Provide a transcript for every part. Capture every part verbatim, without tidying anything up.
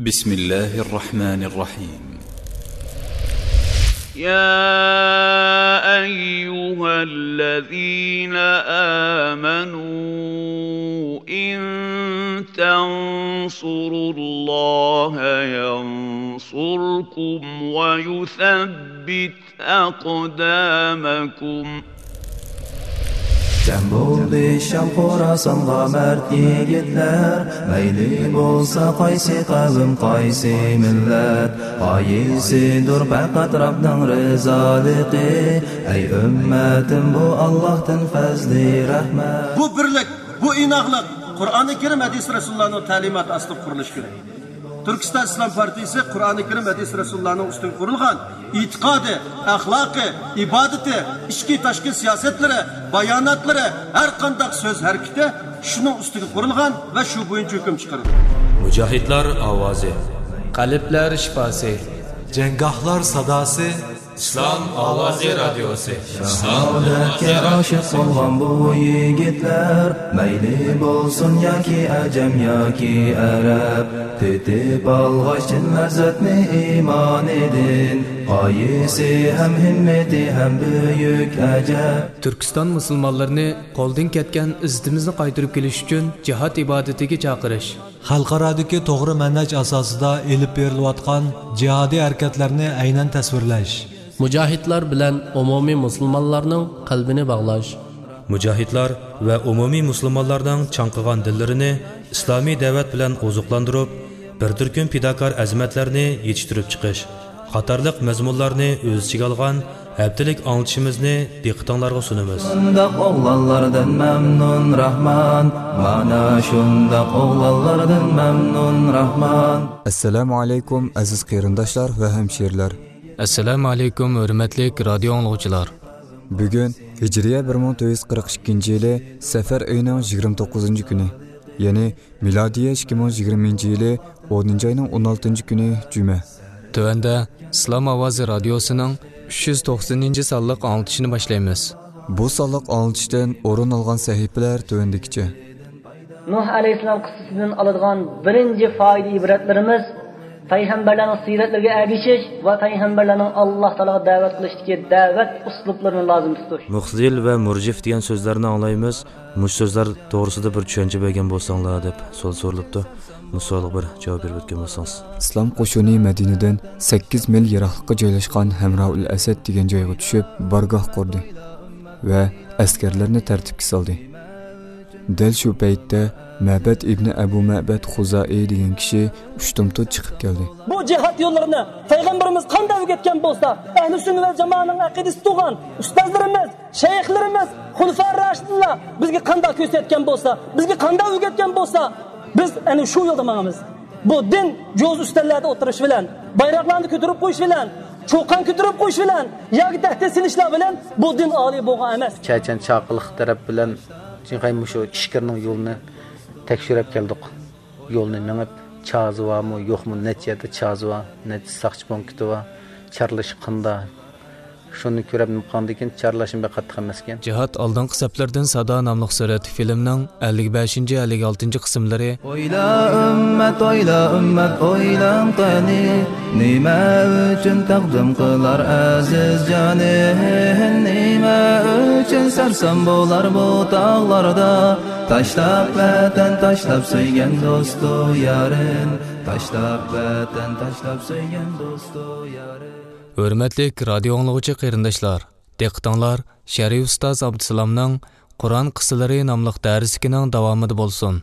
بسم الله الرحمن الرحيم. يا أيها الذين آمنوا إن تنصروا الله ينصركم ويثبت أقدامكم. جەم بولدى شام خوراسانغا مەرد يىگىتلەر، مەيلى بولسا قايسى قەۋم، قايسى مىللەت، غايىسىدۇر پەقەت رەبنىڭ رىزالىقى. ئەي ئۈممەتىم، بۇ ئاللاھتىن پەزلى رەھمەت. بۇ بىرلىك، بۇ ئىناقلىق قۇرئانى كەرىم، ھەدىس رەسۇلۇللانىڭ تەلىماتى ئاستىدا قۇرۇلۇشى كېرەك. تۈركىستان ئىسلام پارتىيىسى قۇرئانى كەرىم، ھەدىس رەسۇلۇللانىڭ ئۈستىگە قۇرۇلغان ئېتىقادى، ئەخلاقى، ئىبادىتى، ئىچكى تاشقى سىياسەتلىرى، باياناتلىرى، ھەر قانداق سۆز ھەرىكىتى شۇنىڭ ئۈستىگە قۇرۇلغان ۋە شۇ بويىچە ھۆكۈم چىقىرىدۇ. مۇجاھىدلار ئاۋازى. قەلبلەر شىپاسى. جەڭگاھلار ساداسى. ئىسلام ئاۋازى رادىيوسى. شاھادەتكە ئاشىق بولغان بۇ يىگىتلەر، مەيلى بولسۇن ياكى ئەجەم ياكى ئەرەب، تېتىپ ئالغاچ چىن لەززەتنى ئىمانىدىن، غايىسى ھەم ھىممىتى ھەم بۈيۈك ئەجەب. تۈركىستان مۇسۇلمانلىرىنى قولدىن كەتكەن ئىززىتىمىزنى قايتۇرۇپ كېلىش ئۈچۈن جىھاد ئىبادىتىگە چاقىرىش. خەلقئارادىكى توغرا مەنھەج ئاساسىدا ئېلىپ بېرىلىۋاتقان جىھادىي ھەرىكەتلەرنى ئەينەن تەسۋىرلەش. مۇجاھىدلار بىلەن ئومۇمىي مۇسۇلمانلارنىڭ قەلبىنى باغلاش. مۇجاھىدلار ۋە ئومۇمىي مۇسۇلمانلارنىڭ چاڭقىغان دىللىرىنى ئىسلامىي دەۋەت بىلەن ئوزۇقلاندۇرۇپ، بىر تۈركۈم پىداكار ئەزىمەتلەرنى يېتىشتۈرۈپ چىقىش قاتارلىق مەزمۇنلارنى ئۆز ئىچىگە ئالغان ھەپتىلىك ئاڭلىتىشىمىزنى دىققىتىڭلارغا سۇنىمىز. شۇنداق ئوغلانلاردىن مەمنۇن راھمان، مانا شۇنداق ئوغلانلاردىن مەمنۇن راھمان. ئەسسالامۇ ئەلەيكۇم، ئەزىز قېرىنداشلار ۋە ھەمشىرىلەر. ئەسسالامۇ ئەلەيكۇم، ھۆرمەتلىك رادىيو ئاڭلىغۇچىلار. بۈگۈن ھىجرىيە بىر مىڭ تۆت يۈز قىرىق ئىككىنچى يىلى سەپەر ئېيىنىڭ يىگىرمە توققۇزىنچى كۈنى، يەنى مىلادىيە ئىككى مىڭ يىگىرمىنچى يىلى ئونىنچى ئاينىڭ ئون ئالتىنچى كۈنى جۈمە. تۆۋەندە ئىسلام ئاۋازى رادىيوسىنىڭ ئۈچ يۈز توقسىنىنچى سانلىق ئاڭلىتىشىنى باشلايمىز. بۇ سانلىق ئاڭلىتىشتىن ئورۇن ئالغان سەھىپىلەر تۆۋەندىكىچە. نۇھ ئەلەيھىسسالام قىسسىسىدىن ئالىدىغان بىرىنچى فائىدە-ئىبرەتلىرىمىز پەيغەمبەرلەرنىڭ سىرەتلىرىگە ئەگىشىش ۋە پەيغەمبەرلەرنىڭ ئاللاھ تائالاغا دەۋەت قىلىشتىكى دەۋەت ئۇسلۇبلىرىنى لازىم تۇتۇش. مۇخزىل ۋە مۇرجىف دېگەن سۆزلەرنى ئاڭلايمىز. مۇشۇ سۆزلەر توغرىسىدا بىر چۈشەنچە بەرگەن بولساڭلار، دەپ سوئال سورىلىپتۇ. بۇ سوئالغا بىر جاۋاب بېرىپ ئۆتكەن بولسىڭىز. ئىسلام قوشۇنى مەدىنىدىن سەككىز مىل يىراقلىققا جايلاشقان ھەمرائۇل ئەسەد دېگەن جايغا چۈشۈپ، بارگاھ قۇردى ۋە ئەسكەرلەرنى تەرتىپكە سالدى. دەل شۇ پەيتتە مەبەد ئىبنى ئەبۇ مەبەد خۇزائى دېگەن كىشى ئۇشتۇمتۇت چىقىپ كەلدى. بۇ جىھاد يوللىرىنى پەيغەمبىرىمىز قانداق ئۆگەتكەن بولسا، ئەھلى سۈننە ۋەل جامائەنىڭ ئەقىدىسى تۇرغان ئۇستازلىرىمىز، شەيخلىرىمىز، خۇلىفا راشىدىنلار بىزگە قانداق كۆرسەتكەن بولسا، بىزگە قانداق ئۆگەتكەن بولسا، بىز ئەنە شۇ يولدا ماڭىمىز. بۇ دىن جوز ئۈستەللەردە ئولتۇرۇش بىلەن، بايراقلارنى كۆتۈرۈپ قويۇش بىلەن، چۇقان كۆتۈرۈپ قويۇش بىلەن ياكى تەھدىت سېلىشلار بىلەن بۇ دىن ئالىي بولغان ئەمەس. چەچەن چاقىلىق تەرەپ بىلەن چىڭخەي مۇشۇ ئىچكىرىنىڭ يولىنى تەكشۈرۈپ كەلدۇق. يولنى مېڭىپ، چازى بارمۇ، يوقمۇ، نەچچە يەردە چازى بار، نەچچە ساقچى پونكىتى بار، چارلىشى قانداق؟ شۇنى كۆرۈپ نېمە قىلغاندىن كېيىن چارلاشمۇ بەك قاتتىق ئەمەسكەن. جىھاد ئالدىنقى سەپلەردىن سادا ناملىق سۈرەتتىكى فىلىمنىڭ ئەللىك بەشىنچى، ئەللىك ئالتىنچى قىسىملىرى. ئويلا ئۈممەت، ئويلا ئۈممەت، ئويلاڭ قېنى، نېمە ئۈچۈن تەقدىم قىلار ئەزىز جانى؟ نېمە ئۈچۈن سەرسان بولار بۇ تاغلاردا؟ تاشلاپ ۋەتەن، تاشلاپ سۆيگەن دوستۇ يارىن، تاشلاپ ۋەتەن، تاشلاپ سۆيگەن دوستۇ يارىن. ھۆرمەتلىك رادىيو ئاڭلىغۇچى قېرىنداشلار، دىققىتىڭلار شەرئى ئۇستاز ئابدۇسالامنىڭ قۇرئان قىسسىلىرى ناملىق دەرسلىكىنىڭ داۋامىدا بولسۇن.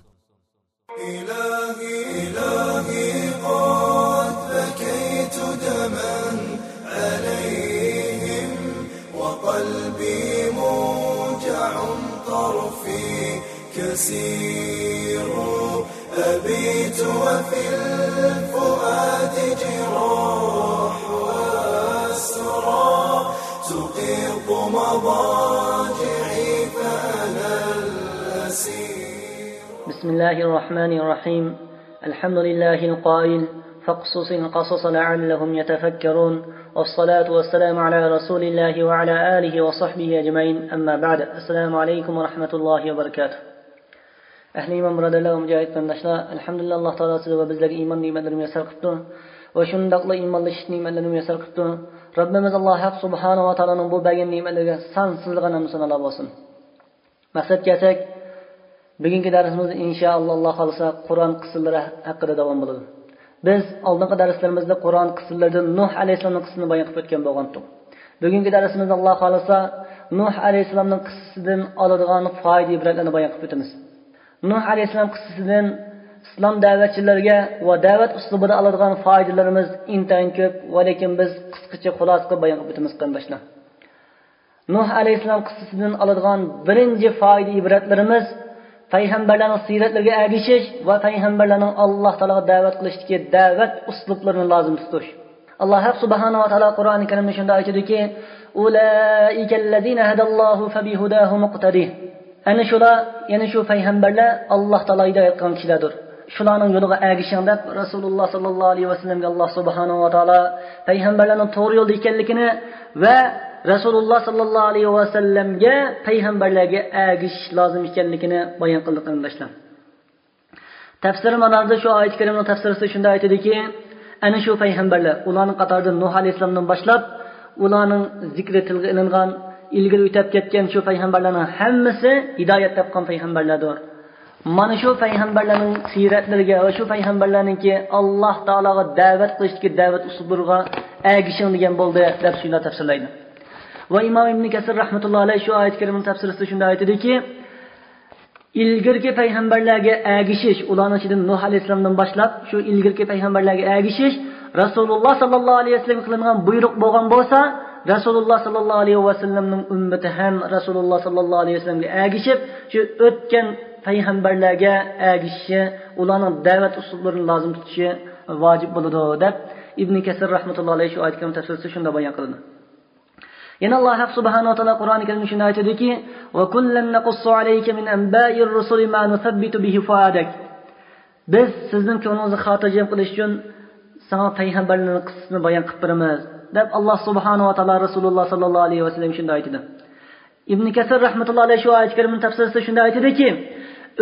إلهي، إلهي، قد بكيت دما عليهم، وقلبي موجع، طرفي كسير، أبيت وفي الفؤاد جراح وأسرى، تقيض مضاجعي فأنا الأسير. بسم الله الرحمن الرحيم. الحمد لله القائل: فاقصص القصص لعلهم يتفكرون. والصلاة والسلام على رسول الله وعلى آله وصحبه أجمعين. أما بعد. السلام عليكم ورحمة الله وبركاته. ئەھلى ئىمان بۇرادەرلەر ۋە مۇجاھىد قېرىنداشلار، ئەلھەمدۇلىللا، ئاللا تائالا سىز ۋە بىزلەرگە ئىمان نېمەتلىرىنى مۇيەسسەر قىپتۇ ۋە شۇنداقلا ئىمانلىشىش نېمەتلىرىنى مۇيەسسەر قىپتۇ. رەببىمىز ئاللا ھەق سۇبھانەھۇ ۋە تائالانىڭ بۇ بەرگەن نېمەتلىرىگە سانسىزلىغان ھەمدۇ سانالار بولسۇن. مەقسەتكە كەلسەك، بۈگۈنكى دەرسىمىز ئىنشائاللا، ئاللا خالىسا، قۇرئان قىسسىلىرى ھەققىدە داۋام بولىدۇ. بىز ئالدىنقى دەرسلىرىمىزدە قۇرئان قىسسىلىرىدىن نۇھ ئەلەيھىسسالامنىڭ قىسسىسىنى بايان قىلىپ ئۆتكەن بولغانتۇق. بۈگۈنكى دەرسىمىزدە ئاللا خالىسا، نۇھ ئەلەيھىسسالامنىڭ قىسسىسىدىن ئالىدىغان پائىدە ئىبرەتلەرنى بايان قىلىپ ئۆتىمىز. نۇھ ئەلەيھىسسالام قىسسىسىدىن ئىسلام دەۋەتچىلىرىگە ۋە دەۋەت ئۇسلۇبىدا ئالىدىغان پائىدىلىرىمىز ئىنتايىن كۆپ، ۋە لېكىن بىز قىسقىچە خۇلاسە قىلىپ بايان قىلىپ ئۆتىمىز، قېرىنداشلار. نۇھ ئەلەيھىسسالام قىسسىسىدىن ئالىدىغان بىرىنچى پائىدە ئىبرەتلىرىمىز پەيغەمبەرلەرنىڭ سىرەتلىرىگە ئەگىشىش ۋە پەيغەمبەرلەرنىڭ ئاللا تائالاغا دەۋەت قىلىشتىكى دەۋەت ئۇسلۇبلىرىنى لازىم تۇتۇش. ئاللا ھەق سۇبھانەھۇ ۋە تائالا قۇرئانى كەرىمدە شۇنداق ئېيتىدۇكى، ئۇلائىكەللەزىنە ھەدەللاھۇ فەبىھۇداھۇ مۇقتەدى. ئەنە شۇلار، يەنى شۇ پەيغەمبەرلەر ئاللا تائالا ھىدايەت قىلغان كىشىلەردۇر. شۇلارنىڭ يولىغا ئەگىشىڭ دەپ، رەسۇلۇللا ساللاللاھۇ ئەلەيھى ۋەسەللەمگە ئاللا سۇبھانەھۇ ۋە تائالا پەيغەمبەرلەرنىڭ توغرا يولدا ئىكەنلىكىنى ۋە رەسۇلۇللا ساللاللاھۇ ئەلەيھى ۋەسەللەمگە پەيغەمبەرلەرگە ئەگىشىش لازىم ئىكەنلىكىنى بايان قىلدى، قېرىنداشلار. تەپسىر ماناردا شۇ ئايەت كەرىمنىڭ تەپسىرىسىدە شۇنداق ئېيتىدۇكى، ئەنە شۇ پەيغەمبەرلەر، ئۇلارنىڭ قاتارىدا نۇھ ئەلەيھىسسالامدىن باشلاپ، ئۇلارنىڭ زىكرى تىلغا ئېلىنغان، ئىلگىرى ئۆتۈپ كەتكەن شۇ پەيغەمبەرلەرنىڭ ھەممىسى ھىدايەت تاپقان پەيغەمبەرلەردۇر. مانا شۇ پەيغەمبەرلەرنىڭ سىرەتلىرىگە ۋە شۇ پەيغەمبەرلەرنىڭكى ئاللا تائالاغا دەۋەت قىلىشتىكى دەۋەت ئۇسلۇبلىرىغا ئەگىشىڭ دېگەن بولدى، دەپ شۇنداق تەپسىرلەيدۇ. ۋە ئىمام ئىبنى كەسىر رەھمەتۇللا ئەلەيھ شۇ ئايەت كەرىمىنىڭ تەپسىرىسىدە شۇنداق ئېيتىدۇكى، ئىلگىرىكى پەيغەمبەرلەرگە ئەگىشىش، ئۇلارنىڭ ئىچىدىن نۇھ ئەلەيھىسسالامدىن باشلاپ، شۇ ئىلگىرىكى پەيغەمبەرلەرگە ئەگىشىش، رەسۇلۇللا ساللاللاھۇ ئەلەيھى ۋەسەللەمگە قىلىنغان بۇيرۇق بولغان بولسا، رەسۇلۇللا ساللاللاھۇ ئەلەيھى ۋەسەللەمنىڭ ئۈممىتى ھەم رەسۇلۇللا ساللاللاھۇ ئەلەيھى ۋەسەللەمگە ئەگىشىپ، شۇ ئۆتكەن پەيغەمبەرلەرگە ئەگىشىشى، ئۇلارنىڭ دەۋەت ئۇسلۇبلىرىنى لازىم تۇتۇشى ۋاجىپ بولىدۇ، دەپ ئىبنى كەسىر رەھمەتۇللا ئەلەيھى شۇ ئايەت كەرىمنىڭ تەپسىرىسىدە شۇنداق بايان قىلىدۇ. يەنە ئاللا ھەق سۇبھانەھۇ ۋە تائالا قۇرئانى كەرىمدە شۇنداق ئېيتىدۇكى، وَكُلًّا نَقُصُّ عَلَيْكَ مِنْ أَنْبَاءِ الرُّسُلِ مَا نُثَبِّتُ بِهِ فُؤَادَكَ. بىز سىزنىڭ كۆڭلىڭىزنى خاتىرجەم قىلىش ئۈچۈن ساڭا پەيغەمبەرلەرنىڭ قىسسىسىنى بايان قىلىپ بېرىمىز، دەپ ئاللا سۇبھانەھۇ ۋە تائالا رەسۇلۇللا ساللاللاھۇ ئەلەيھى ۋەسەللەمگە شۇنداق ئېيتىدۇ. ئىبنى كەسىر رەھمەتۇللا ئەلەيھ شۇ ئايەت كەرىمىنىڭ تەپسىرىسىدە شۇنداق ئېيتىدۇكى،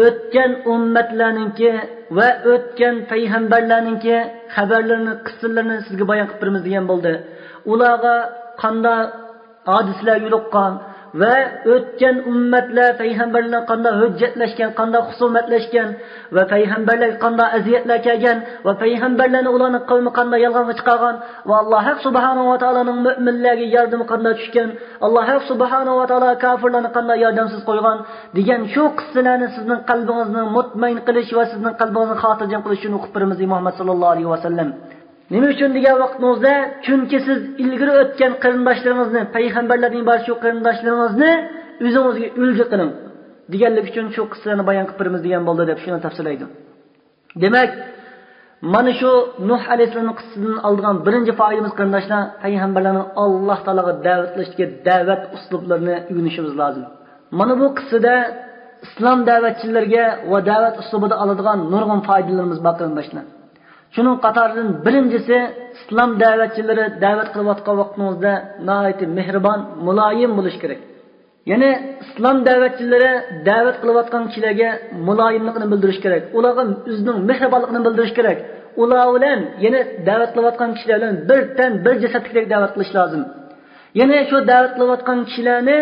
ئۆتكەن ئۈممەتلەرنىڭكى ۋە ئۆتكەن پەيغەمبەرلەرنىڭكى خەۋەرلىرىنى، قىسسىلىرىنى سىزگە بايان قىلىپ بېرىمىز دېگەن بولدى. ئۇلارغا قانداق ھادىسىلەر يولۇققان ۋە ئۆتكەن ئۈممەتلەر پەيغەمبەرلەرنى قانداق ھۆججەتلەشكەن، قانداق خۇسۇمەتلەشكەن ۋە پەيغەمبەرلەرگە قانداق ئەزىيەتلەر كەلگەن ۋە پەيغەمبەرلەرنى ئۇلارنىڭ قەۋمى قانداق يالغانغا چىقارغان ۋە ئاللا ھەق سۇبھانەھۇ ۋە تائالانىڭ مۆمىنلەرگە ياردىمى قانداق چۈشكەن، ئاللا ھەق سۇبھانەھۇ ۋە تائالا كاپىرلارنى قانداق ياردەمسىز قويغان دېگەن شۇ قىسسىلەرنى سىزنىڭ قەلبىڭىزنى مۇتمەئىن قىلىش ۋە سىزنىڭ قەلبىڭىزنى خاتىرجەم قىلىش ئۈچۈن ئوقۇپ بېرىمىز، ئەي مۇھەممەد ساللاللاھۇ ئەلەيھى ۋەسەللەم. نېمە ئۈچۈن دېگەن ۋاقتىڭىزدا، چۈنكى سىز ئىلگىرى ئۆتكەن قېرىنداشلىرىڭىزنى، پەيغەمبەرلەردىن ئىبارەت شۇ قېرىنداشلىرىڭىزنى ئۆزىڭىزگە ئۈلگە قىلىڭ دېگەنلىك ئۈچۈن شۇ قىسسىلەرنى بايان قىلىپ بېرىمىز دېگەن بولدى، دەپ شۇنى تەپسىرلەيدۇ. دېمەك، مانا شۇ نۇھ ئەلەيھىسسالامنىڭ قىسسىسىدىن ئالىدىغان بىرىنچى پائىدىمىز، قېرىنداشلار، پەيغەمبەرلەرنىڭ ئاللا تائالاغا دەۋەت قىلىشتىكى دەۋەت ئۇسلۇبلىرىنى ئۆگىنىشىمىز لازىم. مانا بۇ قىسسىدە ئىسلام دەۋەتچىلىرىگە ۋە دەۋەت ئۇسلۇبىدا ئالىدىغان نۇرغۇن پائىدىلىرىمىز بار، قېرىنداشلار. شۇنىڭ قاتارىدىن بىرىنچىسى، ئىسلام دەۋەتچىلىرى دەۋەت قىلىۋاتقان ۋاقتىڭىزدا ناھايىتى مېھرىبان، مۇلايىم بولۇش كېرەك. يەنى ئىسلام دەۋەتچىلىرى دەۋەت قىلىۋاتقان كىشىلەرگە مۇلايىملىقىنى بىلدۈرۈش كېرەك. ئۇلارغا ئۆزىنىڭ مېھرىبانلىقىنى بىلدۈرۈش كېرەك. ئۇلار بىلەن، يەنى دەۋەت قىلىۋاتقان كىشىلەر بىلەن بىر تەن، بىر جەسەتتىكىدەك دەۋەت قىلىش لازىم. يەنى شۇ دەۋەت قىلىۋاتقان كىشىلەرنى،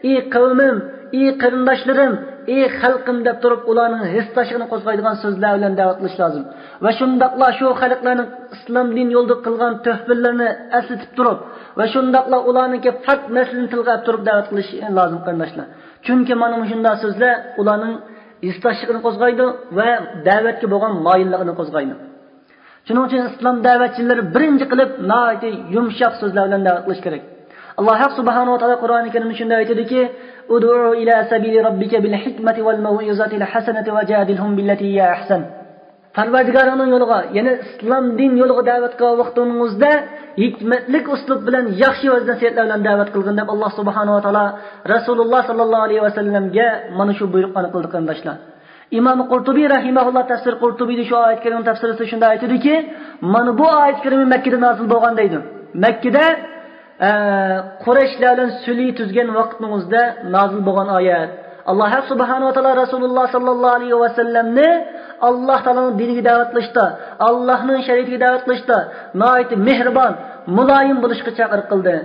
ئى قەۋمىم، ئى قېرىنداشلىرىم، ئى خەلقىم دەپ تۇرۇپ، ئۇلارنىڭ ھېسداشلىقىنى قوزغايدىغان سۆزلەر بىلەن دەۋەت قىلىش لازىم. ۋە شۇنداقلا شۇ خەلقلەرنىڭ ئىسلام دىن يولىدا قىلغان تۆھپىلىرىنى ئەسلىتىپ تۇرۇپ، ۋە شۇنداقلا ئۇلارنىڭكى پاك نەسلىنى تىلغا ئېلىپ تۇرۇپ دەۋەت قىلىش لازىم، قېرىنداشلار. چۈنكى مانا مۇشۇنداق سۆزلەر ئۇلارنىڭ ھېسداشلىقىنى قوزغايدۇ ۋە دەۋەتكە بولغان مايىللىقىنى قوزغايدۇ. شۇنىڭ ئۈچۈن ئىسلام دەۋەتچىلىرى بىرىنچى قىلىپ ناھايىتى يۇمشاق سۆزلەر بىلەن دەۋەت قىلىش كېرەك. ئاللا ھەق سۇبھانەھۇ ۋە تائالا قۇرئانى كەرىمدە شۇنداق ئېيتىدۇكى، ادع إلى سبيل ربك بالحكمة والموعظة الحسنة وجادلهم بالتي هي أحسن. پەرۋەردىگارىڭنىڭ يولىغا، يەنى ئىسلام دىن يولىغا دەۋەت قىلغان ۋاقتىڭىزدا ھېكمەتلىك ئۇسلۇب بىلەن، ياخشى ۋەز-نەسىھەتلەر بىلەن دەۋەت قىلغىن، دەپ ئاللا سۇبھانەھۇ ۋە تائالا رەسۇلۇللا ساللاللاھۇ ئەلەيھى ۋەسەللەمگە مانا شۇ بۇيرۇقلارنى قىلدى، قېرىنداشلار. ئىمام قۇرتۇبى رەھىمەھۇللا تەپسىر قۇرتۇبىدا شۇ ئايەت كەرىمنىڭ تەپسىرىسىدە شۇنداق ئېيتىدۇكى، مانا بۇ ئايەت كەرىمى مەككىدە نازىل بولغان دەيدۇ. مەككىدە، ئە، قۇرەيشلەر بىلەن سۈلھى تۈزگەن ۋاقتىڭىزدا نازىل بولغان ئايەت. ئاللاھ سۇبھانەھۇ ۋە تائالا رەسۇلۇللاھ ساللاللاھۇ ئەلەيھى ۋەسەللەمنى ئاللاھ تائالانىڭ دىنىگە دەۋەت قىلىشتا، ئاللاھنىڭ شەرىئىتىگە دەۋەت قىلىشتا ناھايىتى مېھرىبان، مۇلايىم بولۇشقا چاقىرىق قىلدى.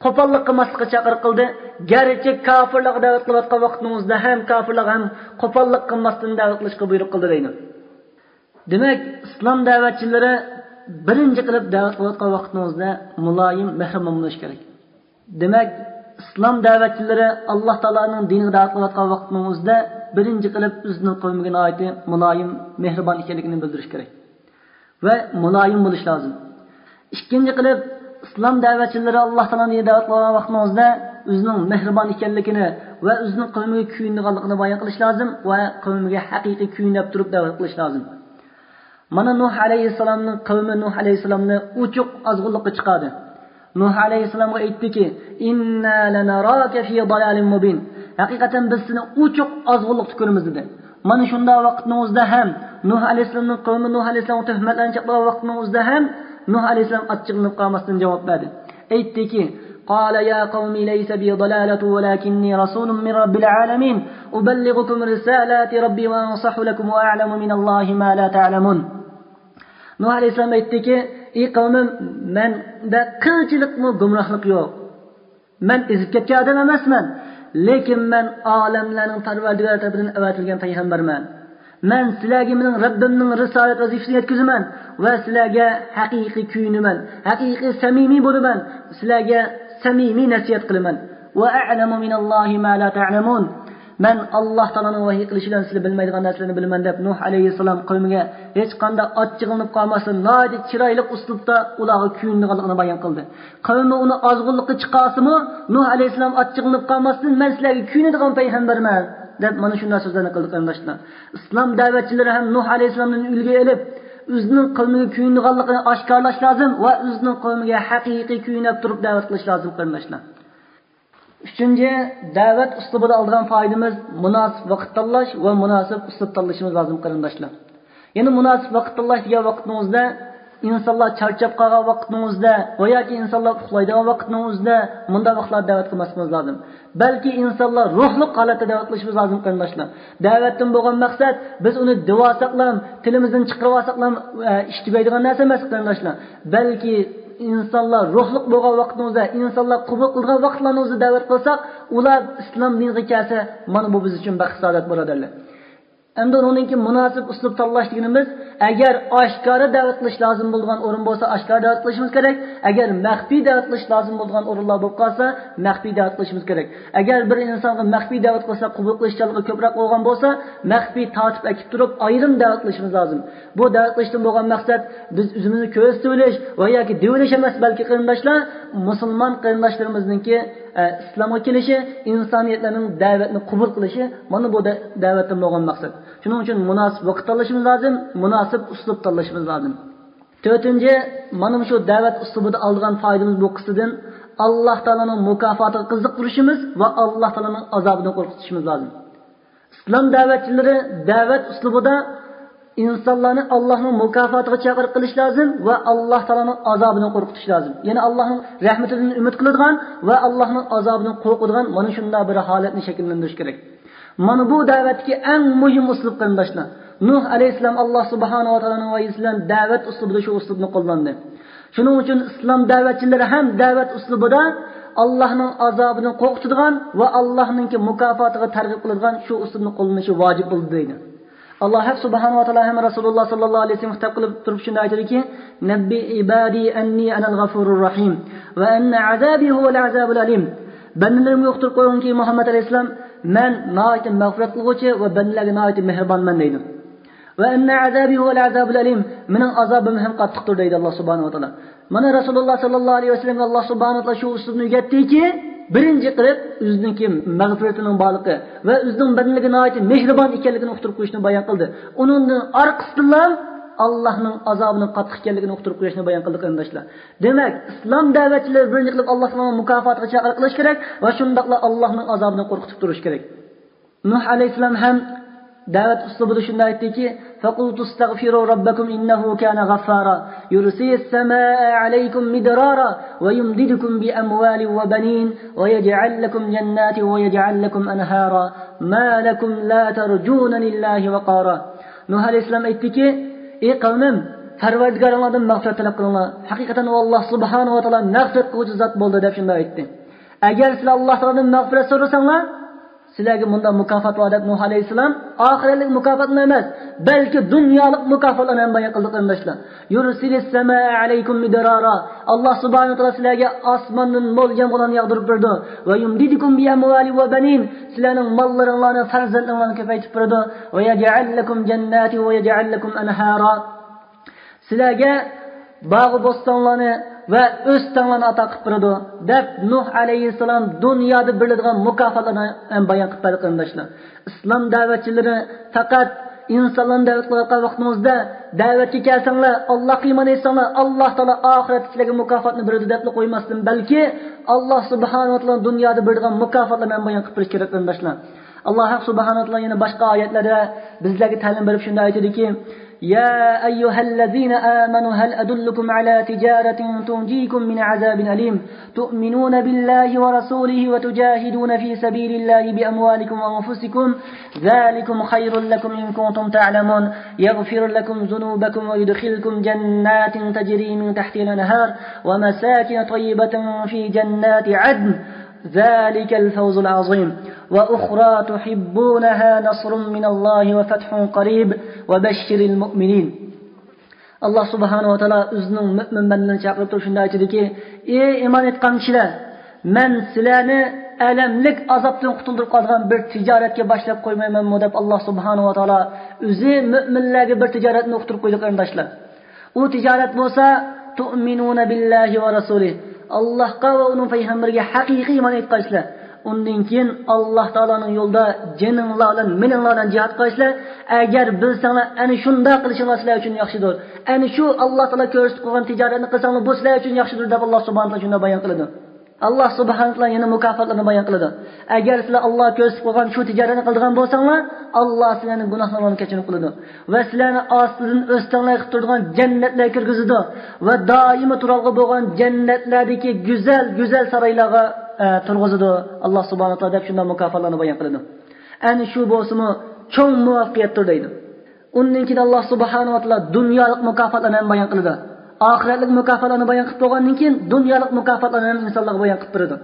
قوپاللىق قىلماسلىققا چاقىرىق قىلدى. گەرچە كاپىرلارغا دەۋەت قىلىۋاتقان ۋاقتىنىڭ ئۆزىدە ھەم كاپىرلارغا ھەم قوپاللىق قىلماستىن دەۋەت قىلىشقا بۇيرۇق قىلدى دەيدۇ. دېمەك، ئىسلام دەۋەتچىلىرى بىرىنچى قىلىپ دەۋەت قىلىۋاتقان ۋاقتىنىڭ ئۆزىدە مۇلايىم، مېھرىبان بولۇشى كېرەك. دېمەك، ئىسلام دەۋەتچىلىرى ئاللاھ تائالانىڭ دىنىغا دەۋەت قىلىۋاتقان ۋاقتىنىڭ ئۆزىدە بىرىنچى قىلىپ ئۆزىنىڭ قەۋمىگە ناھايىتى مۇلايىم، مېھرىبان ئىكەنلىكىنى بىلدۈرۈشى كېرەك ۋە مۇلايىم بولۇشى لازىم. ئىككىنچى قىلىپ، ئىسلام دەۋەتچىلىرى ئاللاھ تائالانىڭ دىنىغا دەۋەت قىلغان ۋاقتىنىڭ ئۆزىدە ئۆزىنىڭ مېھرىبان ئىكەنلىكىنى ۋە ئۆزىنىڭ قەۋمىگە كۆيۈنىدىغانلىقىنى بايان قىلىش لازىم ۋە قەۋمىگە ھەقىقىي كۆيۈنۈپ تۇرۇپ دەۋەت قىلىش لازىم. مانا نۇھ ئەلەيھىسسالامنىڭ قەۋمى نۇھ ئەلەيھىسسالامنى ئوچۇق ئازغۇنلۇققا چىقاردى. نۇھ ئەلەيھىسسالامغا ئېيتتىكى، «إنا لنراك في ضلال مبين.» ھەقىقەتەن بىز سېنى ئوچۇق ئازغۇنلۇقتا كۆرىمىز، دېدى. مانا شۇنداق ۋاقىتنىڭ ئۆزىدە ھەم نۇھ ئەلەيھىسسالامنىڭ قەۋمى نۇھ ئەلەيھىسسالامغا تۆھمەتلەرنى چاپلىغان ۋاقىتنىڭ ئۆزىدە ھەم نۇھ ئەلەيھىسسالام ئاچچىقلىنىپ قالماستىن جاۋاب بەردى. ئېيتتىكى، قال يا قوم ليس بي ضلالة ولكني رسول من رب العالمين أبلغكم رسالات ربي وأنصح لكم وأعلم من الله ما لا تعلمون. نۇھ ئەلەيھىسسالام ئېيتتىكى، ئى قەۋمىم، مەندە قىلچىلىكمۇ گۇمراھلىق يوق. مەن ئېزىپ كەتكەن ئادەم ئەمەسمەن، لېكىن مەن ئالەملەرنىڭ پەرۋەردىگارى تەرىپىدىن ئەۋەتىلگەن پەيغەمبەرمەن. مەن سىلەرگە مېنىڭ رەببىمنىڭ رىسالەت ۋەزىپىسىنى يەتكۈزىمەن ۋە سىلەرگە ھەقىقىي كۆيۈنىمەن، ھەقىقىي سەمىمىي بولىمەن، سىلەرگە سەمىمىي نەسىھەت قىلىمەن. وأعلم من الله ما لا تعلمون. مەن ئاللاھ تائالانىڭ ۋەھىي قىلىشى بىلەن سىلەر بىلمەيدىغان نەرسىلەرنى بىلىمەن، دەپ نۇھ ئەلەيھىسسالام قەۋمىگە ھېچقانداق ئاچچىقلىنىپ قالماستىن، ناھايىتى چىرايلىق ئۇسلۇبتا ئۇلارغا كۆيۈنىدىغانلىقىنى بايان قىلدى. قەۋمى ئۇنى ئازغۇنلۇققا چىقارسىمۇ، نۇھ ئەلەيھىسسالام ئاچچىقلىنىپ قالماستىن، مەن سىلەرگە كۆيۈنىدىغان پەيغەمبەرمەن، دەپ مانا شۇنداق سۆزلەرنى قىلدى، قېرىنداشلار. ئىسلام دەۋەتچىلىرى ھەم نۇھ ئەلەيھىسسالامدىن ئۈلگە ئېلىپ، ئۆزىنىڭ قەۋمىگە كۆيۈنىدىغانلىقىنى ئاشكارىلاش لازىم ۋە ئۆزىنىڭ قەۋمىگە ھەقىقىي كۆيۈنۈپ تۇرۇپ دەۋەت قىلىش لازىم، قېرىنداشلار. ئۈچىنچى، دەۋەت ئۇسلۇبىدا ئالىدىغان پايدىمىز مۇناسىپ ۋاقىت تاللاش ۋە مۇناسىپ ئۇسلۇب تاللىشىمىز لازىم، قېرىنداشلار. يەنە مۇناسىپ ۋاقىت تاللاش دېگەن ۋاقىتنىڭ ئۆزىدە ئىنسانلار چارچاپ قالغان ۋاقىتنىڭ ئۆزىدە ۋە ياكى ئىنسانلار ئۇخلايدىغان ۋاقىتنىڭ ئۆزىدە مۇنداق ۋاقىتلاردا دەۋەت قىلماسلىقىمىز لازىم. بەلكى ئىنسانلار روھلۇق ھالەتتە دەۋەت قىلىشىمىز لازىم، قېرىنداشلار. دەۋەتتىن بولغان مەقسەت، بىز ئۇنى دېۋالساقلام، تىلىمىزدىن چىقىرىۋالساقلام، ئە، ئىش تۈگەيدىغان نەرسە ئەمەس، قېرىنداشلار. بەلكى ئىنسانلار روھلۇق بولغان ۋاقتىمىزدا، ئىنسانلار قوبۇل قىلىدىغان ۋاقىتلارنىڭ ئۆزىدە دەۋەت قىلساق، ئۇلار ئىسلام دىنىغا كەلسە، مانا بۇ بىز ئۈچۈن بەخت-سائادەت، بۇرادەرلەر. ئەمدى ئۇنىڭدىن كېيىن مۇناسىپ ئۇسلۇب تاللاش دېگىنىمىز، ئەگەر ئاشكارا دەۋەت قىلىش لازىم بولىدىغان ئورۇن بولسا، ئاشكارا دەۋەت قىلىشىمىز كېرەك. ئەگەر مەخپىي دەۋەت قىلىش لازىم بولىدىغان ئورۇنلار بولۇپ قالسا، مەخپىي دەۋەت قىلىشىمىز كېرەك. ئەگەر بىر ئىنسانغا مەخپىي دەۋەت قىلسا، قوبۇل قىلىشچانلىقى كۆپرەك بولغان بولسا، مەخپىي تارتىپ ئەكىپ تۇرۇپ، ئايرىم دەۋەت قىلىشىمىز لازىم. بۇ دەۋەت قىلىشتىن بولغان مەقسەت، بىز ئۆزىمىزنى كۆرسىتىۋېلىش ۋە ياكى دېيىۋېلىش ئەمەس، بەلكى، قېرىنداشلار، مۇسۇلمان قېرىنداشلىرىمىزنىڭكى، ئە، ئىسلامغا كېلىشى، ئىنسانىيەتلەرنىڭ دەۋەتنى قوبۇل قىلىشى، مانا بۇ دە-، دەۋەتتىن بولغان مەقسەت. شۇنىڭ ئۈچۈن مۇناسىپ ۋاقىت تاللىشىمىز لازىم، مۇناسىپ ئۇسلۇب تاللىشىمىز لازىم. تۆتىنچى، مانا مۇشۇ دەۋەت ئۇسلۇبىدا ئالىدىغان پايدىمىز بۇ قىسسىدىن، ئاللاھ تائالانىڭ مۇكاپاتىغا قىزىقتۇرۇشىمىز ۋە ئاللاھ تائالانىڭ ئازابىدىن قورقۇتۇشىمىز لازىم. ئىسلام دەۋەتچىلىرى دەۋەت ئۇسلۇبىدا ئىنسانلارنى ئاللاھنىڭ مۇكاپاتىغا چاقىرىق قىلىش لازىم ۋە ئاللاھ تائالانىڭ ئازابىدىن قورقۇتۇش لازىم. يەنى ئاللاھنىڭ رەھمىتىدىن ئۈمىد قىلىدىغان ۋە ئاللاھنىڭ ئازابىدىن قورقىدىغان مانا شۇنداق بىر ھالەتنى شەكىللەندۈرۈش كېرەك. مانا بۇ دەۋەتتىكى ئەڭ مۇھىم ئۇسلۇب، قېرىنداشلار. نۇھ ئەلەيھىسسالام ئاللاھ سۇبھانەھۇ ۋە تائالانىڭ ۋەھىيسى بىلەن دەۋەت ئۇسلۇبىدا شۇ ئۇسلۇبنى قوللاندى. شۇنىڭ ئۈچۈن ئىسلام دەۋەتچىلىرى ھەم دەۋەت ئۇسلۇبىدا ئاللاھنىڭ ئازابىدىن قورقۇتىدىغان ۋە ئاللاھنىڭكى مۇكاپاتىغا تەرغىب قىلىدىغان شۇ ئۇسلۇبنى قوللىنىشى ۋاجىپ بولدى دەيدۇ. ئاللاھ ھەق سۇبھانەھۇ ۋە تائالا ھەم رەسۇلۇللاھ ساللاللاھۇ ئەلەيھى ۋەسەللەمگە خىتاب قىلىپ تۇرۇپ شۇنداق ئېيتىدۇكى، نەببى ئىبادى ئەننى ئەنەل غەفۇرۇر رەھىم ۋە ئەننە ئازابى ھۇۋەل ئازابۇل ئەلىم. بەندىلىرىمگە ئۇقتۇرۇپ قويغىنكى، مۇھەممەد ئەلەيھىسسالام، مەن ناھايىتى مەغپىرەت قىلغۇچى ۋە بەندىلەرگە ناھايىتى مېھرىبانمەن دەيدۇ. ۋە ئەننە ئازابى ھۇۋەل ئازابۇل ئەلىم، مېنىڭ ئازابىم ھەم قاتتىقتۇر دەيدۇ ئاللاھ سۇبھانەھۇ ۋە تائالا. مانا رەسۇلۇللاھ ساللاللاھۇ ئەلەيھى ۋەسەللەمگە ئاللاھ سۇبھانەھۇ ۋە تائالا شۇ ئۇسلۇبنى ئۆگەتتىكى، بىرىنچى قىلىپ ئۆزىنىڭكى مەغپىرىتىنىڭ بارلىقى ۋە ئۆزىنىڭ بەندىلىرىگە ناھايىتى مېھرىبان ئىكەنلىكىنى ئۇقتۇرۇپ قويۇشنى بايان قىلدى. ئۇنىڭدىن ئارقىسىدىنلا ئاللاھنىڭ ئازابىنىڭ قاتتىق ئىكەنلىكىنى ئۇقتۇرۇپ قويۇشنى بايان قىلدى، قېرىنداشلار. دېمەك، ئىسلام دەۋەتچىلىرى بىرىنچى قىلىپ ئاللاھ تائالانىڭ مۇكاپاتىغا چاقىرىق قىلىش كېرەك ۋە شۇنداقلا ئاللاھنىڭ ئازابىدىن قورقۇتۇپ تۇرۇش كېرەك. نۇھ ئەلەيھىسسالام ھەم دەۋەت ئۇسلۇبىدا شۇنداق ئېيتتىكى، فقلت استغفروا ربكم إنه كان غفارا يرسل السماء عليكم مدرارا ويمددكم بأموال وبنين ويجعل لكم جنات ويجعل لكم أنهارا ما لكم لا ترجون لله وقارا. نۇھ ئەلەيھىسسالام ئېيتتىكى، ئى قەۋمىم، پەرۋەردىگارىڭلاردىن مەغپىرەت تەلەپ قىلىڭلار. ھەقىقەتەن ئۇ ئاللا سۇبھانەھۇ ۋە تائالا مەغپىرەت قىلغۇچى زات بولدى، دەپ شۇنداق ئېيتتى. ئەگەر سىلەر ئاللا تائالادىن مەغپىرەت سورىساڭلار، سىلەرگە مۇنداق مۇكاپات بار، دەپ نۇھ ئەلەيھىسسالام ئاخىرەتلىك مۇكاپاتنى ئەمەس، بەلكى دۇنيالىق مۇكاپاتلارنى ھەم بايان قىلدى، قېرىنداشلار. يرسل السماء عليكم مدرارا. ئاللا سۇبھانەھۇ ۋە تائالا سىلەرگە ئاسماندىن مول يامغۇرلارنى ياغدۇرۇپ بېرىدۇ. ويمددكم بأموال وبنين. سىلەرنىڭ ماللىرىڭلارنى، پەرزەنتلىرىڭلارنى كۆپەيتىپ بېرىدۇ. ويجعل لكم جنات ويجعل لكم أنهارا. سىلەرگە باغ-بوستانلارنى ۋە ئۆستەڭلارنى ئاتا قىلىپ بېرىدۇ، دەپ نۇھ ئەلەيھىسسالام دۇنيادا بېرىلىدىغان مۇكاپاتلارنى ھەم بايان قىلىپ بەردى، قېرىنداشلار. ئىسلام دەۋەتچىلىرى پەقەت ئىنسانلارنى دەۋەت قىلىۋاتقان ۋاقتىمىزدا، دەۋەتكە كەلسەڭلار، ئاللاھقا ئىمان ئېيتساڭلار، ئاللا تائالا ئاخىرەتتە سىلەرگە مۇكاپاتنى بېرىدۇ، دەپلا قويماستىن، بەلكى ئاللا سۇبھانەھۇ ۋە تائالا دۇنيادا بېرىدىغان مۇكاپاتلارنى ھەم بايان قىلىپ بېرىش كېرەك، قېرىنداشلار. ئاللا ھەق سۇبھانەھۇ ۋە تائالا يەنە باشقا ئايەتلەردە بىزلەرگە تەلىم بېرىپ شۇنداق ئېيتىدۇكى، يا أيها الذين آمنوا هل أدلكم على تجارة تنجيكم من عذاب أليم تؤمنون بالله ورسوله وتجاهدون في سبيل الله بأموالكم وأنفسكم ذلكم خير لكم إن كنتم تعلمون يغفر لكم ذنوبكم ويدخلكم جنات تجري من تحتها الأنهار ومساكن طيبة في جنات عدن ذلك الفوز العظيم وأخرى تحبونها نصر من الله وفتح قريب وبشر المؤمنين. ئاللا سۇبھانەھۇ ۋە تائالا ئۆزىنىڭ مۆمىن بەندىلىرىنى چاقىرىپ تۇرۇپ شۇنداق ئېيتىدۇكى، ئى ئىمان ئېيتقان كىشىلەر، مەن سىلەرنى ئەلەملىك ئازابتىن قۇتۇلدۇرۇپ قالىدىغان بىر تىجارەتكە باشلاپ قويمايمەنمۇ، دەپ ئاللا سۇبھانەھۇ ۋە تائالا ئۆزى مۆمىنلەرگە بىر تىجارەتنى ئۇقتۇرۇپ قويدى، قېرىنداشلار. ئۇ تىجارەت بولسا، تؤمنون بالله ورسوله، ئاللاھقا ۋە ئۇنىڭ پەيغەمبىرىگە ھەقىقىي ئىمان ئېيتقايسىلەر. ئۇندىن كېيىن ئاللا تائالانىڭ يولىدا جېنىڭلار بىلەن، مېلىڭلار بىلەن جىھاد قىلىسىلەر. ئەگەر بىلسەڭلار، ئەنە شۇنداق قىلىشىڭلار سىلەر ئۈچۈن ياخشىدۇر. ئەنە شۇ ئاللا تائالا كۆرسىتىپ قويغان تىجارەتنى قىلساڭلار، بۇ سىلەر ئۈچۈن ياخشىدۇر، دەپ ئاللا سۇبھانەھۇ ۋە تائالا شۇنداق بايان قىلىدۇ. ئاللا سۇبھانەھۇ ۋە تائالا يەنە مۇكاپاتلارنى بايان قىلىدۇ. ئەگەر سىلەر ئاللا كۆرسىتىپ قويغان شۇ تىجارەتنى قىلىدىغان بولساڭلار، ئاللا سىلەرنىڭ گۇناھلىرىڭلارنى كەچۈرۈم قىلىدۇ. ۋە سىلەرنى ئاستىدىن ئۆستەڭلەر قىلىپ تۇرىدىغان جەننەتلەرگە كىرگۈزىدۇ. ۋە دائىمىي تۇرالغۇ بولغان جەننەتلەردىكى گۈزەل، گۈزەل سارايلارغا، ئە، تۇرغۇزىدۇ ئاللا سۇبھانەھۇ ۋە تائالا، دەپ شۇنداق مۇكاپاتلارنى بايان قىلىدۇ. ئەنە شۇ بولسىمۇ چوڭ مۇۋەپپەقىيەتتۇر، دەيدۇ. ئۇندىن كېيىن ئاللا سۇبھانەھۇ ۋە تائالا دۇنيالىق مۇكاپاتلارنى ھەم بايان قىلىدۇ. ئاخىرەتلىك مۇكاپاتلارنى بايان قىلىپ بولغاندىن كېيىن، دۇنيالىق مۇكاپاتلارنى ھەم ئىنسانلارغا بايان قىلىپ بېرىدۇ.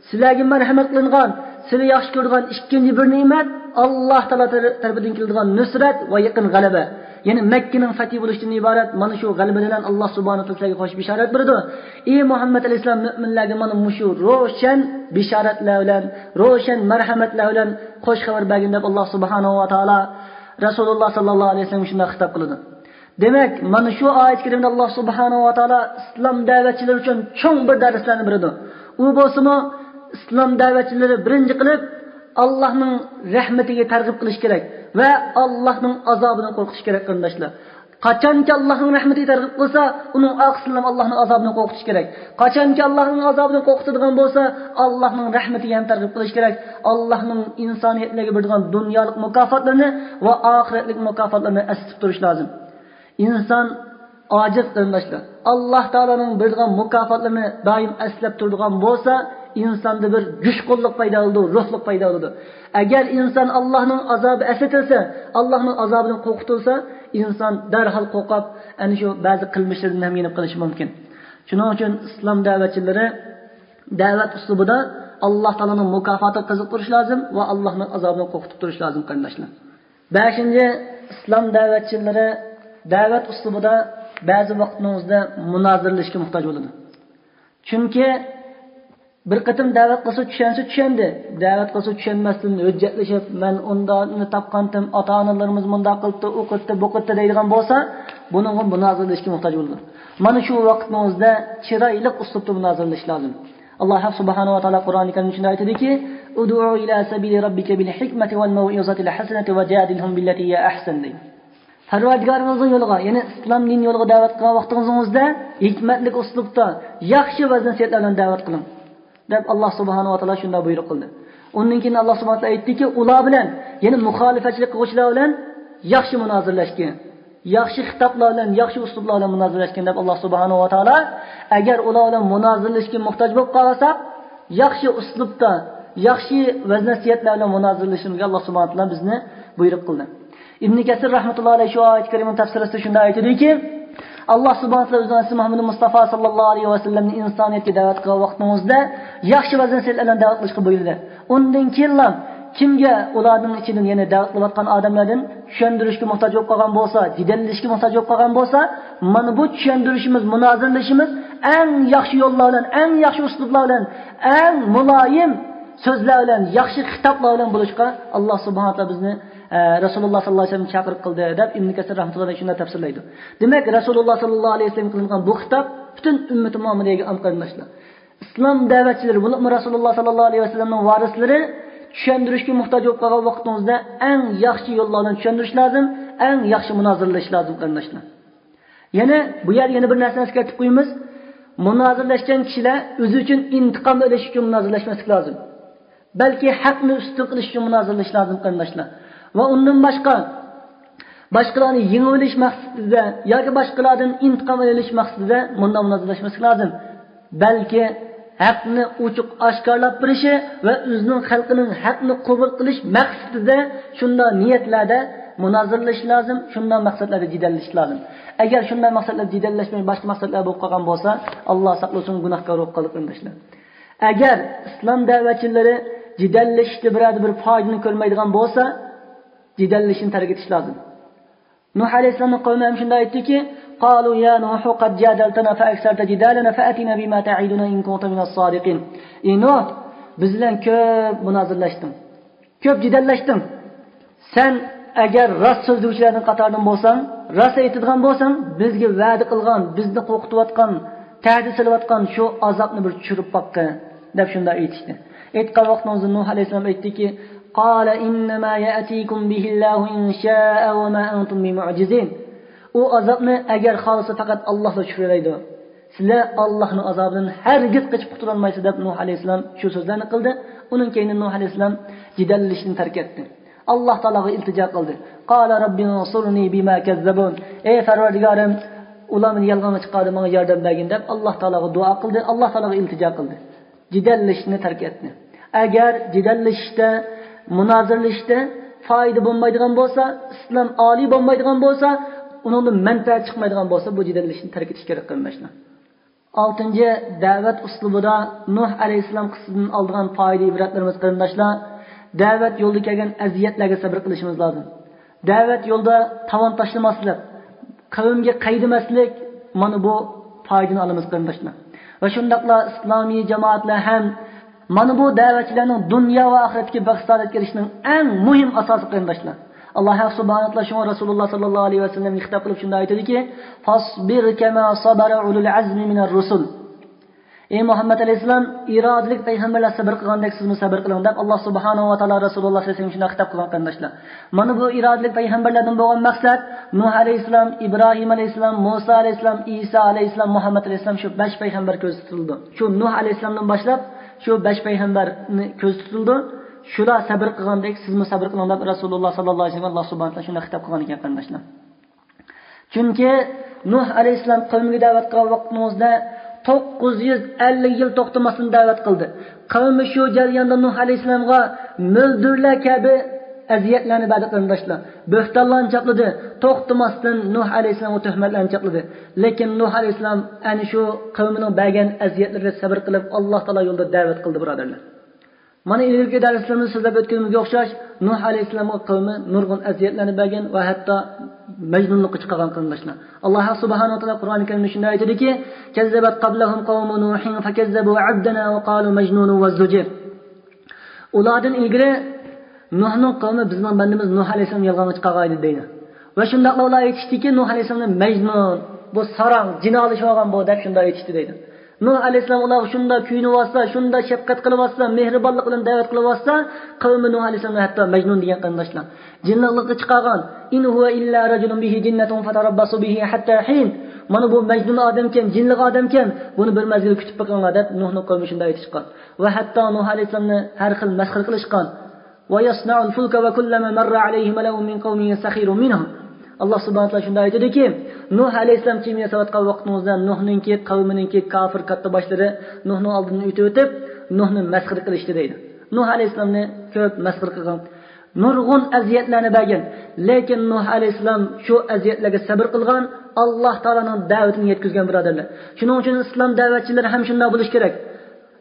سىلەرگە مەرھەمەت قىلىنغان، سىلەر ياخشى كۆرىدىغان ئىككىنچى بىر نېمەت، ئاللا تائالا تەر-، تەرىپىدىن كېلىدىغان نۇسرەت ۋە يېقىن غەلىبە. يەنى مەككىنىڭ فەتھى بولۇشتىن ئىبارەت مانا شۇ غەلىبە بىلەن ئاللا سۇبھانەھۇ ۋە تائالا سىلەرگە خوش بېشارەت بېرىدۇ. ئى مۇھەممەد ئەلەيھىسسالام، مۆمىنلەرگە مانا مۇشۇ روشەن بېشارەتلەر بىلەن، روشەن مەرھەمەتلەر بىلەن خوش خەۋەر بەرگىن، دەپ ئاللا سۇبھانەھۇ ۋە تائالا رەسۇلۇللا ساللاللاھۇ ئەلەيھى ۋەسەللەمگە شۇنداق خىتاب قىلىدۇ. دېمەك، مانا شۇ ئايەت كەرىمىدە ئاللا سۇبھانەھۇ ۋە تائالا ئىسلام دەۋەتچىلىرى ئۈچۈن چوڭ بىر دەرسلەرنى بېرىدۇ. ئۇ بولسىمۇ، ئىسلام دەۋەتچىلىرى بىرىنچى قىلىپ ئاللانىڭ رەھمىتىگە تەرغىب قىلىش كېرەك ۋە ئاللانىڭ ئازابىدىن قورقۇش كېرەك، قېرىنداشلار. قاچانكى ئاللانىڭ رەھمىتىگە تەرغىب قىلسا، ئۇنىڭ ئارقىسىدىن ئاللانىڭ ئازابىدىن قورقۇتۇش كېرەك. قاچانكى ئاللانىڭ ئازابىدىن قورقۇتىدىغان بولسا، ئاللانىڭ رەھمىتىگە ھەم تەرغىب قىلىش كېرەك. ئاللانىڭ ئىنسانىيەتلەرگە بېرىدىغان دۇنيالىق مۇكاپاتلىرىنى ۋە ئاخىرەتلىك مۇكاپاتلىرىنى ئەسلىتىپ تۇرۇش لازىم. ئىنسان ئاجىز، قېرىنداشلار. ئاللا تائالانىڭ بېرىدىغان مۇكاپاتلىرىنى دائىم ئەسلەپ تۇرىدىغان بولسا، ئىنساندا بىر جۇشقۇنلۇق پەيدا بولىدۇ، روھلۇق پەيدا بولىدۇ. ئەگەر ئىنسان ئاللانىڭ ئازابى ئەسلىتىلسە، ئاللانىڭ ئازابىدىن قورقۇتۇلسا، ئىنسان دەرھال قورقۇپ، ئەنە شۇ بەزى قىلمىشلىرىدىن ھەم يېنىپ قېلىشى مۇمكىن. شۇنىڭ ئۈچۈن ئىسلام دەۋەتچىلىرى دەۋەت ئۇسلۇبىدا ئاللا تائالانىڭ مۇكاپاتىغا قىزىقىپ تۇرۇش لازىم ۋە ئاللانىڭ ئازابىدىن قورقۇتۇپ تۇرۇش لازىم، قېرىنداشلار. بەشىنچى، ئىسلام دەۋەتچىلىرى دەۋەت ئۇسلۇبىدا بەزى ۋاقىتنىڭ ئۆزىدە مۇنازىرىلىشىشكە موھتاج بولىدۇ. چۈنكى بىر قېتىم دەۋەت قىلسا چۈشەنسە چۈشەندى. دەۋەت قىلسا چۈشەنمەستىن ھۆججەتلىشىپ، مەن ئۇنداقنى تاپقانتىم، ئاتا-ئانىلىرىمىز مۇنداق قىلىپتۇ، ئۇ قىلىپتۇ، بۇ قىلىپتۇ دەيدىغان بولسا، بۇنىڭغا مۇنازىرىلىشىشكە موھتاج بولىدۇ. مانا شۇ ۋاقىتنىڭ ئۆزىدە چىرايلىق ئۇسلۇبتا مۇنازىرىلىشىش لازىم. ئاللا سۇبھانەھۇ ۋە تائالا قۇرئانى كەرىمدە شۇنداق ئېيتىدۇكى، ادع إلى سبيل ربك بالحكمة والموعظة الحسنة وجادلهم بالتي هي أحسن، دەيدۇ. پەرۋەردىگارىڭىزنىڭ يولىغا، يەنى ئىسلام دىنى يولىغا دەۋەت قىلغان ۋاقتىڭىزنىڭ ئۆزىدە ھېكمەتلىك ئۇسلۇبتا، ياخشى ۋەز-نەسىھەتلەر بىلەن دەۋەت قىلىڭ، دەپ ئاللا سۇبھانەھۇ ۋە تائالا شۇنداق بۇيرۇق قىلدى. ئۇندىن كېيىن ئاللا سۇبھانەھۇ ۋە تائالا ئېيتتىكى، ئۇلار بىلەن يەنى مۇخالىپەتچىلىك قىلغۇچىلار بىلەن ياخشى مۇنازىرىلەشكىن، ياخشى خىتابلار بىلەن، ياخشى ئۇسلۇبلار بىلەن مۇنازىرىلەشكىن دەپ، ئاللا سۇبھانەھۇ ۋە تائالا ئەگەر ئۇلار بىلەن مۇنازىرىلەشكە موھتاج بولۇپ قالساق، ياخشى ئۇسلۇبتا، ياخشى ۋەز-نەسىھەتلەر بىلەن مۇنازىرىلىشىمىزگە ئاللا سۇبھانەھۇ ۋە تائالا بىزنى بۇيرۇق قىلدى. ئىبن كەسىر رەھمەتۇللاھى ئەلەيھى شۇ ئايەت كەرىمىنىڭ تەپسىرىسىدە شۇنداق ئېيتىدۇكى، ئاللا سۇبھانەھۇ ۋە تائالا ئۆزىنىڭ ئەلچىسى مۇھەممەد مۇستافا ساللاللاھۇ ئەلەيھى ۋەسەللەمنى ئىنسانىيەتكە دەۋەت قىلغان ۋاقتىڭىزدا ياخشى ۋەز-نەسىھەتلەر بىلەن دەۋەت قىلىشقا بۇيرۇدى. ئۇندىن كېيىنلا كىمگە ئۇلارنىڭ ئىچىدىن، يەنى دەۋەت قىلىۋاتقان ئادەملەردىن چۈشەندۈرۈشكە موھتاج بولۇپ قالغان بولسا، جېدەللىشىشكە موھتاج بولۇپ قالغان بولسا، مانا بۇ چۈشەندۈرۈشىمىز، مۇنازىرىلىشىمىز ئەڭ ياخشى يوللار بىلەن، ئەڭ ياخشى ئۇسلۇبلار بىلەن، ئەڭ مۇلايىم سۆزلەر بىلەن، ياخشى خىتابلار بىلەن بولۇشقا ئاللا سۇبھانەھۇ ۋە تائالا بىزنى، ئە، رەسۇلۇللا ساللاللاھۇ ئەلەيھى ۋەسەللەم چاقىرىق قىلدى دەپ ئىبن كەسىر رەھمەتۇللاھى ئەلەيھى شۇنداق تەپسىرلەيدۇ. دېمەك، رەسۇلۇللا ساللاللاھۇ ئەلەيھى ۋەسەللەم قىلىنغان بۇ خىتاب پۈتۈن ئۈممىتى مۇھەممەدىيەگە ئام قېرىنداشلار. ئىسلام دەۋەتچىلىرى، بولۇپمۇ رەسۇلۇللا ساللاللاھۇ ئەلەيھى ۋەسەللەمنىڭ ۋارىسلىرى چۈشەندۈرۈشكە موھتاج بولۇپ قالغان ۋاقتىڭىزدا ئەڭ ياخشى يوللار بىلەن چۈشەندۈرۈش لازىم، ئەڭ ياخشى مۇنازىرىلەش لازىم، قېرىنداشلار. يەنە بۇ يەردە يەنە بىر نەرسىنى ئەسكەرتىپ قويىمىز. مۇنازىرىلەشكەن كىشىلەر ئۆزى ئۈچۈن ئىنتىقام ئېلىش ئۈچۈن مۇنازىرىلەشمەسلىك لازىم. بەلكى ھەقنى ئۈستۈن قىلىش ئۈچۈن مۇنازىرىلىشىش لازىم، قېرىنداشلار. ۋە ئۇندىن باشقا، باشقىلارنى يېڭىۋېلىش مەقسىتىدە ياكى باشقىلاردىن ئىنتىقام ئېلىش مەقسىتىدە مۇنداق مۇنازىرىلەشمەسلىك لازىم. بەلكى ھەقنى ئوچۇق ئاشكارىلاپ بېرىشى ۋە ئۆزىنىڭ خەلقىنىڭ ھەقنى قوبۇل قىلىش مەقسىتىدە شۇنداق نىيەتلەردە مۇنازىرىلىشى لازىم، شۇنداق مەقسەتلەردە جېدەللىشىشى لازىم. ئەگەر شۇنداق مەقسەتلەردە جېدەللەشمەي، باشقا مەقسەتلەر بولۇپ قالغان بولسا، ئاللا ساقلىسۇن، گۇناھكار بولۇپ قالدى، قېرىنداشلار. ئەگەر ئىسلام دەۋەتچىلىرى جېدەللىشىشتە بىرەر بىر پايدىنى كۆرمەيدىغان بولسا، جېدەللىشىشنى تەرك ئېتىش لازىم. نۇھ ئەلەيھىسسالامنىڭ قەۋمى ھەم شۇنداق ئېيتتىكى، قالوا يا نوح قد جادلتنا فأكثرت جدالنا فأتنا بما تعدنا إن كنت من الصادقين. ئى نۇھ، بىز بىلەن كۆپ مۇنازىرىلەشتىڭ، كۆپ جېدەللەشتىڭ. سەن ئەگەر راست سۆزلىگۈچىلەرنىڭ قاتارىدىن بولساڭ، راست ئېيتىدىغان بولساڭ، بىزگە ۋەدە قىلغان، بىزنى قورقۇتۇۋاتقان، تەھدىت سېلىۋاتقان شۇ ئازابنى بىر چۈشۈرۈپ باققىن، دەپ شۇنداق ئېيتىشتى. ئېيتقان ۋاقتىمىزدا نۇھ ئەلەيھىسسالام ئېيتتىكى، قال إنما يأتيكم به الله إن شاء وما أنتم بمعجزين. ئۇ ئازابنى ئەگەر خالىسا پەقەت ئاللاھلا چۈشۈرەلەيدۇ. سىلەر ئاللاھنىڭ ئازابىدىن ھەرگىز قېچىپ قۇتۇلالمايسىز، دەپ نۇھ ئەلەيھىسسالام شۇ سۆزلەرنى قىلدى. ئۇنىڭ كەينىدىن نۇھ ئەلەيھىسسالام جېدەللىشىشنى تەرك ئەتتى. ئاللاھ تائالاغا ئىلتىجا قىلدى. قال رب انصرني بما كذبون. ئەي پەرۋەردىگارىم، ئۇلار مېنى يالغانغا چىقاردى، ماڭا ياردەم بەرگىن، دەپ ئاللاھ تائالاغا دۇئا قىلدى، ئاللاھ تائالاغا ئىلتىجا قىلدى. جېدەللىشىشنى تەرك ئەتتى. ئەگەر جېدەللىشىشتە، مۇنازىرىلىشىشتە پايدا بولمايدىغان بولسا، ئىسلام ئالىي بولمايدىغان بولسا، ئۇنىڭدىن مەنپەئەت چىقمايدىغان بولسا، بۇ جېدەللىشىشنى تەرك ئېتىش كېرەك، قېرىنداشلار. ئالتىنچى، دەۋەت ئۇسلۇبىدا نۇھ ئەلەيھىسسالام قىسسىسىدىن ئالىدىغان پايدا ئىبرەتلىرىمىز، قېرىنداشلار، دەۋەت يولىدا كەلگەن ئەزىيەتلەرگە سەبرى قىلىشىمىز لازىم. دەۋەت يولىدا تاۋان تاشلىماسلىق، قەۋمگە قەيدىمەسلىك، مانا بۇ پايدىنى ئالىمىز، قېرىنداشلار. ۋە شۇنداقلا ئىسلامىي جامائەتلەر ھەم مانا بۇ دەۋەتچىلەرنىڭ دۇنيا ۋە ئاخىرەتتىكى بەخت-سائادەتكە ئېرىشىشنىڭ ئەڭ مۇھىم ئاساسى، قېرىنداشلار. ئاللاھ ھەق سۇبھانەھۇ ۋە تائالا شۇڭا رەسۇلۇللاھ ساللاللاھۇ ئەلەيھى ۋەسەللەمگە خىتاب قىلىپ شۇنداق ئېيتىدىكى، فاصبر كما صبر أولو العزم من الرسل. ئەي مۇھەممەد ئەلەيھىسسالام، ئىرادىلىك پەيغەمبەرلەر سەبر قىلغاندەك سىزمۇ سەبر قىلىڭ، دەپ ئاللاھ سۇبھانەھۇ ۋە تائالا رەسۇلۇللاھ سەللەللاھۇ ئەلەيھى ۋەسەللەمگە شۇنداق خىتاب قىلغان، قېرىنداشلار. مانا بۇ ئىرادىلىك پەيغەمبەرلەردىن بولغان مەقسەت نۇھ ئەلەيھىسسالام، ئىبراھىم ئەلەيھىسسالام، مۇسا ئەلەيھىسسالام، ئىسا ئەلەيھىسسالام، مۇھەممەد ئەلەيھىسسالام، شۇ بەش پەيغەمبەر كۆزدە تۇتۇلىدۇ. شۇ نۇھ ئەلەيھىسسالامدىن باشلاپ شۇ بەش پەيغەمبەرنى كۆزدە تۇتۇلىدۇ. شۇلار سەبر قىلغاندەك سىزمۇ سەبر قىلىڭ، دەپ رەسۇلۇللاھ ساللاللاھۇ ئەلەيھى ۋەسەللەمگە ئاللاھ سۇبھانەھۇ ۋە تائالا شۇنداق خىتاب قىلغان ئىكەن، قېرىنداشلار. چۈنكى نۇھ ئەلەيھىسسالام قەۋمىگە دەۋەت قىلغان ۋاقتىنىڭ ئۆزىدە توققۇز يۈز ئەللىك يىل توختىماستىن دەۋەت قىلدى. قەۋمى شۇ جەرياندا نۇھ ئەلەيھىسسالامغا مۆلدۈرلەر كەبى ئەزىيەتلەرنى بەردى، قېرىنداشلار. بۆھتانلارنى چاپلىدى، توختىماستىن نۇھ ئەلەيھىسسالامغا تۆھمەتلەرنى چاپلىدى. لېكىن نۇھ ئەلەيھىسسالام ئەنە شۇ قەۋمىنىڭ بەرگەن ئەزىيەتلىرىگە سەبر قىلىپ، ئاللاھ تائالا يولىدا دەۋەت قىلدى، بۇرادەرلەر. مانا ئىلگىرىكى دەرسلىرىمىزدە سۆزلەپ ئۆتكىنىمىزگە ئوخشاش، نۇھ ئەلەيھىسسالامغا قەۋمى نۇرغۇن ئەزىيەتلەرنى بەرگەن ۋە ھەتتا مەجنۇنلۇققا چىقارغان، قېرىنداشلار. ئاللاھ سۇبھانەھۇ ۋە تائالا قۇرئان كەرىمدە شۇنداق ئېيتىدىكى، كذبت قبلهم قوم نوح فكذبوا عبدنا وقالوا مجنون وازدجر. ئۇلاردىن ئىلگىرى نۇھنىڭ قەۋمى بىزنىڭ بەندىمىز نۇھ ئەلەيھىسسالامنى يالغانغا چىقارغان ئىدى، دەيدۇ. ۋە شۇنداقلا ئۇلار ئېيتىشتىكى، نۇھ ئەلەيھىسسالامنى مەجنۇن، بۇ ساراڭ، جىنالىشىۋالغان بۇ، دەپ شۇنداق ئېيتىشتى، دەيدۇ. نۇھ ئەلەيھىسسالام ئۇلارغا شۇنداق كۆيۈنۈۋاتسا، شۇنداق شەپقەت قىلىۋاتسا، مېھرىبانلىق بىلەن دەۋەت قىلىۋاتسا، قەۋمى نۇھ ئەلەيھىسسالامنى ھەتتا مەجنۇن دېگەن، قېرىنداشلار. جىنلىقلىققا چىقارغان. إن هو إلا رجل به جنة فتربصوا به حتى حين. مانا بۇ مەجنۇن ئادەمكەن، جىنلىق ئادەمكەن، بۇنى بىر مەزگىل كۈتۈپ بېقىڭلار، دەپ نۇھنىڭ قەۋمى شۇنداق ئېيتىشقان. ۋە ھەتتا نۇھ ئەلەيھىسسالامنى ھەر خىل مەسخىرە قىلىشقان. ويصنع الفلك وكلما مر عليه ملأ من قومه سخروا منه. ئاللا سۇبھانەھۇ ۋە تائالا شۇنداق ئېيتىدۇكى، نۇھ ئەلەيھىسسالام كېمە ياساۋاتقان ۋاقتىڭىزدا نۇھنىڭكى قەۋمىنىڭكى كاپىر كاتتا باشلىرى نۇھنىڭ ئالدىدىن ئۆتۈۋېتىپ، نۇھنى مەسخىرە قىلىشتى دەيدۇ. نۇھ ئەلەيھىسسالامنى كۆپ مەسخىرە قىلغان، نۇرغۇن ئەزىيەتلەرنى بەرگەن. لېكىن نۇھ ئەلەيھىسسالام شۇ ئەزىيەتلەرگە سەبىر قىلغان، ئاللا تائالانىڭ دەۋىتىنى يەتكۈزگەن، بۇرادەرلەر. شۇنىڭ ئۈچۈن ئىسلام دەۋەتچىلىرى ھەم شۇنداق بولۇشى كېرەك.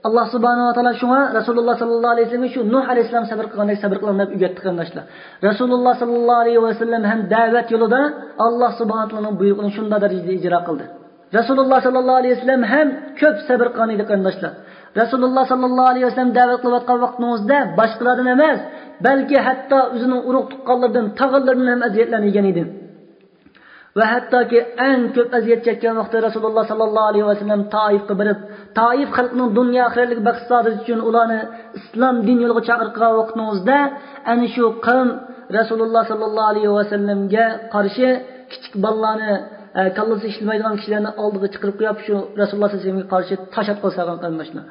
ئاللا سۇبھانەھۇ ۋە تائالا شۇڭا رەسۇلۇللا ساللاللاھۇ ئەلەيھى ۋەسەللەمگە شۇ نۇھ ئەلەيھىسسالام سەبىر قىلغاندەك سەبىر قىلىڭ دەپ ئۆگەتتى، قېرىنداشلار. رەسۇلۇللا ساللاللاھۇ ئەلەيھى ۋەسەللەم ھەم دەۋەت يولىدا ئاللا سۇبھانەھۇ ۋە تائالانىڭ بۇيرۇقىنى شۇنداق دەرىجىدە ئىجرا قىلدى. رەسۇلۇللا ساللاللاھۇ ئەلەيھى ۋەسەللەم ھەم كۆپ سەبىر قىلغان ئىدى، قېرىنداشلار. رەسۇلۇللا ساللاللاھۇ ئەلەيھى ۋەسەللەم دەۋەت قىلىۋاتقان ۋاقتىڭىزدا باشقىلاردىن ئەمەس، بەلكى ھەتتا ئۆزىنىڭ ئۇرۇق تۇغقانلىرىدىن، تاغىلىرىدىن ھەم ئەزىيەتلەرنى يېگەن ئىدى. ۋە ھەتتاكى ئەڭ كۆپ ئەزىيەت چەككەن ۋاقتى رەسۇلۇللا ساللاللاھۇ ئەلەيھى ۋەسەللەم تائىفقا بېرىپ، تائىف خەلقىنىڭ دۇنيا ئاخىرەتلىك بەخت سائادىتى ئۈچۈن ئۇلارنى ئىسلام دىن يولىغا چاقىرغان ۋاقتىڭىزدا، ئەنە شۇ قەۋم رەسۇلۇللا ساللاللاھۇ ئەلەيھى ۋەسەللەمگە قارشى كىچىك بالىلارنى، ئە، كاللىسى ئىشلىمەيدىغان كىشىلەرنى ئالدىغا چىقىرىپ قويۇپ، شۇ رەسۇلۇللا ساللاللاھۇ ئەلەيھى ۋەسەللەمگە قارشى تاش ئاتقىلى سالغان، قېرىنداشلار.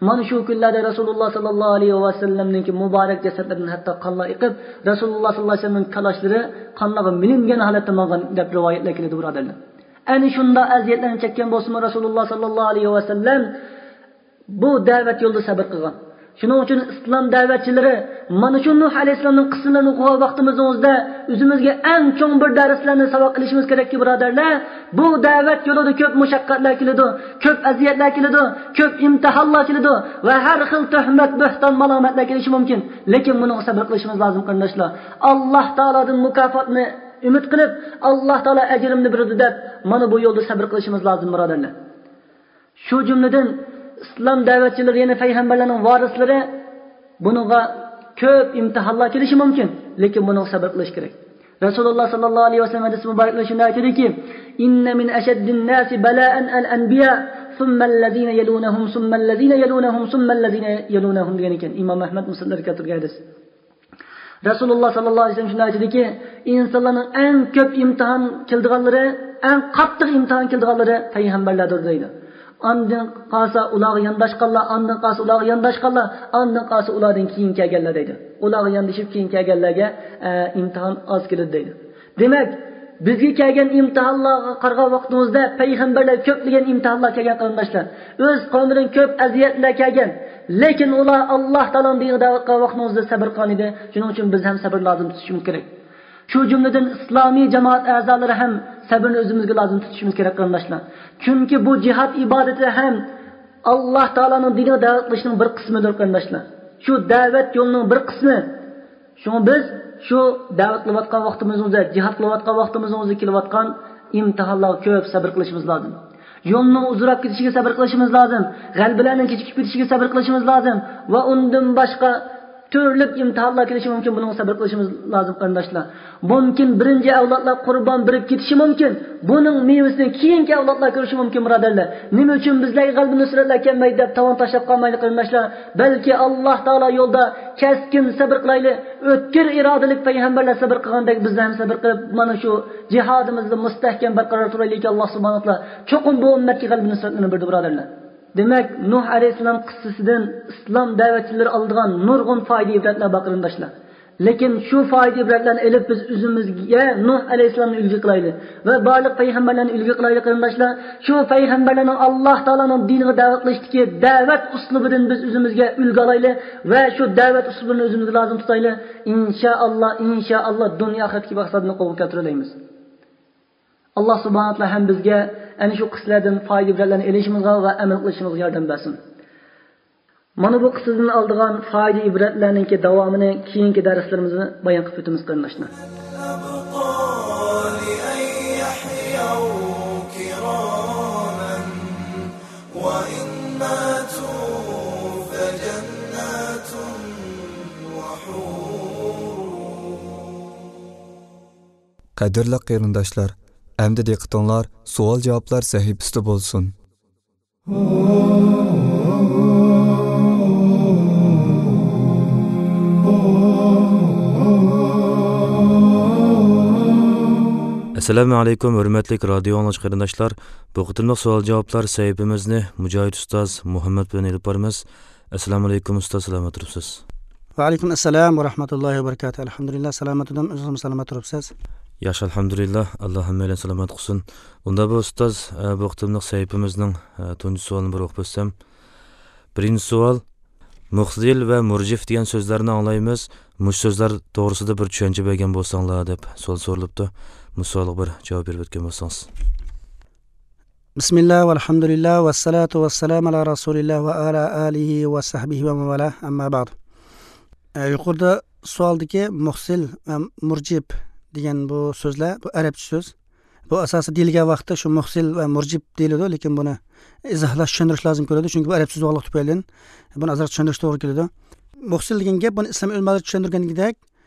مانا شۇ كۈنلەردە رەسۇلۇللا ساللاللاھۇ ئەلەيھى ۋەسەللەمنىڭكى مۇبارەك جەسەتلىرىدىن ھەتتا قانلار ئېقىپ، رەسۇلۇللا ساللاللاھۇ ئەلەيھى ۋەسەللەمنىڭ كاللىلىرى قانلارغا مىلەنگەن ھالەتتە ماڭغان دەپ رىۋايەتلەر كېلىدۇ، بۇرادەرلەر. ئەنە شۇنداق ئەزىيەتلەرنى چەككەن بولسىمۇ، رەسۇلۇللا ساللاللاھۇ ئەلەيھى ۋەسەللەم بۇ دەۋەت يولىدا سەبىر قىلغان. شۇنىڭ ئۈچۈن ئىسلام دەۋەتچىلىرى مانا شۇ نۇھ ئەلەيھىسسالامنىڭ قىسسىلىرىنى ئوقۇغان ۋاقتىمىزدا ئۆزىمىزگە ئەڭ چوڭ بىر دەرسلەرنى ساۋاق ئېلىشىمىز كېرەككى، بۇرادەرلەر. بۇ دەۋەت يولىدا كۆپ مۇشەققەتلەر كېلىدۇ، كۆپ ئەزىيەتلەر كېلىدۇ، كۆپ ئىمتىھانلار كېلىدۇ ۋە ھەر خىل تۆھمەت، بۆھتان، مالامەتلەر كېلىشى مۇمكىن. لېكىن بۇنىڭغا سەبىر قىلىشىمىز لازىم، قېرىنداشلار. ئاللا تائالادىن مۇكاپاتنى ئۈمىد قىلىپ، ئاللا تائالا ئەجرىمنى بېرىدۇ دەپ، مانا بۇ يولدا سەبىر قىلىشىمىز لازىم، بۇرادەرلەر. شۇ جۈملىدىن ئىسلام دەۋەتچىلىرى، يەنى پەيغەمبەرلەرنىڭ ۋارىسلىرى بۇنىڭغا كۆپ ئىمتىھانلار كېلىشى مۇمكىن، لېكىن بۇنىڭغا سەبىر قىلىش كېرەك. رەسۇلۇللا ساللاللاھۇ ئەلەيھى ۋەسەللەم ھەدىسى مۇبارەكلىرىدە شۇنداق ئېيتىدۇكى، إن من أشد الناس بلاء الأنبياء ثم الذين يلونهم ثم الذين يلونهم ثم الذين يلونهم دېگەن ئىكەن. ئىمام ئەھمەد، مۇسلىملار كەلتۈرگەن ھەدىس. رەسۇلۇللا ساللاللاھۇ ئەلەيھى ۋەسەللەم شۇنداق ئېيتىدۇكى، ئىنسانلارنىڭ ئەڭ كۆپ ئىمتىھان كېلىدىغانلىرى، ئەڭ قاتتىق ئىمتىھان كېلىدىغانلىرى پەيغەمبەرلەردۇر دەيدۇ. ئاندىن قالسا ئۇلارغا يانداشقانلار، ئاندىن قالسا ئۇلارغا يانداشقانلار، ئاندىن قالسا ئۇلاردىن كېيىن كەلگەنلەر دەيدۇ. ئۇلارغا ياندىشىپ كېيىن كەلگەنلەرگە، ئە، ئىمتىھان ئاز كېلىدۇ دەيدۇ. دېمەك، بىزگە كەلگەن ئىمتىھانلارغا قارىغان ۋاقتىمىزدا پەيغەمبەرلەر كۆپلىگەن ئىمتىھانلار كەلگەن، قېرىنداشلار. ئۆز قەۋمىدىن كۆپ ئەزىيەتلەر كەلگەن. لېكىن ئۇلار ئاللا تائالانىڭ دىنىغا دەۋەت قىلغان ۋاقتىمىزدا سەبىر قىلغان ئىدى. شۇنىڭ ئۈچۈن بىز ھەم سەبىر لازىم تۇتۇشىمىز كېرەك. شۇ جۈملىدىن ئىسلامىي جامائەت ئەزالىرى ھەم سەبىرنى ئۆزىمىزگە لازىم تۇتۇشىمىز كېرەك، قېرىنداشلار. چۈنكى بۇ جىھاد ئىبادىتى ھەم ئاللا تائالانىڭ دىنىغا دەۋەت قىلىشنىڭ بىر قىسمىدۇر، قېرىنداشلار. شۇ دەۋەت يولىنىڭ بىر قىسمى. شۇڭا بىز شۇ دەۋەت قىلىۋاتقان ۋاقتىمىزدا، جىھاد قىلىۋاتقان ۋاقتىمىزدا كېلىۋاتقان ئىمتىھانلارغا كۆپ سەبىر قىلىشىمىز لازىم. يولنىڭ ئۇزىراپ كېتىشىگە سەبىر قىلىشىمىز لازىم. غەلىبىلەرنىڭ كېچىكىپ كېتىشىگە سەبىر قىلىشىمىز لازىم. ۋە ئۇندىن باشقا تۈرلۈك ئىمتىھانلار كېلىشى مۇمكىن، بۇنىڭغا سەبىر قىلىشىمىز لازىم، قېرىنداشلار. مۇمكىن، بىرىنچى ئەۋلادلار قۇربان بېرىپ كېتىشى مۇمكىن. بۇنىڭ مېۋىسىنى كېيىنكى ئەۋلادلار كۆرۈشى مۇمكىن، بۇرادەرلەر. نېمە ئۈچۈن بىزلەرگە غەلىبە نۇسرەتلەر كەلمەيدۇ دەپ تاۋان تاشلاپ قالمايلى، قېرىنداشلار. بەلكى ئاللا تائالا يولىدا كەسكىن سەبىر قىلايلى. ئۆتكۈر ئىرادىلىك پەيغەمبەرلەر سەبىر قىلغاندەك بىزلەر ھەم سەبىر قىلىپ، مانا شۇ جىھادىمىزدا مۇستەھكەم بەرقارار تۇرايلىكى، ئاللا سۇبھانەھۇ ۋە تائالا چوقۇم بۇ ئۈممەتكە غەلىبە نۇسرەتلەرنى بېرىدۇ، بۇرادەرلەر. دېمەك، نۇھ ئەلەيھىسسالام قىسسىسىدىن ئىسلام دەۋەتچىلىرى ئالىدىغان نۇرغۇن پايدا ئىبرەتلەر بار، قېرىنداشلار. لېكىن شۇ پايدا ئىبرەتلەرنى ئېلىپ، بىز ئۆزىمىزگە نۇھ ئەلەيھىسسالامنى ئۈلگە قىلايلى ۋە بارلىق پەيغەمبەرلەرنى ئۈلگە قىلايلى، قېرىنداشلار. شۇ پەيغەمبەرلەرنىڭ ئاللا تائالانىڭ دىنىغا دەۋەت قىلىشتىكى دەۋەت ئۇسلۇبىدىن بىز ئۆزىمىزگە ئۈلگە ئالايلى ۋە شۇ دەۋەت ئۇسلۇبىنى ئۆزىمىزگە لازىم تۇتايلى. ئىنشائاللا، ئىنشائاللا، دۇنيا ئاخىرەتتىكى مەقسەتنى قولغا كەلتۈرەلەيمىز. ئاللا سۇبھانەھۇ ۋە تائالا ھەم بىزگە ئەنە شۇ قىسسىلەردىن پايدا ئىبرەتلەرنى ئېلىشىمىزغا ۋە ئەمەل قىلىشىمىزغا ياردەم بەرسۇن. مانا بۇ قىسسىدىن ئالىدىغان پايدا ئىبرەتلەرنىڭكى داۋامىنى كېيىنكى دەرسلىرىمىزدە بايان قىلىپ ئۆتىمىز، قېرىنداشلار. قەدىرلىك قېرىنداشلار، ئەمدى دىققىتىڭلار سوئال-جاۋابلار سەھىپىسىدە بولسۇن. ئەسسالامۇ ئەلەيكۇم، ھۆرمەتلىك رادىيو ئاڭلىغۇچى قېرىنداشلار. بۇ قېتىملىق سوئال-جاۋابلار سەھىپىمىزنى مۇجاھىد ئۇستاز مۇھەممەد بىلەن ئېلىپ بارىمىز. ئەسسالامۇ ئەلەيكۇم ئۇستاز، سالامەت تۇرۇپسىز؟ ۋەئەلەيكۇم ئەسسالام ۋە رەھمەتۇللاھى ۋە بەرىكاتۇھ. ئەلھەمدۇلىللا، سالامەت تۇردۇم. ئۆزىڭىزمۇ سالامەت تۇرۇپسىز؟ ياخشى، ئەلھەمدۇلىللا. ئاللا ھەممەيلەن سالامەت قىلسۇن. ئۇندا بۇ ئۇستاز، ئە، بۇ قېتىملىق سەھىپىمىزنىڭ، ئە، تۇنجى سوئالىنى بىر ئوقۇپ ئۆتسەم. بىرىنچى سوئال، مۇخزىل ۋە مۇرجىف دېگەن سۆزلەرنى ئاڭلايمىز. مۇشۇ سۆزلەر توغرىسىدا بىر چۈشەنچە بەرگەن بولساڭلار، دەپ سوئال سورىلىپتۇ. مۇشۇ سوئالغا بىر جاۋاب بېرىپ ئۆتكەن بولسىڭىز. بىسمىللا، ۋەلھەمدۇلىللا، ۋەسسالاتۇ ۋەسسالامۇ ئالا رەسۇلىللا ۋە ئالا ئالىھى ۋە سەھبىھى ۋە مەن ۋالا، ئەمما بەئد. ئە، يۇقىرىدا سوئالدىكى مۇخسىل ۋە مۇرجىب دېگەن بۇ سۆزلەر، بۇ ئەرەبچە سۆز. بۇ ئاساسىي دېيىلگەن ۋاقىتتا شۇ مۇخسىل ۋە مۇرجىب دېيىلىدۇ، لېكىن بۇنى ئىزاھلاش، چۈشەندۈرۈش لازىم كېلىدۇ، چۈنكى بۇ ئەرەبچە سۆز بولغانلىقى تۈپەيلىدىن بۇنى ئازراق چۈشەندۈرۈش توغرا كېلىدۇ. مۇخسىل دېگەن گەپ، بۇنى ئىسلام ئۆلىمالىرى چۈشەندۈرگەندىكىدەك،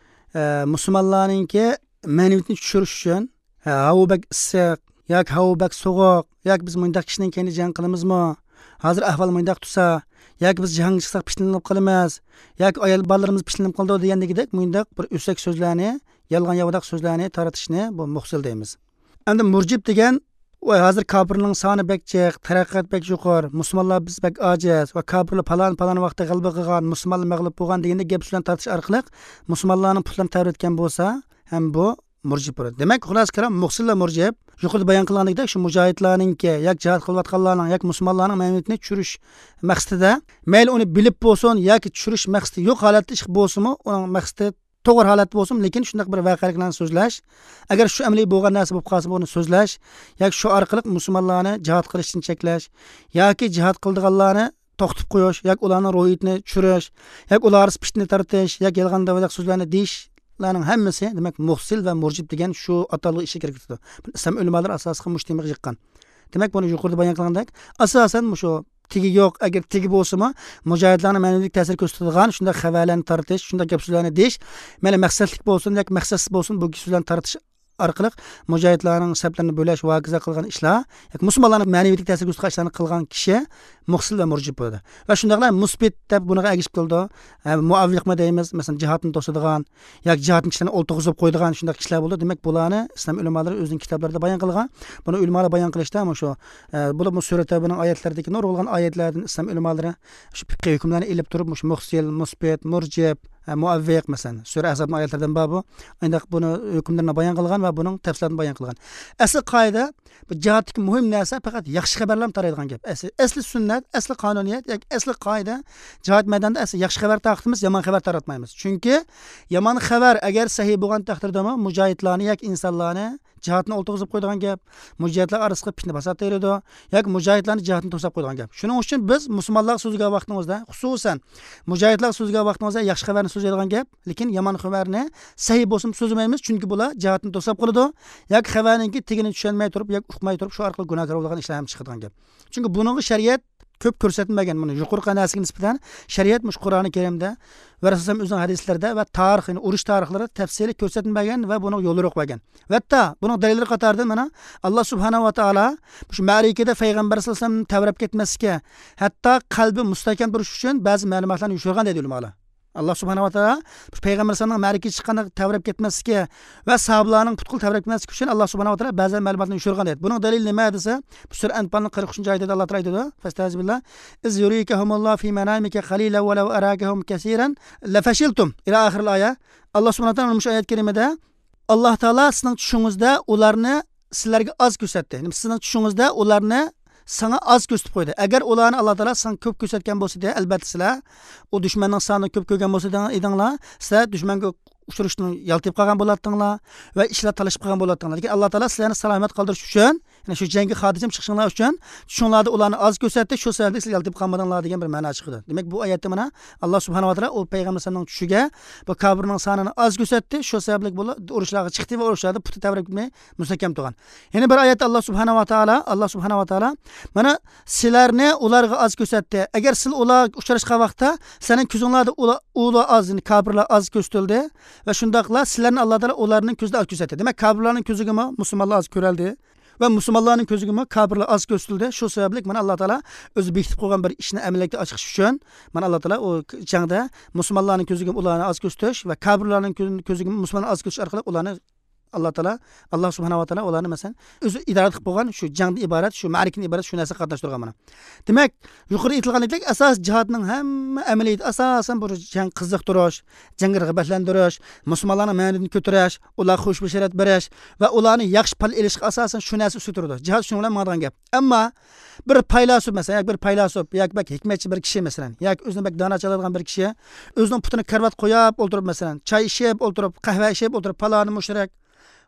ئە، مۇسۇلمانلارنىڭكى مەنىۋىيىتىنى چۈشۈرۈش ئۈچۈن، ھە، ھاۋا بەك ئىسسىق ياكى ھاۋا بەك سوغۇق ياكى بىز مۇنداق كىشىنىڭ كەينىدە جەڭ قىلىمىزمۇ؟ ھازىر ئەھۋال مۇنداق تۇرسا، ياكى بىز جەڭگە چىقساق پىتنىلىنىپ قالىمىز ياكى ئايال بالىلىرىمىز پىتنىلىنىپ قالىدۇ دېگەندىكىدەك مۇنداق بىر ئۆسەك سۆزلەرنى، يالغان ياۋىداق سۆزلەرنى تارىتىشنى بۇ مۇخسىل دەيمىز. ئەمدى مۇرجىپ دېگەن، ۋاي، ھازىر كاپىرنىڭ سانى بەك جىق، تەرەققىيات بەك يۇقىرى، مۇسۇلمانلار بىز بەك ئاجىز ۋە كاپىرلار پالان، پالان ۋاقىتتا غەلىبە قىلغان، مۇسۇلمانلار مەغلۇپ بولغان دېگەندەك گەپ سۆزلەرنى تارتىش ئارقىلىق مۇسۇلمانلارنىڭ پۇتلىرىنى تەۋرەتكەن بولسا، ھەم بۇ مۇرجىپ بولىدۇ. دېمەك، خۇلاسە كالام، مۇخسىل ۋە مۇرجىپ يۇقىرىدا بايان قىلغاندەك شۇ مۇجاھىدلارنىڭكى ياكى جىھاد قىلىۋاتقانلارنىڭ ياكى مۇسۇلمانلارنىڭ مەنىۋىيىتىنى چۈشۈرۈش مەقسىتىدە، مەيلى ئۇنى بىلىپ بولسۇن ياكى چۈشۈرۈش مەقسىتى يوق ھالەتتە ئىش بولسىمۇ، ئۇنىڭ مەقسىتى توغرا ھالەتتە بولسۇن، لېكىن شۇنداق بىر ۋەقەلىكلەرنى سۆزلەش، ئەگەر شۇ ئەمەلىي بولغان نەرسە بولۇپ قالسا، بۇنى سۆزلەش ياكى شۇ ئارقىلىق مۇسۇلمانلارنى جىھاد قىلىشتىن چەكلەش ياكى جىھاد قىلىدىغانلارنى توختىتىپ قويۇش ياكى ئۇلارنىڭ روھىيىتىنى چۈشۈرۈش ياكى ئۇلار ئارىسىدا پىتنە تارتىش ياكى يالغان دەۋەدەك سۆزلەرنى دېيىشلەرنىڭ ھەممىسى، دېمەك، مۇخسىل ۋە مۇرجىپ دېگەن شۇ ئاتالغۇ ئىچىگە كىرىپ كېتىدۇ. ئىسلام ئۆلىمالىرى ئاساسلىقى مۇشۇ تېمىغا يىغقان. دېمەك، بۇنى يۇقىرىدا بايان قىلغاندەك، ئاساسەن مۇشۇ تېگى يوق، ئەگەر تېگى بولسىمۇ، مۇجاھىدلارنىڭ مەنىۋىيەتكە تەسىر كۆرسىتىدىغان شۇنداق خەۋەرلەرنى تارتىش، شۇنداق گەپ سۆزلەرنى دېيىش، مەيلى مەقسەتلىك بولسۇن ياكى مەقسەتسىز بولسۇن، بۇ گەپ سۆزلەرنى تارتىش ئارقىلىق مۇجاھىدلارنىڭ سەپلىرىنى بۆلەش ۋە ھاكازا قىلغان ئىشلار، ياكى مۇسۇلمانلارنىڭ مەنىۋىيىتىگە تەسىر كۆرسىتىدىغان ئىشلارنى قىلغان كىشى مۇخسىل ۋە مۇرجىپ بولىدۇ. ۋە شۇنداقلا مۇسبىت دەپ بۇنىڭغا ئەگىشىپ كېلىدۇ. ھە، مۇئاۋۋىقمۇ دەيمىز، مەسىلەن، جىھادنى توسىدىغان ياكى جىھادنىڭ كىشىلىرىنى ئولتۇرغۇزۇپ قويىدىغان شۇنداق كىشىلەر بولىدۇ. دېمەك، بۇلارنى ئىسلام ئۆلىمالىرى ئۆزىنىڭ كىتابلىرىدا بايان قىلغان. بۇنى ئۆلىمالار بايان قىلىشتا مۇشۇ، ئە، بولۇپمۇ سۈرە تەۋبىنىڭ ئايەتلىرىدىكى نۇرغۇنلىغان ئايەتلەردىن ئىسلام ئۆلىمالىرى شۇ پىقھىي ھۆكۈملەرنى ئېلىپ تۇرۇپ، مۇشۇ مۇخسىل، مۇسبىت، مۇرجىپ، ئە، مۇئەۋۋىق، مەسىلەن، سۈرە ئەھزابنىڭ ئايەتلىرىدىن بار بۇ. ئانداق بۇنى ھۆكۈملىرىنى بايان قىلغان ۋە بۇنىڭ تەپسىلاتىنى بايان قىلغان. ئەسلى قائىدە، بۇ جىھادتىكى مۇھىم نەرسە پەقەت ياخشى خەۋەرلەرنى تارايدىغان گەپ. ئەسلى، ئەسلى سۈننەت، ئەسلى قانۇنىيەت ياكى ئەسلى قائىدە، جىھاد مەيدانىدا ئەسلى ياخشى خەۋەر تارقىتىمىز، يامان خەۋەر تارقىتمايمىز. چۈنكى يامان خەۋەر ئەگەر سەھىھ بولغان تەقدىردىمۇ، مۇجاھىدلارنى ياكى ئىنسانلارنى جىھادتىن ئولتۇرغۇزۇپ قويىدىغان گەپ، مۇجاھىدلار ئارىسىغا پىتنە پاسات تېرىيدۇ ياكى مۇجاھىدلارنى جىھادتىن توساپ قويىدىغان گەپ. شۇنىڭ ئۈچۈن بىز مۇسۇلمانلارغا سۆزلىگەن ۋاقتىڭىزدا، خۇسۇسەن مۇجاھىدلارغا سۆزلىگەن ۋاقتىڭىزدا ياخشى خەۋەرنى سۆزلەيدىغان گەپ، لېكىن يامان خەۋەرنى سەھىھ بولسىمۇ سۆزلىمەيمىز، چۈنكى بۇلار جىھادتىن توساپ قالىدۇ ياكى خەۋەرنىڭكى تېگىنى چۈشەنمەي تۇرۇپ ياكى ئۇقماي تۇرۇپ شۇ ئارقىلىق گۇناھكار بولىدىغان ئىشلار ھەم چىقىدىغان گەپ. چۈنكى بۇنىڭغا شەرىئەت كۆپ كۆرسەتمىگەن، بۇنى يۇقىرىقى نەرسىگە نىسبەتەن شەرىئەت مۇشۇ قۇرئانى كەرىمدە ۋە رەسۇلۇللاھ ئۆزىنىڭ ھەدىسلىرىدە ۋە تارىخ، يەنى ئۇرۇش تارىخلىرىدا تەپسىلىي كۆرسەتمىگەن ۋە بۇنىڭغا يول يورۇق بەرگەن. ۋە ھەتتا بۇنىڭ دەلىللىرى قاتارىدىن مانا، ئاللا سۇبھانەھۇ ۋە تائالا مۇشۇ مەرىكىدە پەيغەمبەر سەللەللاھۇ ئەلەيھى ۋەسەللەم تەۋرەپ كەتمەسلىكى، ھەتتا قەلبى مۇستەھكەم تۇرۇش ئۈچۈن بەزى مەلۇماتلارنى يوشۇرغان دەيدۇ ئۆلىمالار. ئاللا سۇبھانەھۇ ۋە تائالا پەيغەمبەر ئەلەيھىسسالامنىڭ مەرىكىگە چىققاندا تەۋرەپ كەتمەسلىكى ۋە ساھابىلارنىڭ پۇتقىلى تەۋرەپ كەتمەسلىكى ئۈچۈن ئاللا سۇبھانەھۇ ۋە تائالا بەزى مەلۇماتلارنى يوشۇرغان دەيدۇ. بۇنىڭ دەلىلى نېمە دېسە، بۇ سۈرە ئەنپالنىڭ قىرىق ئۈچىنچى ئايىتىدە ئاللا تائالا ئېيتىدۇ، فەستەئىزبىللا، «إذ يريكهم الله في منامك قليلا ولو أراكهم كثيرا لفشلتم» إلى آخر الآية. ئاللا سۇبھانەھۇ ۋە تائالا مۇشۇ ئايەت كەرىمىدە، ئاللا تائالا سىزنىڭ چۈشىڭىزدە ئۇلارنى سىلەرگە ئاز كۆرسەتتى. يەنى سىزنىڭ چۈشىڭىزدە ئۇلارنى ساڭا ئاز كۆرسىتىپ قويدى. ئەگەر ئۇلارنى ئاللا تائالا ساڭا كۆپ كۆرسەتكەن بولسىدى، ئەلبەتتە سىلەر ئۇ دۈشمەننىڭ سانىنى كۆپ كۆرگەن بولسا ئىدىڭلار، سىلەر دۈشمەنگە ئۇچرىشىشتىن يالتىيىپ قالغان بولاتتىڭلار ۋە ئىشلار تالىشىپ قالغان بولاتتىڭلار. لېكىن ئاللا تائالا سىلەرنى سالامەت قالدۇرۇش ئۈچۈن، يەنى شۇ جەڭگە خاتىرجەم چىقىشىڭلار ئۈچۈن چۈشۈڭلاردا ئۇلارنى ئاز كۆرسەتتى، شۇ سەۋەبلىك سىلەر يالتىيىپ قالمىدىڭلار دېگەن بىر مەنا چىقىدۇ. دېمەك، بۇ ئايەتتە مانا ئاللا سۇبھانەھۇ ۋە تائالا ئۇ پەيغەمبەر ئەلەيھىسسالامنىڭ چۈشىگە بۇ كاپىرنىڭ سانىنى ئاز كۆرسەتتى، شۇ سەۋەبلىك بۇلار ئۇرۇشلارغا چىقتى ۋە ئۇرۇشلاردا پۇتى تەۋرەپ كەتمەي مۇستەھكەم تۇرغان. يەنە بىر ئايەتتە ئاللا سۇبھانەھۇ ۋە تائالا، ئاللا سۇبھانەھۇ ۋە تائالا مانا سىلەرنى ئۇلارغا ئاز كۆرسەتتى. ئەگەر سىلەر ئۇلارغا ئۇچراشقان ۋاقىتتا سىلەرنىڭ كۆزۈڭلاردا ئۇلار، ئۇلار ئاز، يەنى كاپىرلار ئاز كۆرسىتىلدى ۋە شۇنداقلا سىلەرنى ئاللا تائالا ئۇلارنىڭ كۆزىدە ئاز كۆرسەتتى. دېمەك، كاپىرلارنىڭ كۆزىگىمۇ مۇسۇلمانلار ئاز كۆرۈلدى ۋە مۇسۇلمانلارنىڭ كۆزىگىمۇ كاپىرلار ئاز كۆرسىتىلدى. شۇ سەۋەبلىك مانا ئاللا تائالا ئۆزى بېكىتىپ قويغان بىر ئىشنى ئەمەلىيەتكە ئاشۇرۇش ئۈچۈن، مانا ئاللا تائالا ئۇ جەڭدە مۇسۇلمانلارنىڭ كۆزىگىمۇ ئۇلارنى ئاز كۆرسىتىش ۋە كاپىرلارنىڭ كۆ-، كۆزىگىمۇ مۇسۇلمانلارنى ئاز كۆرسىتىش ئارقىلىق ئۇلارنى ئاللا تائالا، ئاللا سۇبھانەھۇ ۋە تائالا ئۇلارنى، مەسىلەن، ئۆزى ئىدارە قىلىپ بولغان شۇ جەڭدىن ئىبارەت، شۇ مەرىكىدىن ئىبارەت شۇ نەرسىگە قاتناشتۇرغان مانا. دېمەك، يۇقىرىدا ئېيتىلغاندەك ئاساسىي جىھادنىڭ ھەممە ئەمەلىيىتى ئاساسەن بۇ جەڭ قىزىقتۇرۇش، جەڭگە رىغبەتلەندۈرۈش، مۇسۇلمانلارنىڭ مەنىۋىيىتىنى كۆتۈرۈش، ئۇلارغا خۇش بەشارەت بېرىش ۋە ئۇلارنى ياخشى پال ئېلىشقا ئاساسەن شۇ نەرسە ئۈستىدە تۇرىدۇ. جىھاد شۇنىڭ بىلەن ماڭىدىغان گەپ. ئەمما بىر پەيلاسوپ، مەسىلەن، ياكى بىر پەيلاسوپ ياكى بەك ھېكمەتچى بىر كىشى، مەسىلەن، ياكى ئۆزىنى بەك دانا چاغلايدىغان بىر كىشى ئۆزىنىڭ پۇتىنى كارىۋاتقا قويۇپ ئولتۇرۇپ، مەسىلەن، چاي ئىچىپ ئولتۇرۇپ، قەھۋە ئىچىپ ئولتۇرۇپ، پالانى مۇشرىك،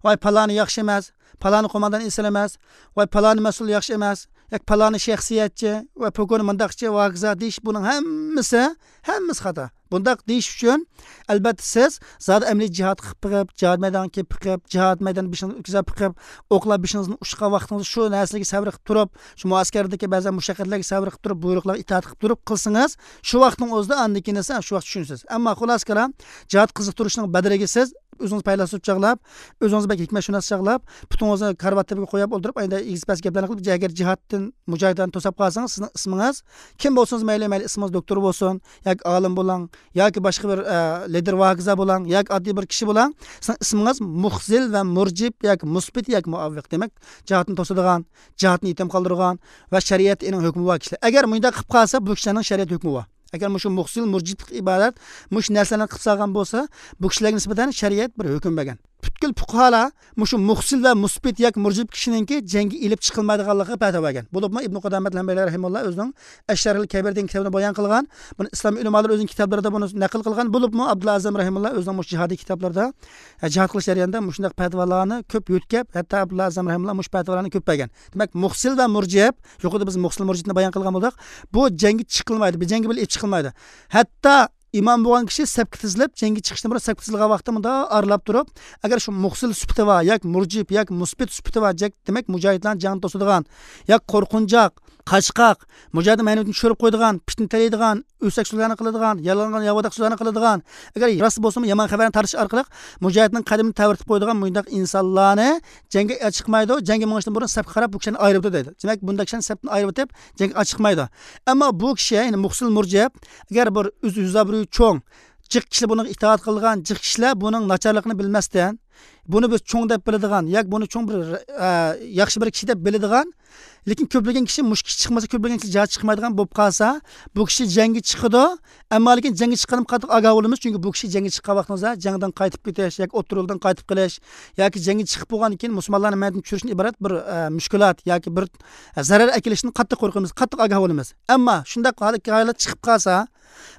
ۋاي پالانى ياخشى ئەمەس، پالانى قوماندان ئېسىل ئەمەس، ۋاي پالانى مەسئۇل ياخشى ئەمەس، ياكى پالانى شەخسىيەتچى، ۋاي پوكونى مۇنداقچى ۋە ھاكازا دېيىش، بۇنىڭ ھەممىسى، ھەممىسى خاتا. بۇنداق دېيىش ئۈچۈن، ئەلبەتتە، سىز زادى ئەمەلىي جىھاد قىلىپ بېقىپ، جىھاد مەيدانىغا كېلىپ بېقىپ، جىھاد مەيدانىدا بېشىڭىزنى ئۆتكۈزۈپ بېقىپ، ئوقلار بېشىڭىزدىن ئۇچقان ۋاقتىڭىزدا شۇ نەرسىلەرگە سەۋر قىلىپ تۇرۇپ، شۇ مۇئەسكەردىكى بەزى مۇشەققەتلەرگە سەۋر قىلىپ تۇرۇپ، بۇيرۇقلارغا ئىتائەت قىلىپ تۇرۇپ قىلسىڭىز، شۇ ۋاقىتنىڭ ئۆزىدە ئاندىن كېيىن ئەسلى شۇ ۋاقىت چۈشىنىسىز. ئەمما خۇلاسە كالام، جىھاد قىزىقتۇرۇشنىڭ بەدىلىگە سىز ئۆزىڭىز پەيلاسوپ چاغلاپ، ئۆزىڭىز بەك ھېكمەتشۇناس چاغلاپ، پۇتىڭىزنى كارىۋات تېپىگە قويۇپ ئولتۇرۇپ، ئەندى ئېگىز پەس گەپلەرنى قىلىپ، ئەگەر جىھادتىن، مۇجاھىدلارنى توساپ قالسىڭىز، سىزنىڭ ئىسمىڭىز كىم بولسىڭىز مەيلى، مەيلى ئىسمىڭىز دوكتور بولسۇن، ياكى ئالىم بولۇڭ، ياكى باشقا بىر، ئە، لىدېر ۋە ھاكازا بولۇڭ، ياكى ئاددىي بىر كىشى بولۇڭ، سىزنىڭ ئىسمىڭىز مۇخزىل ۋە مۇرجىپ ياكى مۇسبىت ياكى مۇئاۋىق. دېمەك، جىھادنى توسىدىغان، جىھادنى يېتىم قالدۇرغان ۋە شەرىئەتتە ئېنىق ھۆكمى بار كىشىلەر. ئەگەر مۇنداق قىلىپ قالسا، بۇ كىشىلەرنىڭ شەرىئەت ھۆكمى بار. ئەگەر مۇشۇ مۇخزىل مۇرجىپلىق ئىبادەت مۇشۇ نەرسىلەرنى قىلىپ سالغان بولسا، بۇ كىشىلەرگە نىسبەتەن شەرىئەت بىر ھۆكۈم بەرگەن. پۈتكۈل پۇقھالار مۇشۇ مۇخزىل ۋە مۇسبىت ياكى مۇرجىپ كىشىنىڭكى جەڭگە ئېلىپ چىقىلمايدىغانلىقىغا پەتىۋا بەرگەن. بولۇپمۇ ئىبنى قۇدامەت ئەل-ھەنبەلى رەھىمەھۇللا ئۆزىنىڭ ئەششەرھىل كەبىر دېگەن كىتابىدا بايان قىلغان. بۇنى ئىسلام ئۆلىمالىرى ئۆزىنىڭ كىتابلىرىدا بۇنى نەقىل قىلغان. بولۇپمۇ ئابدۇللا ئەزەم رەھىمەھۇللا ئۆزىنىڭ مۇشۇ جىھادىي كىتابلىرىدا، ئە، جىھاد قىلىش جەريانىدا مۇشۇنداق پەتىۋالارنى كۆپ يۆتكەپ، ھەتتا ئابدۇللا ئەزەم رەھىمەھۇللا مۇشۇ پەتىۋالارنى كۆپ بەرگەن. دېمەك، مۇخزىل ۋە مۇرجىپ، يۇقىرىدا بىز مۇخزىل مۇرجىپنى بايان قىلغان بولدۇق. بۇ جەڭگە چىقىلمايدۇ، بۇ جەڭگە بىلەن ئېلىپ چىقىلمايدۇ. ھەتتا ئىمام بولغان كىشى سەپكە تىزىلىپ، جەڭگە چىقىشتىن بۇرۇن سەپكە تىزىلغان ۋاقتىدا مۇنداق ئارىلاپ تۇرۇپ، ئەگەر شۇ مۇخزىل سۈپىتى بار ياكى مۇرجىپ ياكى مۇسبىت سۈپىتى بار، جەك-، دېمەك، مۇجاھىدلارنىڭ جېڭىنى توسىدىغان ياكى قورقۇنچاق، قاچقاق، مۇجاھىدنىڭ مەنىۋىيىتىنى چۈشۈرۈپ قويىدىغان، پىتنە تېرىيدىغان، ئۆسەك سۆزلەرنى قىلىدىغان، يالغان ياۋىداق سۆزلەرنى قىلىدىغان، ئەگەر راست بولسىمۇ يامان خەۋەرنى تارتىش ئارقىلىق مۇجاھىدنىڭ قەدىمىنى تەۋرىتىپ قويىدىغان مۇنداق ئىنسانلارنى جەڭگە چىقمايدۇ، جەڭگە مېڭىشتىن بۇرۇن سەپكە قاراپ بۇ كىشىلەرنى ئايرىۋېتىدۇ دەيدۇ. دېمەك، بۇنداق كىشىلەرنى سەپتىن ئايرىۋېتىپ جەڭگە چىقمايدۇ. ئەمما بۇ كىشى، يەنى مۇخزىل مۇرجىپ، ئەگەر بىر ئۆز ھۆزابرۇيى چوڭ، جىق كىشىلەر بۇنىڭغا ئىتائەت قىلىدىغان، جىق كىشىلەر بۇنىڭ ناچارلىقىنى بىلمەستىن، بۇنى بىز چوڭ دەپ بىلىدىغان ياكى بۇنى چوڭ بىر، ئە، ياخشى بىر كىشى دەپ بىلىدىغان، لېكىن كۆپلىگەن كىشى مۇشۇ كىشى چىقمىسا، كۆپلىگەن كىشى جىھاد چىقمايدىغان بولۇپ قالسا، بۇ كىشى جەڭگە چىقىدۇ، ئەمما لېكىن جەڭگە چىققاندىن قاتتىق ئاگاھ بولىمىز، چۈنكى بۇ كىشى جەڭگە چىققان ۋاقتىمىزدا جەڭدىن قايتىپ كېتىش ياكى ئوتتۇرا يولدىن قايتىپ قېلىش ياكى جەڭگە چىقىپ بولغاندىن كېيىن مۇسۇلمانلارنى مەيدىنىدىن چۈشۈرۈشتىن ئىبارەت بىر، ئە، مۈشكۈلات ياكى بىر، ئە، زەرەر ئەكېلىشتىن قاتتىق قورقىمىز، قاتتىق ئاگاھ بولىمىز. ئەمما شۇنداق ھالەت، ھالەت چىقىپ قالسا،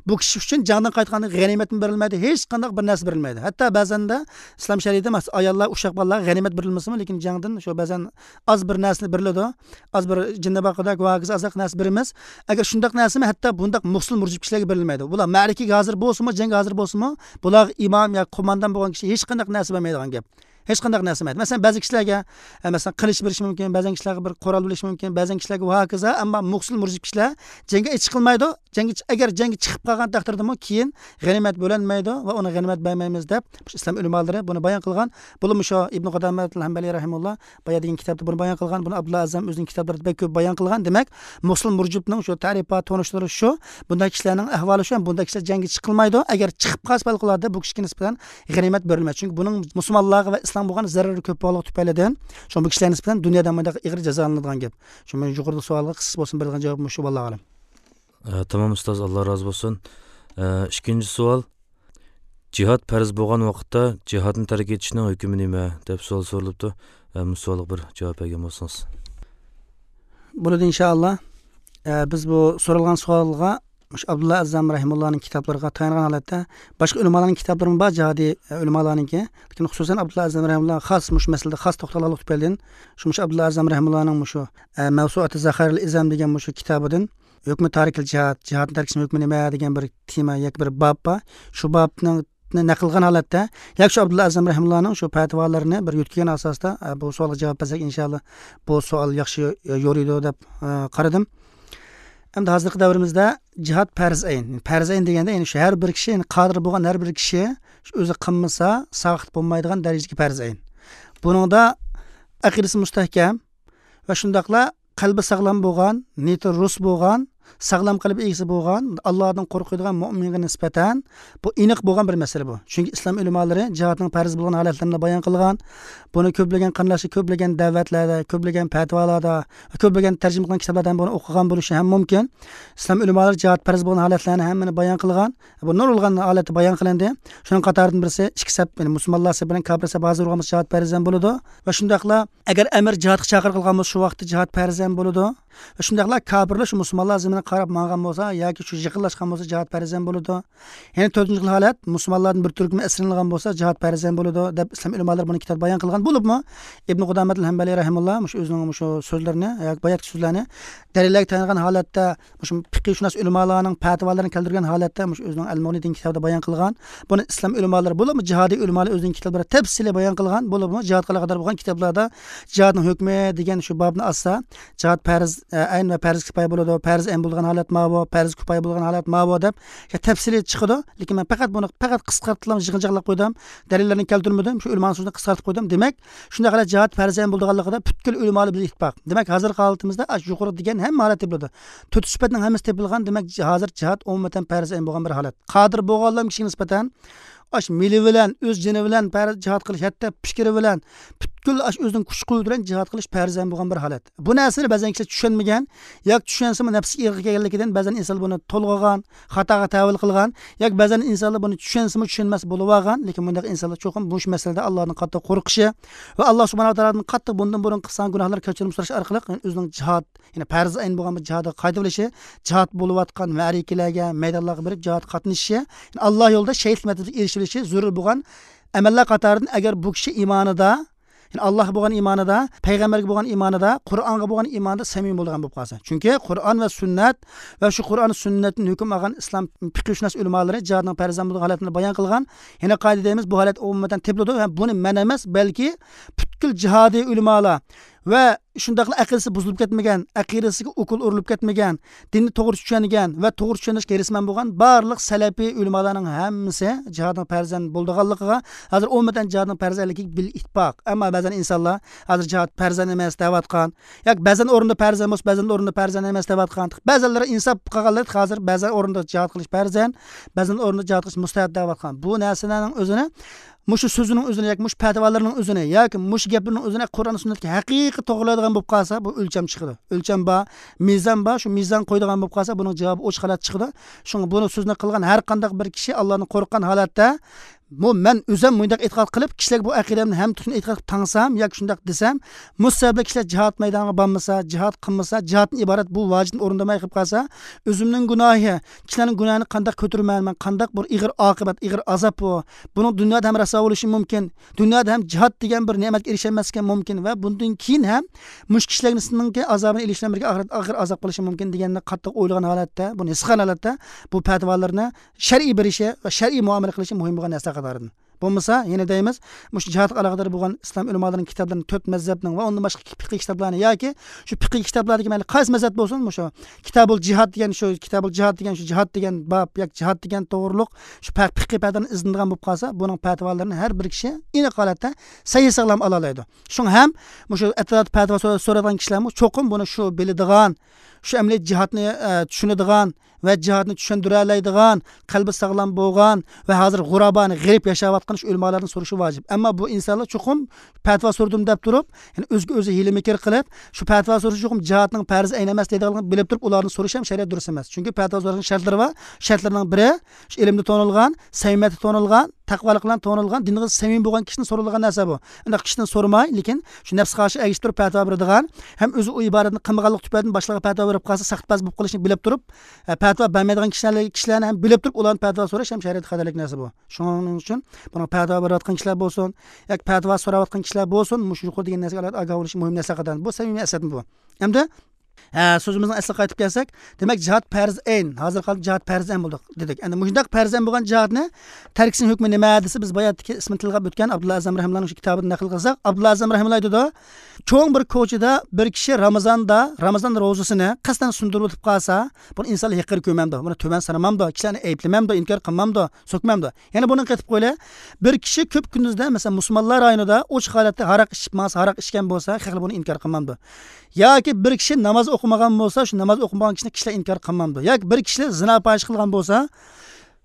بۇ كىشى ئۈچۈن جەڭدىن قايتقاندا غەنىيمەتمۇ بېرىلمەيدۇ، ھېچقانداق بىر نەرسە بېرىلمەيدۇ. ھەتتا بەزەندە ئىسلام شەرىئىتىدە، مەسىلەن، ئاياللار، ئۇششاق بالىلارغا غەنىيمەت بېرىلمىسىمۇ، لېكىن جەڭدىن شۇ بەزەن ئاز بىر نەرسىنى بېرىلىدۇ. ئاز بىر جىننى باققۇدەك ۋە ھاكازا ئازراق نەرسە بېرىمىز. ئەگەر شۇنداق نەرسىمۇ ھەتتا بۇنداق مۇخزىل مۇرجىپ كىشىلەرگە بېرىلمەيدۇ. بۇلار مەرىكىگە ھازىر بولسىمۇ، جەڭگە ھازىر بولسىمۇ، بۇلارغا ئىمام ياكى قوماندان بولغان كىشى ھېچقانداق نەرسە بەرمەيدىغان گەپ. ھېچقانداق نەرسە بەرمەيدۇ. مەسىلەن، بەزى كىشىلەرگە، ئە، مەسىلەن، قىلىچ بېرىشى مۇمكىن، بەزەن كىشىلەرگە بىر قورال بېرىشى مۇمكىن، بەزەن كىشىلەرگە ۋە ھاكازا، ئەمما مۇخزىل مۇرجىپ كىشىلەر جەڭگە چىقىلمايدۇ. جەڭگە چى-، ئەگەر جەڭگە چىقىپ قالغان تەقدىردىمۇ كېيىن غەنىيمەت بۆلەنمەيدۇ ۋە ئۇنى غەنىيمەت بەرمەيمىز دەپ مۇشۇ ئىسلام ئۆلىمالىرى بۇنى بايان قىلغان. بولۇپمۇ شۇ ئىبنى قۇدامەتۇل ھەنبەلى رەھىمەھۇللا بايا دېگەن كىتابتا بۇنى بايان قىلغان، بۇنى ئابدۇللا ئەزەم ئۆزىنىڭ كىتابلىرىدا بەك كۆپ بايان قىلغان. دېمەك، مۇخزىل مۇرجىپنىڭ شۇ تەرىپى، تونۇشلىرى شۇ، بۇنداق كىشىلەرنىڭ ئەھۋالى شۇ، بۇنداق كىشىلەر جەڭگە چىقىلمايدۇ. ئەگەر چىقىپ قالسا، پەۋقۇلئاددە بۇ كىشىگە نىسبەتەن غەنىيمەت بېرىلمەيدۇ. چۈنكى بۇنىڭ مۇسۇلمانلارغا ۋە ئىسلامغا بولغان زەرىرى كۆپ بولغانلىقى تۈپەيلىدىن، شۇڭا بۇ كىشىلەر نىسبەتەن دۇنيادا مۇنداق ئېغىر جازالىنىدىغان گەپ. شۇ مەن يۇقىرىدىكى سوئالغا قىسقىسى بولسۇن بېرىدىغان جاۋابىم مۇشۇ، ۋاللاھۇ ئەلەم. ئە، تامام ئۇستاز، ئاللا رازى بولسۇن. ئە، ئىككىنچى سوئال، جىھاد پەرز بولغان ۋاقىتتا جىھادنى تەرك ئېتىشنىڭ ھۆكمى نېمە؟ دەپ سوئال سورىلىپتۇ. ئە، مۇشۇ سوئالغا بىر جاۋاب بەرگەن بولسىڭىز. بولىدۇ، ئىنشائاللا. ئە، بىز بۇ سورالغان سوئالغا مۇشۇ ئابدۇللا ئەززام رەھىمۇللانىڭ كىتابلىرىغا تايانغان ھالەتتە، باشقا ئۆلىمالارنىڭ كىتابلىرىمۇ بار، جىھادىي، ئە، ئۆلىمالارنىڭكى. لېكىن خۇسۇسەن ئابدۇللا ئەززام رەھىمۇللا خاس مۇشۇ مەسىلىدە خاس توختالغانلىقى تۈپەيلىدىن، شۇ مۇشۇ ئابدۇللا ئەززام رەھىمۇللانىڭ مۇشۇ، ئە، مەۋسۇئاتى زەخائىرىل ئىزام دېگەن مۇشۇ كىتابىدىن ھۆكمى تارىكىل جىھاد، جىھادنى تەرك ئېتىشنىڭ ھۆكمى نېمە دېگەن بىر تېما ياكى بىر باب بار. شۇ بابنىڭ نەقىل قىلغان ھالەتتە، ياكى شۇ ئابدۇللا ئەزەم رەھىمۇللانىڭ شۇ پەتىۋالىرىنى بىر يۆتكىگەن ئاساستا، ئە، بۇ سوئالغا جاۋاب بەرسەك، ئىنشائاللا، بۇ سوئال ياخشى، ئە، يورۇيدۇ دەپ، ئە، قارىدىم. ئەمدى ھازىرقى دەۋرىمىزدە جىھاد پەرز ئەين. پەرز ئەين دېگەندە، يەنى شۇ ھەر بىر كىشى، يەنى قادىر بولغان ھەر بىر كىشى شۇ ئۆزى قىلمىسا، ساقىت بولمايدىغان دەرىجىدىكى پەرز ئەين. بۇنىڭدا ئەقىدىسى مۇستەھكەم ۋە شۇنداقلا قەلبى ساغلام بولغان، نىيىتى رۇس بولغان، ساغلام قەلب ئىگىسى بولغان، ئاللادىن قورقىدىغان مۆمىنگە نىسبەتەن بۇ ئېنىق بولغان بىر مەسىلە بۇ. چۈنكى ئىسلام ئۆلىمالىرى جىھادنىڭ پەرز بولغان ھالەتلىرىنى بايان قىلغان. بۇنى كۆپلىگەن قېرىنداشلار كۆپلىگەن دەۋەتلەردە، كۆپلىگەن پەتىۋالاردا، كۆپلىگەن تەرجىمە قىلغان كىتابلاردا ھەم بۇنى ئوقۇغان بولۇشى ھەم مۇمكىن. ئىسلام ئۆلىمالىرى جىھاد پەرز بولغان ھالەتلەرنى ھەممىنى بايان قىلغان. بۇ نۇرغۇن ھالەتتە بايان قىلىندى. شۇنىڭ قاتارىدىن بىرسى ئىككى سەپ، يەنى مۇسۇلمانلار سەپى بىلەن كاپىر سەپ ھازىر بولغان بولسا جىھاد پەرز ھەم بولىدۇ. ۋە شۇنداقلا ئەگەر ئەمىر جىھادقا چاقىرىقلىغان بولسا شۇ ۋاقىتتا جىھاد پەرز ھەم بولىدۇ. ۋە شۇنداقلا كاپىرلار شۇ مۇسۇلمانلار زېمىنىگە قاراپ ماڭغان بولسا ياكى شۇ يېقىنلاشقان بولسا جىھاد پەرز ھەم بولىدۇ. يەنە تۆتىنچى خىل ھالەت، مۇسۇلمانلاردىن بىر تۈركۈمى ئەسىرلىنىدىغان بولسا جىھاد پەرز ھەم بولىدۇ، دەپ ئىسلام ئۆلىمالىرى بۇنى كىتابتا بايان قىلغان. بولۇپمۇ ئىبنى قۇدامەتىل ھەمبەلى رەھىمۇللا مۇشۇ ئۆزىنىڭ مۇشۇ سۆزلىرىنى ياكى باياتقى سۆزلەرنى دەلىللەرگە تايانغان ھالەتتە، مۇشۇ پىقىھشۇناس ئۆلىمالارنىڭ پەتىۋالىرىنى كەلتۈرگەن ھالەتتە مۇشۇ ئۆزىنىڭ ئەل مۇغنى دېگەن كىتابىدا بايان قىلغان. بۇنى ئىسلام ئۆلىمالىرى، بولۇپمۇ جىھادىي ئۆلىمالار ئۆزىنىڭ كىتابلىرىدا تەپسىلىي بايان قىلغان. بولۇپمۇ جىھادقا ئالاقىدار بولغان كىتابلاردا جىھادنىڭ ھۆكمى دېگەن شۇ بابنى ئاچسا، جىھاد پەرز ئەين ۋە پەرز كىپايە بولىدۇ، پەرز ئەين بولىدىغان ھالەت ماۋۇ، پەرز كىپايە بولىدىغان ھالەت ماۋۇ دەپ تەپسىلىي چىقىدۇ. لېكىن مەن پەقەت بۇنى پەقەت قىسقارتىپلا يىغىنچاقلاپ قويدۇم، دەلىللەرنى كەلتۈرمىدىم، شۇ ئۆلىمانىڭ سۆزىنى قىسقارتىپ قويدۇم. دېمەك، شۇنداق ھالەت جىھاد پەرز ئەين بولىدىغانلىقىدا پۈتكۈل ئۆلىمالار بىلەن ئىتتىپاق. دېمەك، ھازىرقى ھالىتىمىزدە ئاشۇ يۇقىرىدا دېگەن ھەممە ھالەت تېپىلىدۇ. تۆت سۈپەتنىڭ ھەممىسى تېپىلغان. دېمەك، ھازىر جىھاد ئومۇمەن پەرز ئەين بولغان بىر ھالەت. قادىر بولغانلام كىشىگە نىسبەتەن ئاش مېلى بىلەن، ئۆز جېنى بىلەن پەرز جىھاد قىلىش، ھەتتا پىكرى بىلەن، پۈتكۈل ئاش ئۆزىنىڭ كۈچ قۇۋۋىتى بىلەن جىھاد قىلىش پەرز ئەين بولغان بىر ھالەت. بۇ نەرسىنى بەزەن كىشىلەر چۈشەنمىگەن ياكى چۈشەنسىمۇ نەپسىگە ئېغىر كەلگەنلىكىدىن بەزەن ئىنسانلار بۇنى تولغىغان، خاتاغا تەۋىل قىلغان ياكى بەزەن ئىنسانلار بۇنى چۈشەنسىمۇ چۈشەنمەس بولۇۋالغان. لېكىن بۇنداق ئىنسانلار چوقۇم مۇشۇ مەسىلىدە ئاللادىن قاتتىق قورقۇشى ۋە ئاللا سۇبھانەھۇ ۋە تائالادىن قاتتىق بۇندىن بۇرۇن قىلسان گۇناھلار كەچۈرۈم سوراش ئارقىلىق ئۆزىنىڭ جىھاد، يەنى پەرز ئەين بولغان بىر جىھادقا قايتىۋېلىشى، جىھاد بولۇۋاتقان مەرىكىلەرگە، مەيدانلارغا بېرىپ جىھادقا قاتنىشىشى، يەنى ئاللا يولىدا شېھىتلىك مەرتىۋىسىگە ئېرىشىۋېلىشى زۆرۈر بولغان ئەمەللەر قاتارىدىن. ئەگەر بۇ كىشى ئىمانىدا، يەنى ئاللاغا بولغان ئىمانىدا، پەيغەمبەرگە بولغان ئىمانىدا، قۇرئانغا بولغان ئىمانىدا سەمىمىي بولىدىغان بولۇپ قالسا. چۈنكى قۇرئان ۋە سۈننەت ۋە شۇ قۇرئان سۈننەتتىن ھۆكۈم ئالغان ئىسلام پىقىھشۇناس ئۆلىمالىرى جىھادنىڭ پەرز بولغان ھالەتنى بايان قىلغان. يەنە قايتا دەيمىز، بۇ ھالەت ئومۇمەن تېپىلىدۇ ۋە بۇنى مەن ئەمەس، بەلكى پۈتكۈل جىھادىي ئۆلىمالار ۋە شۇنداقلا ئەقىدىسى بۇزۇلۇپ كەتمىگەن، ئەقىدىسىگە ئوكۇل ئۇرۇلۇپ كەتمىگەن، دىننى توغرا چۈشەنگەن ۋە توغرا چۈشەندۈرۈشكە ھېرىسمەن بولغان بارلىق سەلەپىي ئۆلىمالارنىڭ ھەممىسى جىھادنىڭ پەرز بولىدىغانلىقىغا، ھازىر ئومۇمەن جىھادنىڭ پەرز ئىكەنلىكىگە بىل ئىتتىپاق. ئەمما بەزەن ئىنسانلار ھازىر جىھاد پەرز ئەمەس دەۋاتقان، ياكى بەزەن ئورۇندا پەرز بولسا، بەزەن ئورۇندا پەرز ئەمەس دەۋاتقان، بەزەنلىرى ئىنساپ قىلغانلار ھازىر بەزەن ئورۇندا جىھاد قىلىش پەرز، بەزەن ئورۇندا جىھاد قىلىش مۇستەھەب دەۋاتقان. بۇ نەرسىلەرنىڭ ئۆزىنى مۇشۇ سۆزىنىڭ ئۆزىنى ياكى مۇشۇ پەتىۋالىرىنىڭ ئۆزىنى ياكى مۇشۇ گەپلىرىنىڭ ئۆزىنى قۇرئان سۈننەتكە ھەقىقىي توغرىلايدىغان بولۇپ قالسا، بۇ ئۆلچەم چىقىدۇ. ئۆلچەم بار، مىزان بار، شۇ مىزان قويىدىغان بولۇپ قالسا، بۇنىڭ جاۋابى ئوچۇق ھالەت چىقىدۇ. شۇڭا بۇنى سۆزنى قىلغان ھەر قانداق بىر كىشى ئاللادىن قورققان ھالەتتە، بۇ مەن ئۆزۈم مۇنداق ئېتىقاد قىلىپ، كىشىلەرگە بۇ ئەقىدەمنى ھەم تۈركۈمنى ئېتىقاد قىلىپ تاڭسام ياكى شۇنداق دېسەم، مۇشۇ سەۋەبلىك كىشىلەر جىھاد مەيدانىغا بارمىسا، جىھاد قىلمىسا، جىھادتىن ئىبارەت بۇ ۋاجىپنى ئورۇندىماي قېلىپ قالسا، ئۆزۈمنىڭ گۇناھى، كىشىلەرنىڭ گۇناھىنى قانداق كۆتۈرىمەن مەن، قانداق بىر ئېغىر ئاقىۋەت، ئېغىر ئازاب بۇ. بۇنىڭ دۇنيادا ھەم رەسۋا بولۇشى مۇمكىن، دۇنيادا ھەم جىھاد دېگەن بىر نېمەتكە ئېرىشەلمەسلىكى مۇمكىن ۋە بۇندىن كېيىن ھەم مۇشۇ كىشىلەرنىڭكى ئازابىنى ئېلىشى بىلەن بىرگە ئاخىرەتتە ئاغىر ئازاب قىلىشى مۇمكىن دېگەننى قاتتىق ئويلىغان ھالەتتە، بۇنى ھېس قىلغان ھالەتتە بۇ پەتىۋالىرىنى شەرئىي بېرىشى ۋە شەرئىي مۇئامىلە قىلىشى مۇھىم بولغان نەرسە قاتارىدىن. بولمىسا، يەنە دەيمىز، مۇشۇ جىھادقا ئالاقىدار بولغان ئىسلام ئۆلىمالىرىنىڭ كىتابلىرىنى، تۆت مەزھەپنىڭ ۋە ئۇندىن باشقا پىقىي كىتابلارنى ياكى شۇ پىقىي كىتابلاردىكى مەيلى قايسى مەزھەپ بولسۇن، مۇشۇ كىتابۇل جىھاد دېگەن، شۇ كىتابۇل جىھاد دېگەن، شۇ جىھاد دېگەن باب ياكى جىھاد دېگەن توغرۇلۇق شۇ پە-، پىقىي پەتىۋالىرىنى ئىزدىنىدىغان بولۇپ قالسا، بۇنىڭ پەتىۋالىرىنى ھەر بىر كىشى ئېنىق ھالەتتە سەھىھ ساغلام ئالالايدۇ. شۇڭا ھەم مۇشۇ ئەتراپتا پەتىۋا سورا-، سورايدىغان كىشىلەرمۇ چوقۇم بۇنى شۇ بىلىدىغان، شۇ ئەمەلىي جىھادنى، ئە، چۈشىنىدىغان ۋە جىھادنى چۈشەندۈرەلەيدىغان، قەلبى ساغلام بولغان ۋە ھازىر غۇرابانى، غېرىب ياشاۋاتقان شۇ ئۆلىمالاردىن سورىشى ۋاجىپ. ئەمما بۇ ئىنسانلار چوقۇم پەتىۋا سورىدىم دەپ تۇرۇپ، يەنى ئۆزىگە ئۆزى ھىيلە-مىكىر قىلىپ، شۇ پەتىۋا سورىشى چوقۇم جىھادنىڭ پەرز ئەين ئەمەس دەيدىغانلىقىنى بىلىپ تۇرۇپ، ئۇلاردىن سورىشى ھەم شەرىئەت دۇرۇس ئەمەس. چۈنكى پەتىۋا سوراشنىڭ شەرتلىرى بار. شەرتلىرىنىڭ بىرى، شۇ ئىلىمدە تونۇلغان، سەمىمىيەتتە تونۇلغان، تەقۋالىق بىلەن تونۇلغان، دىنغا سەمىمىي بولغان كىشىدىن سورىلىدىغان نەرسە بۇ. ئۇنداق كىشىدىن سورىماي، لېكىن شۇ نەپسىگە قارشى ئەگىشىپ تۇرۇپ پەتىۋا بېرىدىغان، ھەم ئۆزى ئۇ ئىبادەتنى قىلمىغانلىق تۈپەيلىدىن باشقىلارغا پەتىۋا بېرىپ قالسا، ساختىپاز بولۇپ قېلىشنى بىلىپ تۇرۇپ، ئە، پەتىۋا بەرمەيدىغان كىشىلەر، كىشىلەرنى ھەم بىلىپ تۇرۇپ ئۇلاردىن پەتىۋا سوراش ھەم شەرىئەتتە خاتالىق نەرسە بۇ. شۇنىڭ ئۈچۈن بۇنىڭ پەتىۋا بېرىۋاتقان كىشىلەر بولسۇن، ياكى پەتىۋا سوراۋاتقان كىشىلەر بولسۇن، مۇشۇ يۇقىرىدا دېگەن نەرسىگە ئالاھىدە ئاگاھ بولۇشى مۇھىم نەرسىلەر قاتارىدىن. بۇ سەمىمىي ئەسەتمۇ بۇ. ئەمدى، ئە، سۆزىمىزنىڭ ئەسلىگە قايتىپ كەلسەك، دېمەك، جىھاد پەرز ئەين، ھازىرقى ھالدا جىھاد پەرز ئەين بولدى دېدۇك. ئەمدى مۇشۇنداق پەرز ئەين بولغان جىھادنى تەركىسىنىڭ ھۆكمى نېمە دېسە، بىز باياتتىكى ئىسمىنى تىلغا ئۆتكەن ئابدۇللا ئەزەم رەھىمۇللانىڭ شۇ كىتابىدىن نەقىل قىلساق، ئابدۇللا ئەزەم رەھىمۇللا ئېيتىدۇ، چوڭ بىر كوچىدا بىر كىشى رامىزاندا، رامىزان روزىسىنى قەستەن سۇندۇرۇپ ئۆتۈپ قالسا، بۇنى ئىنسانلار ھېقىر كۆرمەمدۇ، بۇنى تۆۋەن سانىمامدۇ، كىشىلەرنى ئەيىبلىمەمدۇ، ئىنكار قىلمامدۇ، سۆكمەمدۇ؟ يەنە بۇنى قېتىپ قويلى. بىر كىشى كۆپ كۈندۈزدە، مەسىلەن، مۇسۇلمانلار رايونىدا ئوچۇق ھالەتتە ھاراق ئىچىپ ماڭسا، ھاراق ئىچكەن بولسا، خەلق بۇنى ئىنكار قىلمامدۇ؟ ياكى بىر كىشى ناماز ئوق-، ئوقۇمىغان بولسا، شۇ ناماز ئوقۇمىغان كىشىنى كىشىلەر ئىنكار قىلمامدۇ؟ ياكى بىر كىشى زىنا پاھىشە قىلغان بولسا،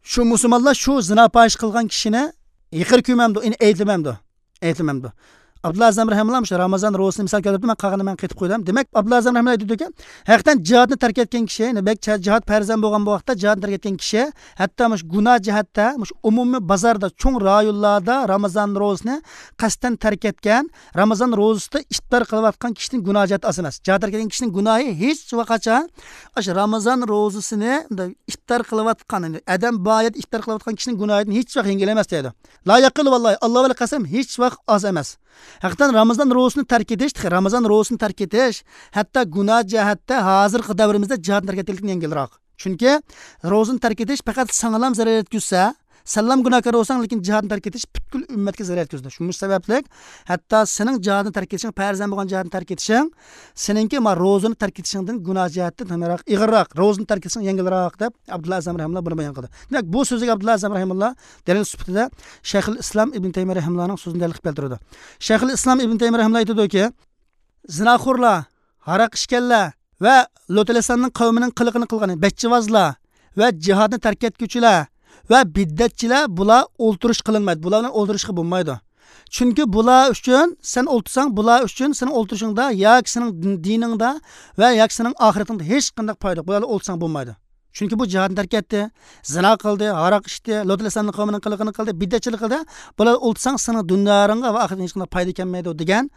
شۇ مۇسۇلمانلار شۇ زىنا پاھىشە قىلغان كىشىنى ئېغىر كۆرمەمدۇ، يەنى ئەيىبلىمەمدۇ؟ ئەيىبلىمەمدۇ؟ ئابدۇللا ئەزەم رەھىمۇللا مۇشۇ رامازان روزىسىنى مىسال كەلتۈرۈپتۇ، مەن قالغىنىنى مەن قېتىپ قويدۇم. دېمەك، ئابدۇللا ئەزەم رەھىمۇللا ئېيتىدۇكى، ھەقىقەتەن جىھادنى تەرك ئەتكەن كىشى، يەنى بەك جىھاد پەرز بولغان بۇ ۋاقىتتا جىھادنى تەرك ئەتكەن كىشى، ھەتتا مۇشۇ گۇناھ جەھەتتە، مۇشۇ ئومۇمىي بازاردا، چوڭ رايونلاردا رامازان روزىسىنى قەستەن تەرك ئەتكەن، رامازان روزىسىدا ئىپتار قىلىۋاتقان كىشىنىڭ گۇناھ جەھەتى ئاز ئەمەس. جىھاد تەرك ئەتكەن كىشىنىڭ گۇناھى ھېچ ۋاقىت قاچان ئاشۇ رامازان روزىسىنى ئىپتار قىلىۋاتقان، يەنى ئادەم بار يەردە ئىپتار قىلىۋاتقان كىشىنىڭ گۇناھىدىن ھېچ ۋاقىت يەڭگىل ئەمەس دەيدۇ. لا يەقىل ۋاللاھى، ئاللا بىلەن قەسەم، ھېچ ۋاقىت ئاز ئەمەس. ھەقىقەتەن رامازان روزىسىنى تەرك ئېتىش، تېخى رامازان روزىسىنى تەرك ئېتىش، ھەتتا گۇناھ جەھەتتە ھازىرقى دەۋرىمىزدە جىھادنى تەرك ئەتكەنلىكتىن يەڭگىلراق. چۈنكى روزىنى تەرك ئېتىش پەقەت ساڭىلام زەرەر يەتكۈزسە، سەنلام گۇناھكار بولساڭ، لېكىن جىھادنى تەرك ئېتىش پۈتكۈل ئۈممەتكە زەرەر يەتكۈزىدۇ. شۇ سەۋەبلىك ھەتتا سېنىڭ جىھادنى تەرك ئېتىشىڭ، پەرزەن بولغان جىھادنى تەرك ئېتىشىڭ، سېنىڭكى ما روزىنى تەرك ئېتىشىڭدىن گۇناھ جەھەتتىن نېمىراق، ئېغىرراق، روزىنى تەرك ئېتىشىڭ يەڭگىلراق، دەپ ئابدۇللا ئەزەم رەھىمۇللا بۇنى بايان قىلدى. دېمەك، بۇ سۆزگە ئابدۇللا ئەزەم رەھىمۇللا دەلىل سۈپىتىدە شەيخۇل ئىسلام ئىبن تەيمىيە رەھىمۇللانىڭ سۆزىنى دەلىل قىلىپ كەلتۈرىدۇ. شەيخۇل ئىسلام ئىبن تەيمىيە رەھىمۇللا ئېيتىدۇكى، زىناخورلار، ھاراق ئىچكەنلەر ۋە لۇتئەلەيھىسسالامنىڭ قەۋمىنىڭ قىلىقىنى قىلغان بەچچىۋازلار ۋە جىھادنى تەرك ئەتكۈچىلەر ۋە بىدئەتچىلەر، بۇلار ئولتۇرۇش قىلىنمايدۇ. بۇلار بىلەن ئولتۇرۇشقا بولمايدۇ. چۈنكى بۇلار ئۈچۈن سەن ئولتۇرساڭ، بۇلار ئۈچۈن سېنىڭ ئولتۇرۇشۇڭدا ياكى سېنىڭ دىن-، دىنىڭدا ۋە ياكى سېنىڭ ئاخىرىتىڭدە ھېچقانداق پايدا يوق. بۇلار بىلەن ئولتۇرساڭ بولمايدۇ. چۈنكى بۇ جىھادنى تەرك ئەتتى، زىنا قىلدى، ھاراق ئىچتى، لۇتئەلەيھىسسالامنىڭ قەۋمىنىڭ قىلىقىنى قىلدى، بىدئەتچىلىك قىلدى. بۇلار ئولتۇرساڭ سېنىڭ دۇنياڭغا ۋە ئاخىرىتىڭگە ھېچقانداق پايدا كەلمەيدۇ دېگەن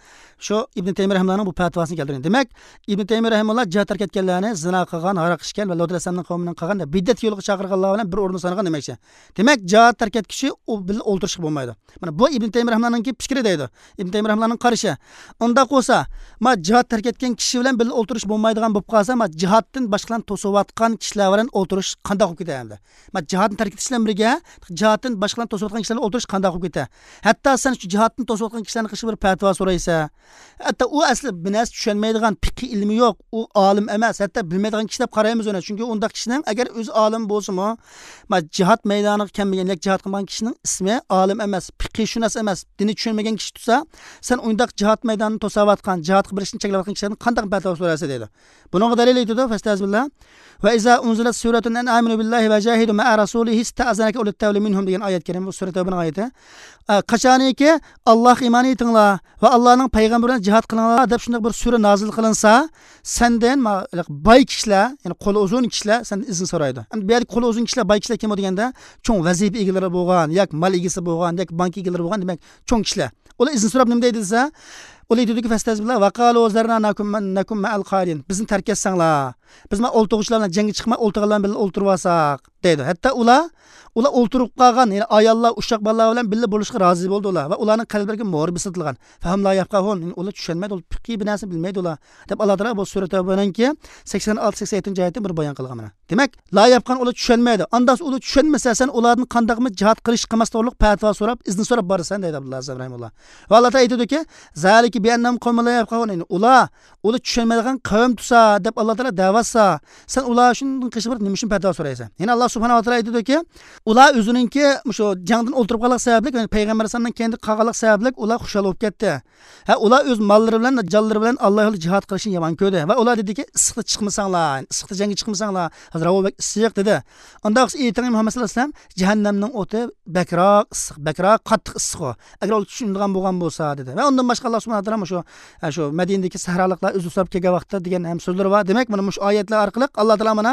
شۇ ئىبن تەيمىيە رەھىمۇللانىڭ بۇ پەتىۋاسىنى كەلتۈرگەن. دېمەك، ئىبن تەيمىيە رەھىمۇللا جىھاد تەرك ئەتكەنلەرنى زىنا قىلغان، ھاراق ئىچكەن ۋە لۇتئەلەيھىسسالامنىڭ قەۋمىنىڭ قىلغان بىدئەت يولىغا چاقىرغانلار بىلەن بىر ئورۇندا سانىغان دېمەكچى. دېمەك، جىھاد تەرك ئەتكۈچى ئۇ بىلەن ئولتۇرۇشقا بولمايدۇ. مانا بۇ ئىبن تەيمىيە رەھىمۇللانىڭكى پىكرى دەيدۇ. ئىبن تەيمىيە رەھىمۇللانىڭ قارىشى. ئۇنداق بولسا، ما جىھاد تەرك ئەتكەن كىشى بىلەن بىللە ئولتۇرۇش بولمايدىغان بولۇپ قالسا، ما جىھادتىن باشقىلارنى توسۇۋاتقان كىشىلەر بىلەن ئولتۇرۇش قانداق بولۇپ كېتەر ئەمدى؟ ما جىھادنى تەرك ئېتىش بىلەن بىرگە، جىھادتىن باشقىلارنى توسۇۋاتقان كىشىلەر بىلەن ئولتۇرۇش قانداق بولۇپ كېتەر؟ ھەتتا سەن شۇ جىھادتىن توسۇۋاتقان كىشىلەرنىڭ قېشىغا بىر پەتىۋا سورايسەن. ھەتتا ئۇ ئەسلى بىر نەرسە چۈشەنمەيدىغان، پىقھىي ئىلمى يوق، ئۇ ئالىم ئەمەس، ھەتتا بىلمەيدىغان كىشى دەپ قارايمىز ئۇنى. چۈنكى ئۇنداق كىشىنىڭ ئەگەر ئۆزى ئالىم بولسىمۇ، ما جىھاد مەيدانىغا كەلمىگەن ياكى جىھاد قىلمىغان كىشىنىڭ ئىسمى ئالىم ئەمەس، پىقھىشۇناس ئەمەس، دىننى چۈشەنمىگەن كىشى تۇرسا، سەن ئۇنداق جىھاد مەيدانىنى توساۋاتقان، جىھادقا بېرىشنى چەكلەۋاتقان كىشىلەردىن قانداق پەتىۋا سورايسەن دەيدۇ. بۇنىڭغا دەلىل ئېيتىدۇ، فەستەزبىللا. ۋە ئىزا ئۇنزىلەت سۈرەتۇن ئەن ئامىنۇ بىللاھى ۋە جاھىدۇ مەئە رەسۇلىھى ئىستەئەزەنەكە ئۇلۇت تەۋلى مىنھۇم دېگەن ئايەت كەرىم، بۇ سۈرە تەۋبىنىڭ ئايىتى. ئە، قاچانكى ئاللاھقا ئىمان ئېيتىڭلار ۋە ئاللانىڭ پەيغەمبىرى بىلەن جىھاد قىلىڭلار دەپ شۇنداق بىر سۈرە نازىل قىلىنسا، سەندىن ما-، باي كىشىلەر، يەنى قولى ئۇزۇن كىشىلەر سەندىن ئىزىن سورايدۇ. ئەمدى بۇ يەردىكى قولى ئۇزۇن كىشىلەر، باي كىشىلەر كىمۇ دېگەندە، چوڭ ۋەزىپە ئىگىلىرى بولغان، ياكى مال ئىگىسى بولغان، ياكى بانكا ئىگىلىرى بولغان، دېمەك، چوڭ كىشىلەر. ئۇلار ئىزىن سوراپ نېمە دەيدۇ دېسە، ئۇلار ئېيتىدۇكى، فەستەزبىللا ۋە قالۇ زەرنا نەكۇن، نەكۇن مەئەل قائىلىن. بىزنى تەرك ئەتسەڭلار، بىز مانا ئولتۇرغۇچىلار بىلەن جەڭگە چىقماي، ئولتۇرغانلار بىلەن ئولتۇرۇۋالساق، دەيدۇ. ھەتتا ئۇلار، ئۇلار ئولتۇرۇپ قالغان، يەنى ئاياللار، ئۇششاق بالىلار بىلەن بىللە بولۇشقا رازى بولدى ئۇلار ۋە ئۇلارنىڭ قەلبلىرىگە مۆھۈر بېسىلغان. فەھۇم لا يەفقەھۇن، يەنى ئۇلار چۈشەنمەيدۇ، ئۇلار پىقھىي بىر نەرسىنى بىلمەيدۇ ئۇلار، دەپ ئاللا تائالا بۇ سۈرە تەۋبىنىڭكى سەكسەن ئالتە، سەكسەن يەتتىنچى ئايەتتە بىر بايان قىلغان مانا. دېمەك، لا يەفقەھۇن، ئۇلار چۈشەنمەيدۇ. ئانداق ئۇلار چۈشەنمىسە، سەن ئۇلاردىن قانداقمۇ جىھاد قىلىش، قىلماس توغرۇلۇق پەتىۋا سوراپ، ئىزىن سوراپ بارىسەن دەيدۇ ئابدۇللا ئەزەم رەھىمۇللا. ۋە ئاللا تائالا ئېيتىدۇكى، زالىكە بىئەننەھۇم قەۋمۇن لا يەفقەھۇن، يەنى ئۇلار، ئۇلار چۈشەنمەيدىغان قەۋم تۇرسا دەپ ئاللا تائالا دەۋاتسا، سەن ئۇلار شۇنىڭ قېشىغا بېرىپ نېمە ئۈچۈن پەتىۋا سورايسەن؟ يەنە ئاللا سۇبھانەھۇ ۋە تائالا ئېيتىدۇكى، ئۇلار ئۆزىنىڭكى مۇشۇ جەڭدىن ئولتۇرۇپ قالغانلىق سەۋەبلىك، يەنى پەيغەمبەر ئەلەيھىسسالامنىڭ كەينىدە قالغانلىق سەۋەبلىك ئۇلار خۇشال بولۇپ كەتتى. ھە، ئۇلار ئۆز ماللىرى بىلەن، جانلىرى بىلەن ئاللا يولىدا جىھاد قىلىشنى يامان كۆردى. ۋە ئۇلار دېدىكى، ئىسسىقتا چىقمىساڭلار، ئىسسىقتا جەڭگە چىقمىساڭلار، ھازىر ھاۋا بەك ئىسسىق دېدى. ئۇنداق بولسا ئېيتىڭ، مۇھەممەد سەللەللاھۇ ئەلەيھى ۋەسەللەم، جەھەننەمنىڭ ئوتى بەكراق ئىسسىق، بەكراق قاتتىق ئىسسىق ئۇ. ئەگەر ئۇلار چۈشىنىدىغان بولغان بولسا، دېدى. ۋە ئۇندىن باشقا ئاللا سۇبھانەھۇ ۋە تائالا مۇشۇ، ھە، شۇ مەدىنىدىكى سەھرالىقلار ئۆزى سوراپ كەلگەن ۋاقىتتا دېگەن ھەم سۆزلىرى بار. دېمەك، مانا مۇشۇ ئايەتلەر ئارقىلىق ئاللا تائالا مانا،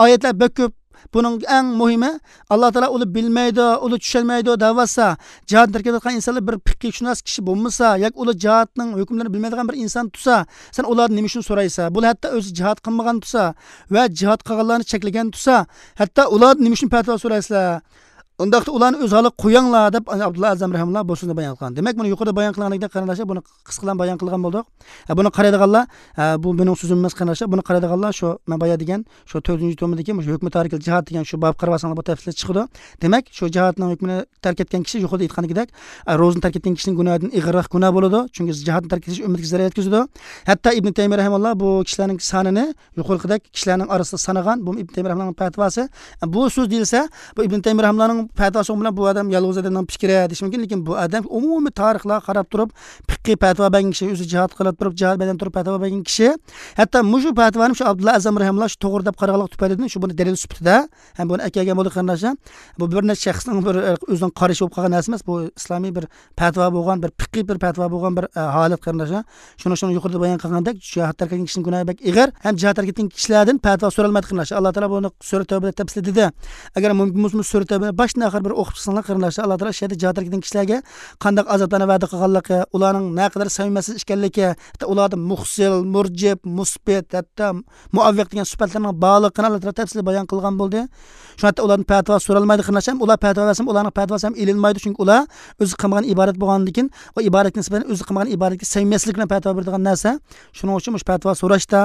ئايەتلەر بەك كۆپ. بۇنىڭ ئەڭ مۇھىمى، ئاللا تائالا ئۇلار بىلمەيدۇ، ئۇلار چۈشەنمەيدۇ دەۋاتسا، جىھادنى تەرك ئېتىۋاتقان ئىنسانلار بىر پىقھىشۇناس كىشى بولمىسا ياكى ئۇلار جىھادنىڭ ھۆكۈملىرىنى بىلمەيدىغان بىر ئىنسان تۇرسا، سەن ئۇلاردىن نېمە ئۈچۈن سورايسەن؟ بۇلار ھەتتا ئۆزى جىھاد قىلمىغان تۇرسا ۋە جىھاد قىلغانلارنى چەكلىگەن تۇرسا، ھەتتا ئۇلاردىن نېمە ئۈچۈن پەتىۋا سورايسىلەر؟ ئۇنداقتا ئۇلارنى ئۆز ھالىغا قويۇڭلار، دەپ ئابدۇللا ئەزەم رەھىمۇللا بۇ سۆزنى بايان قىلغان. دېمەك، مانا يۇقىرىدا بايان قىلغاندەك، قېرىنداشلار، بۇنى قىسقىلا بايان قىلغان بولدۇق. ھە، بۇنى قارايدىغانلار، ھە، بۇ مېنىڭ سۆزۈم ئەمەس، قېرىنداشلار، بۇنى قارايدىغانلار شۇ مەن بايا دېگەن شۇ تۆتىنچى تومىدىكى مۇشۇ ھۆكمى تارىكىل جىھاد دېگەن شۇ بابقا قارىۋالساڭلار، بۇ تەپسىلىي چىقىدۇ. دېمەك، شۇ جىھادنىڭ ھۆكمىنى تەرك ئەتكەن كىشى، يۇقىرىدا ئېيتقاندىكىدەك، ھە، روزىنى تەرك ئەتكەن كىشىنىڭ گۇناھىدىن ئېغىرراق گۇناھ بولىدۇ. چۈنكى جىھادنى تەرك ئېتىش ئۈممىتىگە زەرەر يەتكۈزىدۇ. ھەتتا ئىبن تەيمىيە رەھىمەللا بۇ كىشىلەرنىڭ سانىنى يۇقىرىقىدەك كىشىلەرنىڭ ئارىسىدا سانىغان، بۇ ئىبن تەيمىيە رەھىمەللانىڭ پەتىۋاسى. بۇ سۆز دېيىلسە، بۇ ئىبن تەيمىيە رەھىمەللانىڭ پەتىۋا سوڭ بىلەن بۇ ئادەم يالغۇز ئادەمنىڭ پىكرى دېيىشى مۇمكىن، لېكىن بۇ ئادەم ئومۇمىي تارىخلارغا قاراپ تۇرۇپ، پىققىي پەتىۋا بەرگەن كىشى، ئۆزى جىھاد قىلىپ تۇرۇپ، جىھاد مەيدانىدا تۇرۇپ پەتىۋا بەرگەن كىشى. ھەتتا مۇشۇ پەتىۋانى شۇ ئابدۇللا ئەزەم رەھىمۇللا شۇ توغرا دەپ قارىغانلىقى تۈپەيلىدىن شۇ بۇنى دەلىل سۈپىتىدە ھەم بۇنى ئەكەلگەن بولدى، قېرىنداشلار. بۇ بىر نەچچە شەخسنىڭ بىر ئۆزىنىڭ قارىشى بولۇپ قالغان نەرسە ئەمەس، بۇ ئىسلامىي بىر پەتىۋا بولغان، بىر پىققىي بىر پەتىۋا بولغان بىر، ئە، ھالەت، قېرىنداشلار. شۇنىڭ، شۇنىڭ يۇقىرىدا بايان قىلغاندەك، جىھاد تەرك ئەتكەن كىشىنىڭ گۇناھى بەك ئېغىر ھەم جىھاد تەرك ئەتكەن كىشىلەردىن پەتىۋا سورالمايدۇ، قېرىنداشلار. ئاللا تائالا بۇنى سۈرە تەۋبىدە تەپسىلىي دېدى. ئەگەر مۇمكىن بولسا، سۈرە تەۋبىنى باشتىن ئاخىر بىر ئوقۇپ چىقساڭلار، قېرىنداشلار، ئاللا تائالا شۇ يەردە جىھاد تەرك ئەتكەن كىشىلەرگە قانداق ئازابلارنى ۋەدە قىلغانلىقى، ئۇلارنىڭ نەقەدەر سەمىمىيەتسىز ئىكەنلىكى، ھەتتا ئۇلاردا مۇخسىل، مۇرجىپ، مۇسبىت، ھەتتا مۇئەۋۋىق دېگەن سۈپەتلەرنىڭ بارلىقىنى ئاللا تائالا تەپسىلىي بايان قىلغان بولدى. شۇڭا ھەتتا ئۇلاردىن پەتىۋا سورالمايدۇ، قېرىنداشلار. ئۇلار پەتىۋا بەرسە، ئۇلارنىڭ پەتىۋاسى ھەم ئېلىنمايدۇ، چۈنكى ئۇلار ئۆزى قىلمىغان ئىبادەت بولغاندىن كېيىن، ئۇ ئىبادەتكە نىسبەتەن ئۆزى قىلمىغان ئىبادەتكە سەمىمىيەتسىزلىك بىلەن پەتىۋا بېرىدىغان نەرسە. شۇنىڭ ئۈچۈن مۇشۇ پەتىۋا سوراشتا،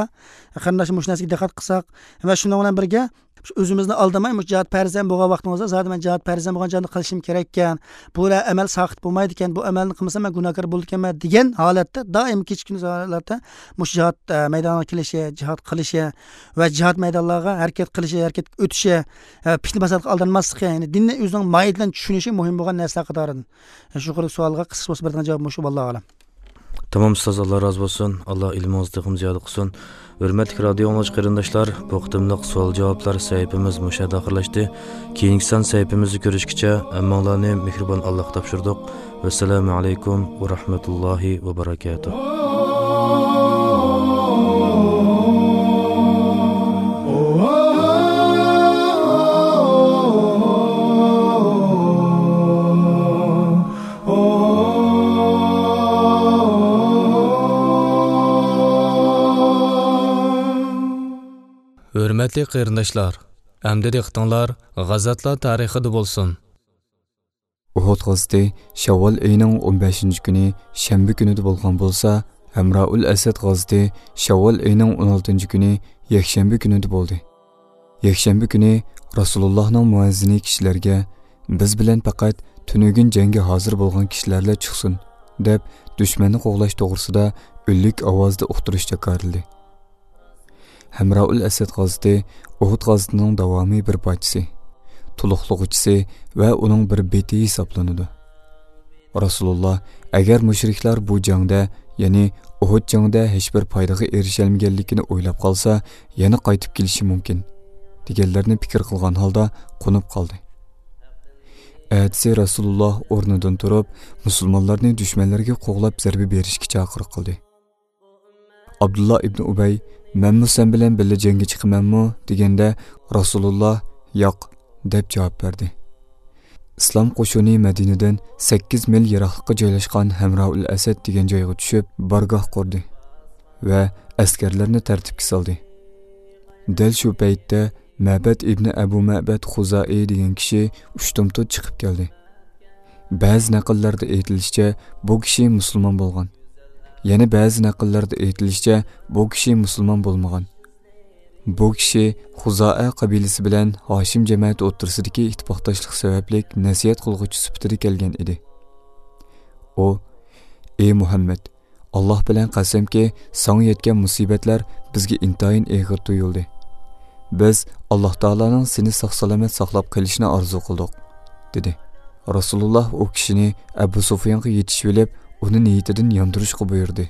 قېرىنداشلار، مۇشۇ نەرسىگە دىققەت قىلساق ۋە شۇنىڭ بىلەن بىرگە، ئۆزىمىزنى ئالدىماي، مۇشۇ جىھاد پەرز ھەم بولغان ۋاقتىمىزدا، زادى مەن جىھاد پەرز ھەم بولغان جىھادنى قىلىشىم كېرەككەن، بۇ ئەمەل ساقىت بولمايدىكەن، بۇ ئەمەلنى قىلمىسام مەن گۇناھكار بولىدىكەنمەن دېگەن ھالەتتە، دائىم كېچە كۈندۈز ھالەتتە مۇشۇ جىھاد، ئە، مەيدانىغا كېلىشى، جىھاد قىلىشى ۋە جىھاد مەيدانلارغا ھەرىكەت قىلىشى، ھەرىكەتكە ئۆتۈشى، ئە، پىتنە پاساتقا ئالدانماسلىقى، يەنى دىننى ئۆزىنىڭ ماھىيىتى بىلەن چۈشىنىشى مۇھىم بولغان نەرسىلەر قاتارىدىن. شۇ يۇقىرىدىكى سوئالغا قىسقىچە بولسا بېرىدىغان جاۋاب مۇشۇ، ۋاللاھۇ ئەلەم. تامام ئۇستاز، ئاللا رازى بولسۇن. ئاللا ئىلمىڭىزنى تېخىمۇ زىيادە قىلسۇن. ھۆرمەتلىك رادىئو ئاڭلىغۇچى قېرىنداشلار، بۇ قېتىملىق سوئال جاۋابلار سەھىپىمىز مۇشۇ يەردە ئاخىرلاشتى. كېيىنكى سان سەھىپىمىزدە كۆرۈشكىچە ھەممىڭلارنى مېھرىبان ئاللاغا تاپشۇردۇق. ۋەسسالامۇ ئەلەيكۇم ۋە رەھمەتۇللاھى ۋە بەرەكاتۇھ. ھۆرمەتلىك قېرىنداشلار، ئەمدى دىققىتىڭلار غازاتلار تارىخىدا بولسۇن. ئۇھۇد غازىتى شەۋۋال ئېيىنىڭ ئون بەشىنچى كۈنى شەنبە كۈنىدە بولغان بولسا، ھەمرائۇل ئەسەد غازىتى شەۋۋال ئېيىنىڭ ئون ئالتىنچى كۈنى يەكشەنبە كۈنىدە بولدى. يەكشەنبە كۈنى رەسۇلۇللاھنىڭ مۇئەززىنى كىشىلەرگە، «بىز بىلەن پەقەت تۈنۈگۈن جەڭگە ھازىر بولغان كىشىلەرلا چىقسۇن» دەپ، دۈشمەننى قوغلاش توغرىسىدا ئۈنلۈك ئاۋازدا ئۇقتۇرۇش جاكارلىدى. ھەمرائۇل ئەسەد غازىتى ئۇھۇد غازىتىنىڭ داۋامىي بىر پارچىسى، تولۇقلىغۇچىسى ۋە ئۇنىڭ بىر بېتى ھېسابلىنىدۇ. رەسۇلۇللا، ئەگەر مۇشرىكلار بۇ جەڭدە، يەنى ئۇھۇد جەڭدە ھېچبىر پايدىغا ئېرىشەلمىگەنلىكىنى ئويلاپ قالسا، يەنە قايتىپ كېلىشى مۇمكىن، دېگەنلەرنى پىكىر قىلغان ھالدا قونۇپ قالدى. ئەتىسى رەسۇلۇللا ئورنىدىن تۇرۇپ، مۇسۇلمانلارنى دۈشمەنلەرگە قوغلاپ زەربە بېرىشكە چاقىرىق قىلدى. ئابدۇللا ئىبنى ئۇبەي، «مەنمۇ سەن بىلەن بىللە جەڭگە چىقىمەنمۇ؟» دېگەندە، رەسۇلۇللا، «ياق» دەپ جاۋاب بەردى. ئىسلام قوشۇنى مەدىنىدىن سەككىز مىل يىراقلىققا جايلاشقان ھەمرائۇل ئەسەد دېگەن جايغا چۈشۈپ، بارگاھ قۇردى ۋە ئەسكەرلەرنى تەرتىپكە سالدى. دەل شۇ پەيتتە مەبەد ئىبنى ئەبۇ مەبەد خۇزائى دېگەن كىشى ئۇشتۇمتۇت چىقىپ كەلدى. بەزى نەقىللەردە ئېيتىلىشىچە، بۇ كىشى مۇسۇلمان بولغان. يەنە بەزى نەقىللەردە ئېيتىلىشىچە، بۇ كىشى مۇسۇلمان بولمىغان. بۇ كىشى خۇزائە قەبىلىسى بىلەن ھاشىم جەمەتى ئوتتۇرىسىدىكى ئىتتىپاقداشلىق سەۋەبلىك نەسىھەت قىلغۇچى سۈپىتىدە كەلگەن ئىدى. ئۇ، «ئى مۇھەممەد، ئاللاھ بىلەن قەسەمكى، ساڭا يەتكەن مۇسىبەتلەر بىزگە ئىنتايىن ئېغىر تۇيۇلدى. بىز ئاللاھ تائالانىڭ سېنى ساق-سالامەت ساقلاپ قېلىشىنى ئارزۇ قىلدۇق» دېدى. رەسۇلۇللاھ ئۇ كىشىنى ئەبۇ سۇفيانغا يېتىشىۋېلىپ، ئۇنى نىيىتىدىن ياندۇرۇشقا بۇيرۇدى.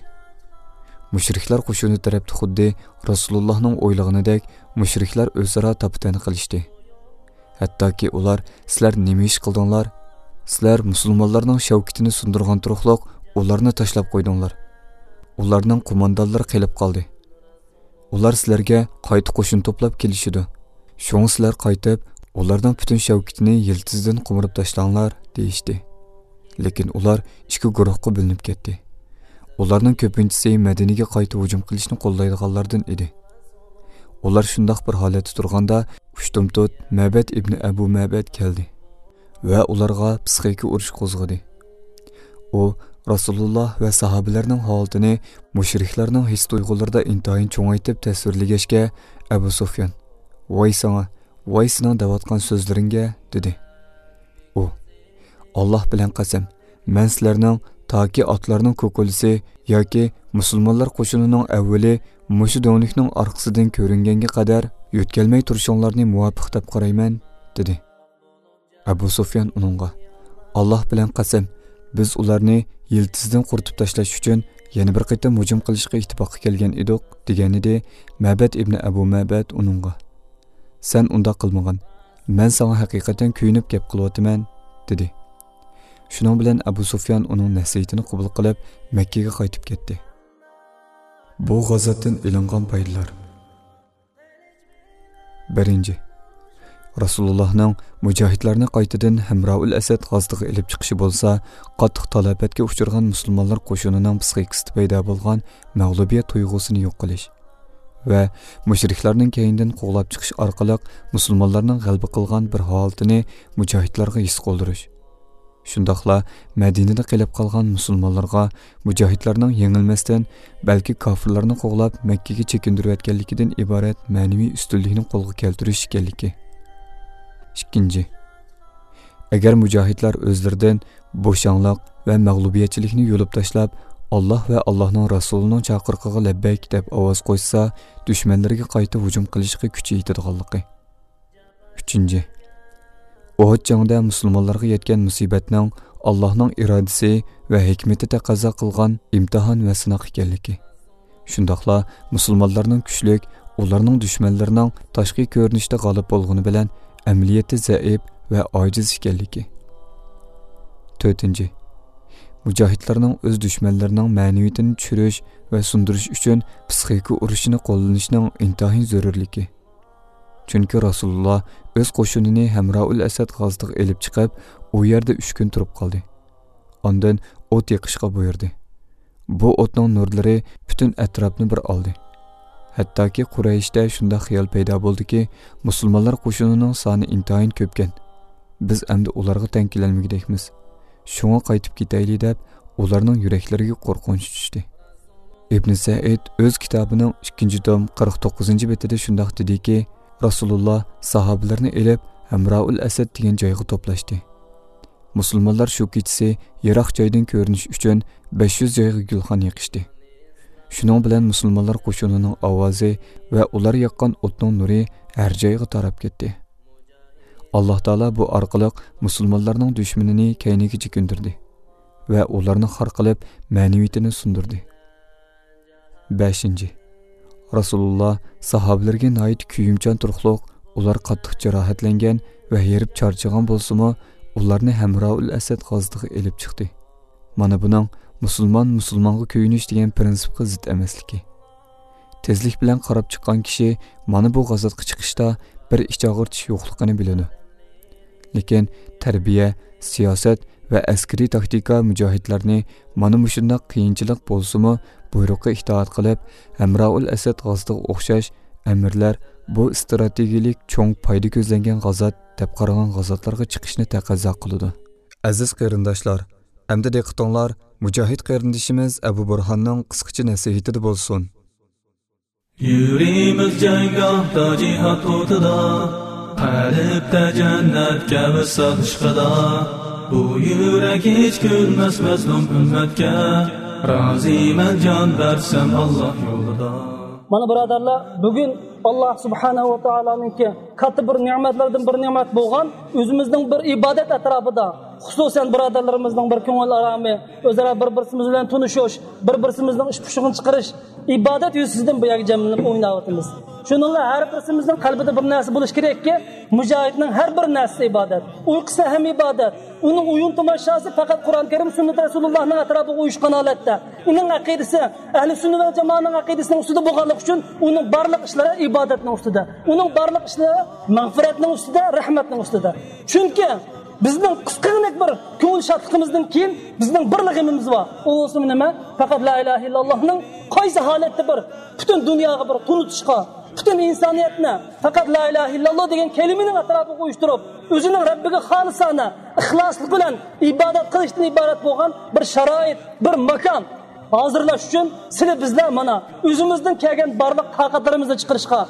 مۇشرىكلار قوشۇنى تەرەپتە خۇددى رەسۇلۇللاھنىڭ ئويلىغىنىدەك مۇشرىكلار ئۆزئارا تاپا-تەن قىلىشتى. ھەتتاكى ئۇلار، «سىلەر نېمە ئىش قىلدىڭلار؟ سىلەر مۇسۇلمانلارنىڭ شەۋكىتىنى سۇندۇرغان تۇرۇقلۇق ئۇلارنى تاشلاپ قويدۇڭلار. ئۇلارنىڭ قوماندانلىرى قېلىپ قالدى. ئۇلار سىلەرگە قايتا قوشۇن توپلاپ كېلىشىدۇ. شۇڭا سىلەر قايتىپ، ئۇلارنىڭ پۈتۈن شەۋكىتىنى يىلتىزىدىن قومۇرۇپ تاشلاڭلار» دېيىشتى. لېكىن ئۇلار ئىككى گۇرۇھقا بۆلۈنۈپ كەتتى. ئۇلارنىڭ كۆپىنچىسى مەدىنىگە قايتا ھۇجۇم قىلىشنى قوللايدىغانلاردىن ئىدى. ئۇلار شۇنداق بىر ھالەتتە تۇرغاندا، ئۇشتۇمتۇت مەبەد ئىبنى ئەبۇ مەبەد كەلدى ۋە ئۇلارغا پىسخىكا ئۇرۇش قوزغىدى. ئۇ رەسۇلۇللا ۋە ساھابىلەرنىڭ ھالىتىنى مۇشرىكلارنىڭ ھېس-تۇيغۇلىرىدا ئىنتايىن چوڭايتىپ تەسۋىرلىگەچكە، ئەبۇ سۇفيان، «ۋاي ساڭا، ۋاي سېنىڭ دەۋاتقان سۆزلىرىڭگە» دېدى. ئۇ، «ئاللاھ بىلەن قەسەم، مەن سىلەرنىڭ تاكى ئاتلارنىڭ كوكۇلىسى ياكى مۇسۇلمانلار قوشۇنىنىڭ ئەۋۋىلى مۇشۇ دۆڭلۈكنىڭ ئارقىسىدىن كۆرۈنگەنگە قەدەر يۆتكەلمەي تۇرۇشۇڭلارنى مۇۋاپىق دەپ قارايمەن» دېدى. ئەبۇ سۇفيان ئۇنىڭغا، «ئاللاھ بىلەن قەسەم، بىز ئۇلارنى يىلتىزىدىن قۇرۇتۇپ تاشلاش ئۈچۈن يەنە بىر قېتىم ھۇجۇم قىلىشقا ئىتتىپاققا كەلگەن ئىدۇق» دېگەنىدى. مەبەد ئىبنى ئەبۇ مەبەد ئۇنىڭغا، «سەن ئۇنداق قىلمىغىن، مەن ساڭا ھەقىقەتەن كۆيۈنۈپ گەپ قىلىۋاتىمەن» دېدى. شۇنىڭ بىلەن ئەبۇ سۇفيان ئۇنىڭ نەسىھىتىنى قوبۇل قىلىپ، مەككىگە قايتىپ كەتتى. بۇ غازاتتىن ئېلىنغان پايدىلار. بىرىنچى، رەسۇلۇللاھنىڭ مۇجاھىدلارنى قايتىدىن ھەمراۋۇل ئەسەد غازىتىغا ئېلىپ چىقىشى بولسا، قاتتىق تالاپەتكە ئۇچرىغان مۇسۇلمانلار قوشۇنىنىڭ پسىخىكىسىدە پەيدا بولغان مەغلۇبىيەت تۇيغۇسىنى يوق قىلىش ۋە مۇشرىكلارنىڭ كەينىدىن قوغلاپ چىقىش ئارقىلىق مۇسۇلمانلارنىڭ غەلىبە قىلغان بىر ھالىتىنى مۇجاھىدلارغا ھېس قىلدۇرۇش. شۇنداقلا مەدىنىدە قېلىپ قالغان مۇسۇلمانلارغا مۇجاھىدلارنىڭ يېڭىلمەستىن، بەلكى كاپىرلارنى قوغلاپ مەككىگە چېكىندۈرۈۋەتكەنلىكىدىن ئىبارەت مەنىۋى ئۈستۈنلۈكنى قولغا كەلتۈرۈش ئىكەنلىكى. ئىككىنچى، ئەگەر مۇجاھىدلار ئۆزلىرىدىن بوشاڭلىق ۋە مەغلۇبىيەتچىلىكنى يۇلۇپ تاشلاپ، «ئاللاھ ۋە ئاللاھنىڭ رەسۇلىنىڭ چاقىرىقىغا لەببەيك» دەپ ئاۋاز قوشسا، دۈشمەنلىرىگە قايتا ھۇجۇم قىلىشقا كۈچى يېتىدىغانلىقى. ئۈچىنچى، ئۇھۇد جەڭدە مۇسۇلمانلارغا يەتكەن مۇسىبەتنىڭ ئاللاھنىڭ ئىرادىسى ۋە ھېكمىتى تەقەززا قىلغان ئىمتىھان ۋە سىناق ئىكەنلىكى. شۇنداقلا مۇسۇلمانلارنىڭ كۈچلۈك، ئۇلارنىڭ دۈشمەنلىرىنىڭ تاشقى كۆرۈنۈشتە غالىب بولغىنى بىلەن ئەمەلىيەتتە زەئىپ ۋە ئاجىز ئىكەنلىكى. تۆتىنچى، مۇجاھىدلارنىڭ ئۆز دۈشمەنلىرىنىڭ مەنىۋىيىتىنى چۈشۈرۈش ۋە سۇندۇرۇش ئۈچۈن پسىخىكا ئۇرۇشىنى قوللىنىشنىڭ ئىنتايىن زۆرۈرلۈكى. چۈنكى رەسۇلۇللا ئۆز قوشۇنىنى ھەمراۇل ئەسەد غازىتىغا ئېلىپ چىقىپ، ئۇ يەردە ئۈچ كۈن تۇرۇپ قالدى. ئاندىن ئوت يېقىشقا بۇيرۇدى. بۇ ئوتنىڭ نۇرلىرى پۈتۈن ئەتراپنى بىر ئالدى. ھەتتاكى قۇرەيشتە شۇنداق خىيال پەيدا بولدىكى، مۇسۇلمانلار قوشۇنىنىڭ سانى ئىنتايىن كۆپكەن، بىز ئەمدى ئۇلارغا تەڭ كېلەلمىگۈدەكمىز. شۇڭا قايتىپ كېتەيلى دەپ، ئۇلارنىڭ يۈرەكلىرىگە قورقۇنچ چۈشتى. ئىبن سەئىد ئۆز كىتابىنىڭ ئىككىنچى توم قىرىق توققۇزىنچى بېتىدە شۇنداق دېدىكى، رەسۇلۇللا ساھابىلىرىنى ئېلىپ، ھەمراۇل ئەسەد دېگەن جايغا توپلاشتى. مۇسۇلمانلار شۇ كېچىسى يىراق جايدىن كۆرۈنۈش ئۈچۈن بەش يۈز جايغا گۈلخان يېقىشتى. شۇنىڭ بىلەن مۇسۇلمانلار قوشۇنىنىڭ ئاۋازى ۋە ئۇلار ياققان ئوتنىڭ نۇرى ھەر جايغا تاراپ كەتتى. ئاللاھ تائالا بۇ ئارقىلىق مۇسۇلمانلارنىڭ دۈشمىنىنى كەينىگە چېكىندۈردى ۋە ئۇلارنى خار قىلىپ، مەنىۋىيىتىنى سۇندۇردى. بەشىنچى، رەسۇلۇللا ساھابىلىرىگە ناھايىتى كۆيۈمچان تۇرۇقلۇق، ئۇلار قاتتىق جاراھەتلەنگەن ۋە ھېرىپ چارچىغان بولسىمۇ، ئۇلارنى ھەمراۇل ئەسەد غازىتىغا ئېلىپ چىقتى. مانا بۇنىڭ مۇسۇلمان مۇسۇلمانغا كۆيۈنۈش دېگەن پىرىنسىپقا زىت ئەمەسلىكى. تېزلىك بىلەن قاراپ چىققان كىشى مانا بۇ غازاتقا چىقىشتا بىر ئىچ ئاغرىتىش يوقلۇقىنى بىلىدۇ. لېكىن تەربىيە، سىياسەت ۋە ئەسكىرىي تاكتىكا مۇجاھىدلارنى مانا مۇشۇنداق قىيىنچىلىق بولسىمۇ بۇيرۇققا ئىتائەت قىلىپ، ھەمراۇل ئەسەد غازىتىغا ئوخشاش ئەمىرلەر بۇ ئىستراتېگىيىلىك چوڭ پايدا كۆزلەنگەن غازات دەپ قارىغان غازاتلارغا چىقىشنى تەقەززا قىلىدۇ. ئەزىز قېرىنداشلار، ئەمدى دىققىتىڭلار مۇجاھىد قېرىندىشىمىز ئەبۇ بۇرھاننىڭ قىسقىچە نەسىھىتىدە بولسۇن. يۈرىمىز جەڭگاھتا جىھاد ئوتىدا، قەلبتە جەننەتكە ۋىسال ئىشقىدا. بۇ يۈرەك ھېچ كۈلمەس مەزلۇم ئۈممەتكە، رازىمەن جان بەرسەم ئاللاھ يولىدا. مانا بۇرادەرلەر، بۈگۈن ئاللاھ سۇبھانەھۇ ۋە تائالانىڭكى كاتتا بىر نېمەتلەردىن بىر نېمەت بولغان ئۆزىمىزنىڭ بىر ئىبادەت ئەتراپىدا، خۇسۇسەن بۇرادەرلىرىمىزنىڭ بىر كۆڭۈل ئارامى، ئۆزئارا بىر-بىرسىمىز بىلەن تونۇشۇش، بىر-بىرسىمىزنىڭ ئىش پۇشۇقىنى چىقىرىش، ئىبادەت يۈزىسىدىن بۇ يەرگە جەملىنىپ ئويناۋاتىمىز. شۇنىڭغا ھەر بىرسىمىزنىڭ قەلبىدە بىر نەرسە بولۇشى كېرەككى، مۇجاھىدنىڭ ھەر بىر نەرسىسى ئىبادەت. ئۇيقۇسى ھەم ئىبادەت. ئۇنىڭ ئويۇن تاماشاسى پەقەت قۇرئان كەرىم، سۈننەت رەسۇلۇللاھنىڭ ئەتراپىغا ئۇيۇشقان ھالەتتە. ئۇنىڭ ئەقىدىسى ئەھلى سۈننە ۋەل جامائەنىڭ ئەقىدىسىنىڭ ئۈستىدە بولغانلىقى ئۈچۈن ئۇنىڭ بارلىق ئىشلىرى ئىبادەتنىڭ ئۈستىدە. ئۇنىڭ بارلىق ئىشلىرى مەغپىرەتنىڭ ئۈستىدە، رەھمەتنىڭ ئۈستىدە. چۈنكى بىزنىڭ قىسقىغىنە بىر كۆڭۈل شادلىقىمىزدىن كېيىن بىزنىڭ بىرلا غېمىمىز بار. ئۇ بولسىمۇ نېمە؟ پەقەت لا ئىلاھە ئىللاللاھنىڭ قايسى ھالەتتە بىر پۈتۈن دۇنياغا بىر تونۇتۇشقا، پۈتۈن ئىنسانىيەتنى پەقەت لا ئىلاھە ئىللاللا دېگەن كەلىمىنىڭ ئەتراپىغا ئۇيۇشتۇرۇپ، ئۆزىنىڭ رەببىگە خالىسانە، ئىخلاسلىق بىلەن ئىبادەت قىلىشتىن ئىبارەت بولغان بىر شارائىت، بىر ماكان ھازىرلاش ئۈچۈن سىلى بىزلەر مانا ئۆزىمىزدىن كەلگەن بارلىق تاقەتلىرىمىزنى چىقىرىشقا،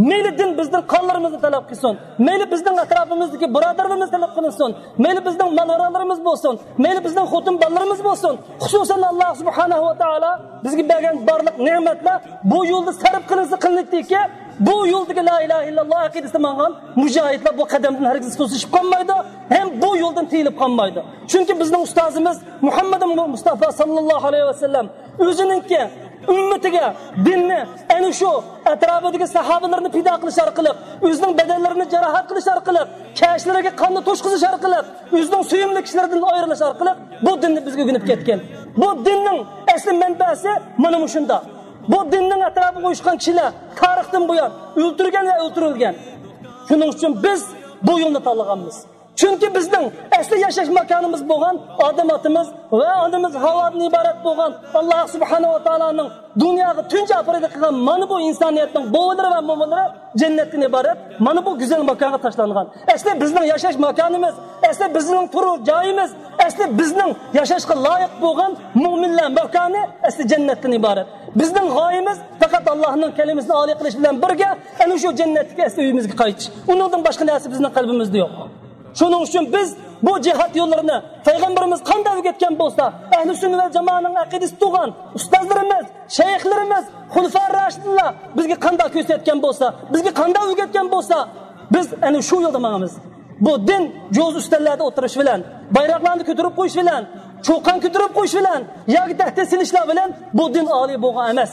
مەيلى دىن بىزدىن قانلىرىمىزنى تەلەپ قىلسۇن، مەيلى بىزنىڭ ئەتراپىمىزدىكى بۇرادەرلىرىمىز تەلەپ قىلىنسۇن، مەيلى بىزنىڭ مال-مۇلكلىرىمىز بولسۇن، مەيلى بىزنىڭ خوتۇن-بالىلىرىمىز بولسۇن، خۇسۇسەن ئاللاھ سۇبھانەھۇ ۋە تائالا بىزگە بەرگەن بارلىق نېمەتلەر بۇ يولدا سەرپ قىلىنسا قىلىنىدىكى، بۇ يولدىكى لا ئىلاھە ئىللاللا ئەقىدىسىدە ماڭغان مۇجاھىدلار بۇ قەدەمدىن ھەرگىز توسۇشۇپ قالمايدۇ، ھەم بۇ يولدىن تىيىلىپ قالمايدۇ. چۈنكى بىزنىڭ ئۇستازىمىز مۇھەممەد مۇستافا ساللاللاھۇ ئەلەيھى ۋەسەللەم ئۆزىنىڭكى ئۈممىتىگە دىننى ئەنە شۇ ئەتراپىدىكى ساھابىلىرىنى پىدا قىلىش ئارقىلىق، ئۆزىنىڭ بەدەنلىرىنى جاراھەت قىلىش ئارقىلىق، كەشلىرىگە قاننى توشقۇزۇش ئارقىلىق، ئۆزىنىڭ سۆيۈملۈك كىشىلىرىدىن ئايرىلىش ئارقىلىق بۇ دىننى بىزگە ئۆگىنىپ كەتكەن. بۇ دىننىڭ ئەسلى مەنبەسى مانا مۇشۇنداق. بۇ دىننىڭ ئەتراپىغا ئۇيۇشقان كىشىلەر تارىختىن بۇيان ئۆلتۈرگەن ۋە ئۆلتۈرۈلگەن. شۇنىڭ ئۈچۈن بىز بۇ يولنى تاللىغانمىز. چۈنكى بىزنىڭ ئەسلى ياشاش ماكانىمىز بولغان ئادەم ئاتىمىز ۋە ئانىمىز ھاۋادىن ئىبارەت بولغان ئاللا سۇبھانەھۇ ۋە تائالانىڭ دۇنياغا تۇنجى ئاپىرىدە قىلغان مانا بۇ ئىنسانىيەتنىڭ بوۋىلىرى ۋە مومىلىرى جەننەتتىن ئىبارەت مانا بۇ گۈزەل ماكانغا تاشلانغان. ئەسلى بىزنىڭ ياشاش ماكانىمىز، ئەسلى بىزنىڭ تۇرۇش جايىمىز، ئەسلى بىزنىڭ ياشاشقا لايىق بولغان مۆمىنلەر ماكانى ئەسلى جەننەتتىن ئىبارەت. بىزنىڭ غايىمىز پەقەت ئاللانىڭ كەلىمىسىنى ئالىي قىلىش بىلەن بىرگە ئەنە شۇ جەننەتتىكى ئەسلى ئۆيىمىزگە قايتىش. ئۇنىڭدىن باشقا نەرسە بىزنىڭ قەلبىمىزدە يوق. شۇنىڭ ئۈچۈن بىز بۇ جىھاد يوللىرىنى پەيغەمبىرىمىز قانداق ئۆگەتكەن بولسا، ئەھلى سۈننە ۋەل جامائەنىڭ ئەقىدىسى تۇغان ئۇستازلىرىمىز، شەيخلىرىمىز، خۇلىفا راشىدىنلار بىزگە قانداق كۆرسەتكەن بولسا، بىزگە قانداق ئۆگەتكەن بولسا، بىز ئەنە شۇ يولدا ماڭىمىز. بۇ دىن جوز ئۈستەللەردە ئولتۇرۇش بىلەن، بايراقلارنى كۆتۈرۈپ قويۇش بىلەن، چۇقان كۆتۈرۈپ قويۇش بىلەن ياكى تەھدىت سېلىشلار بىلەن بۇ دىن ئالىي بولغان ئەمەس.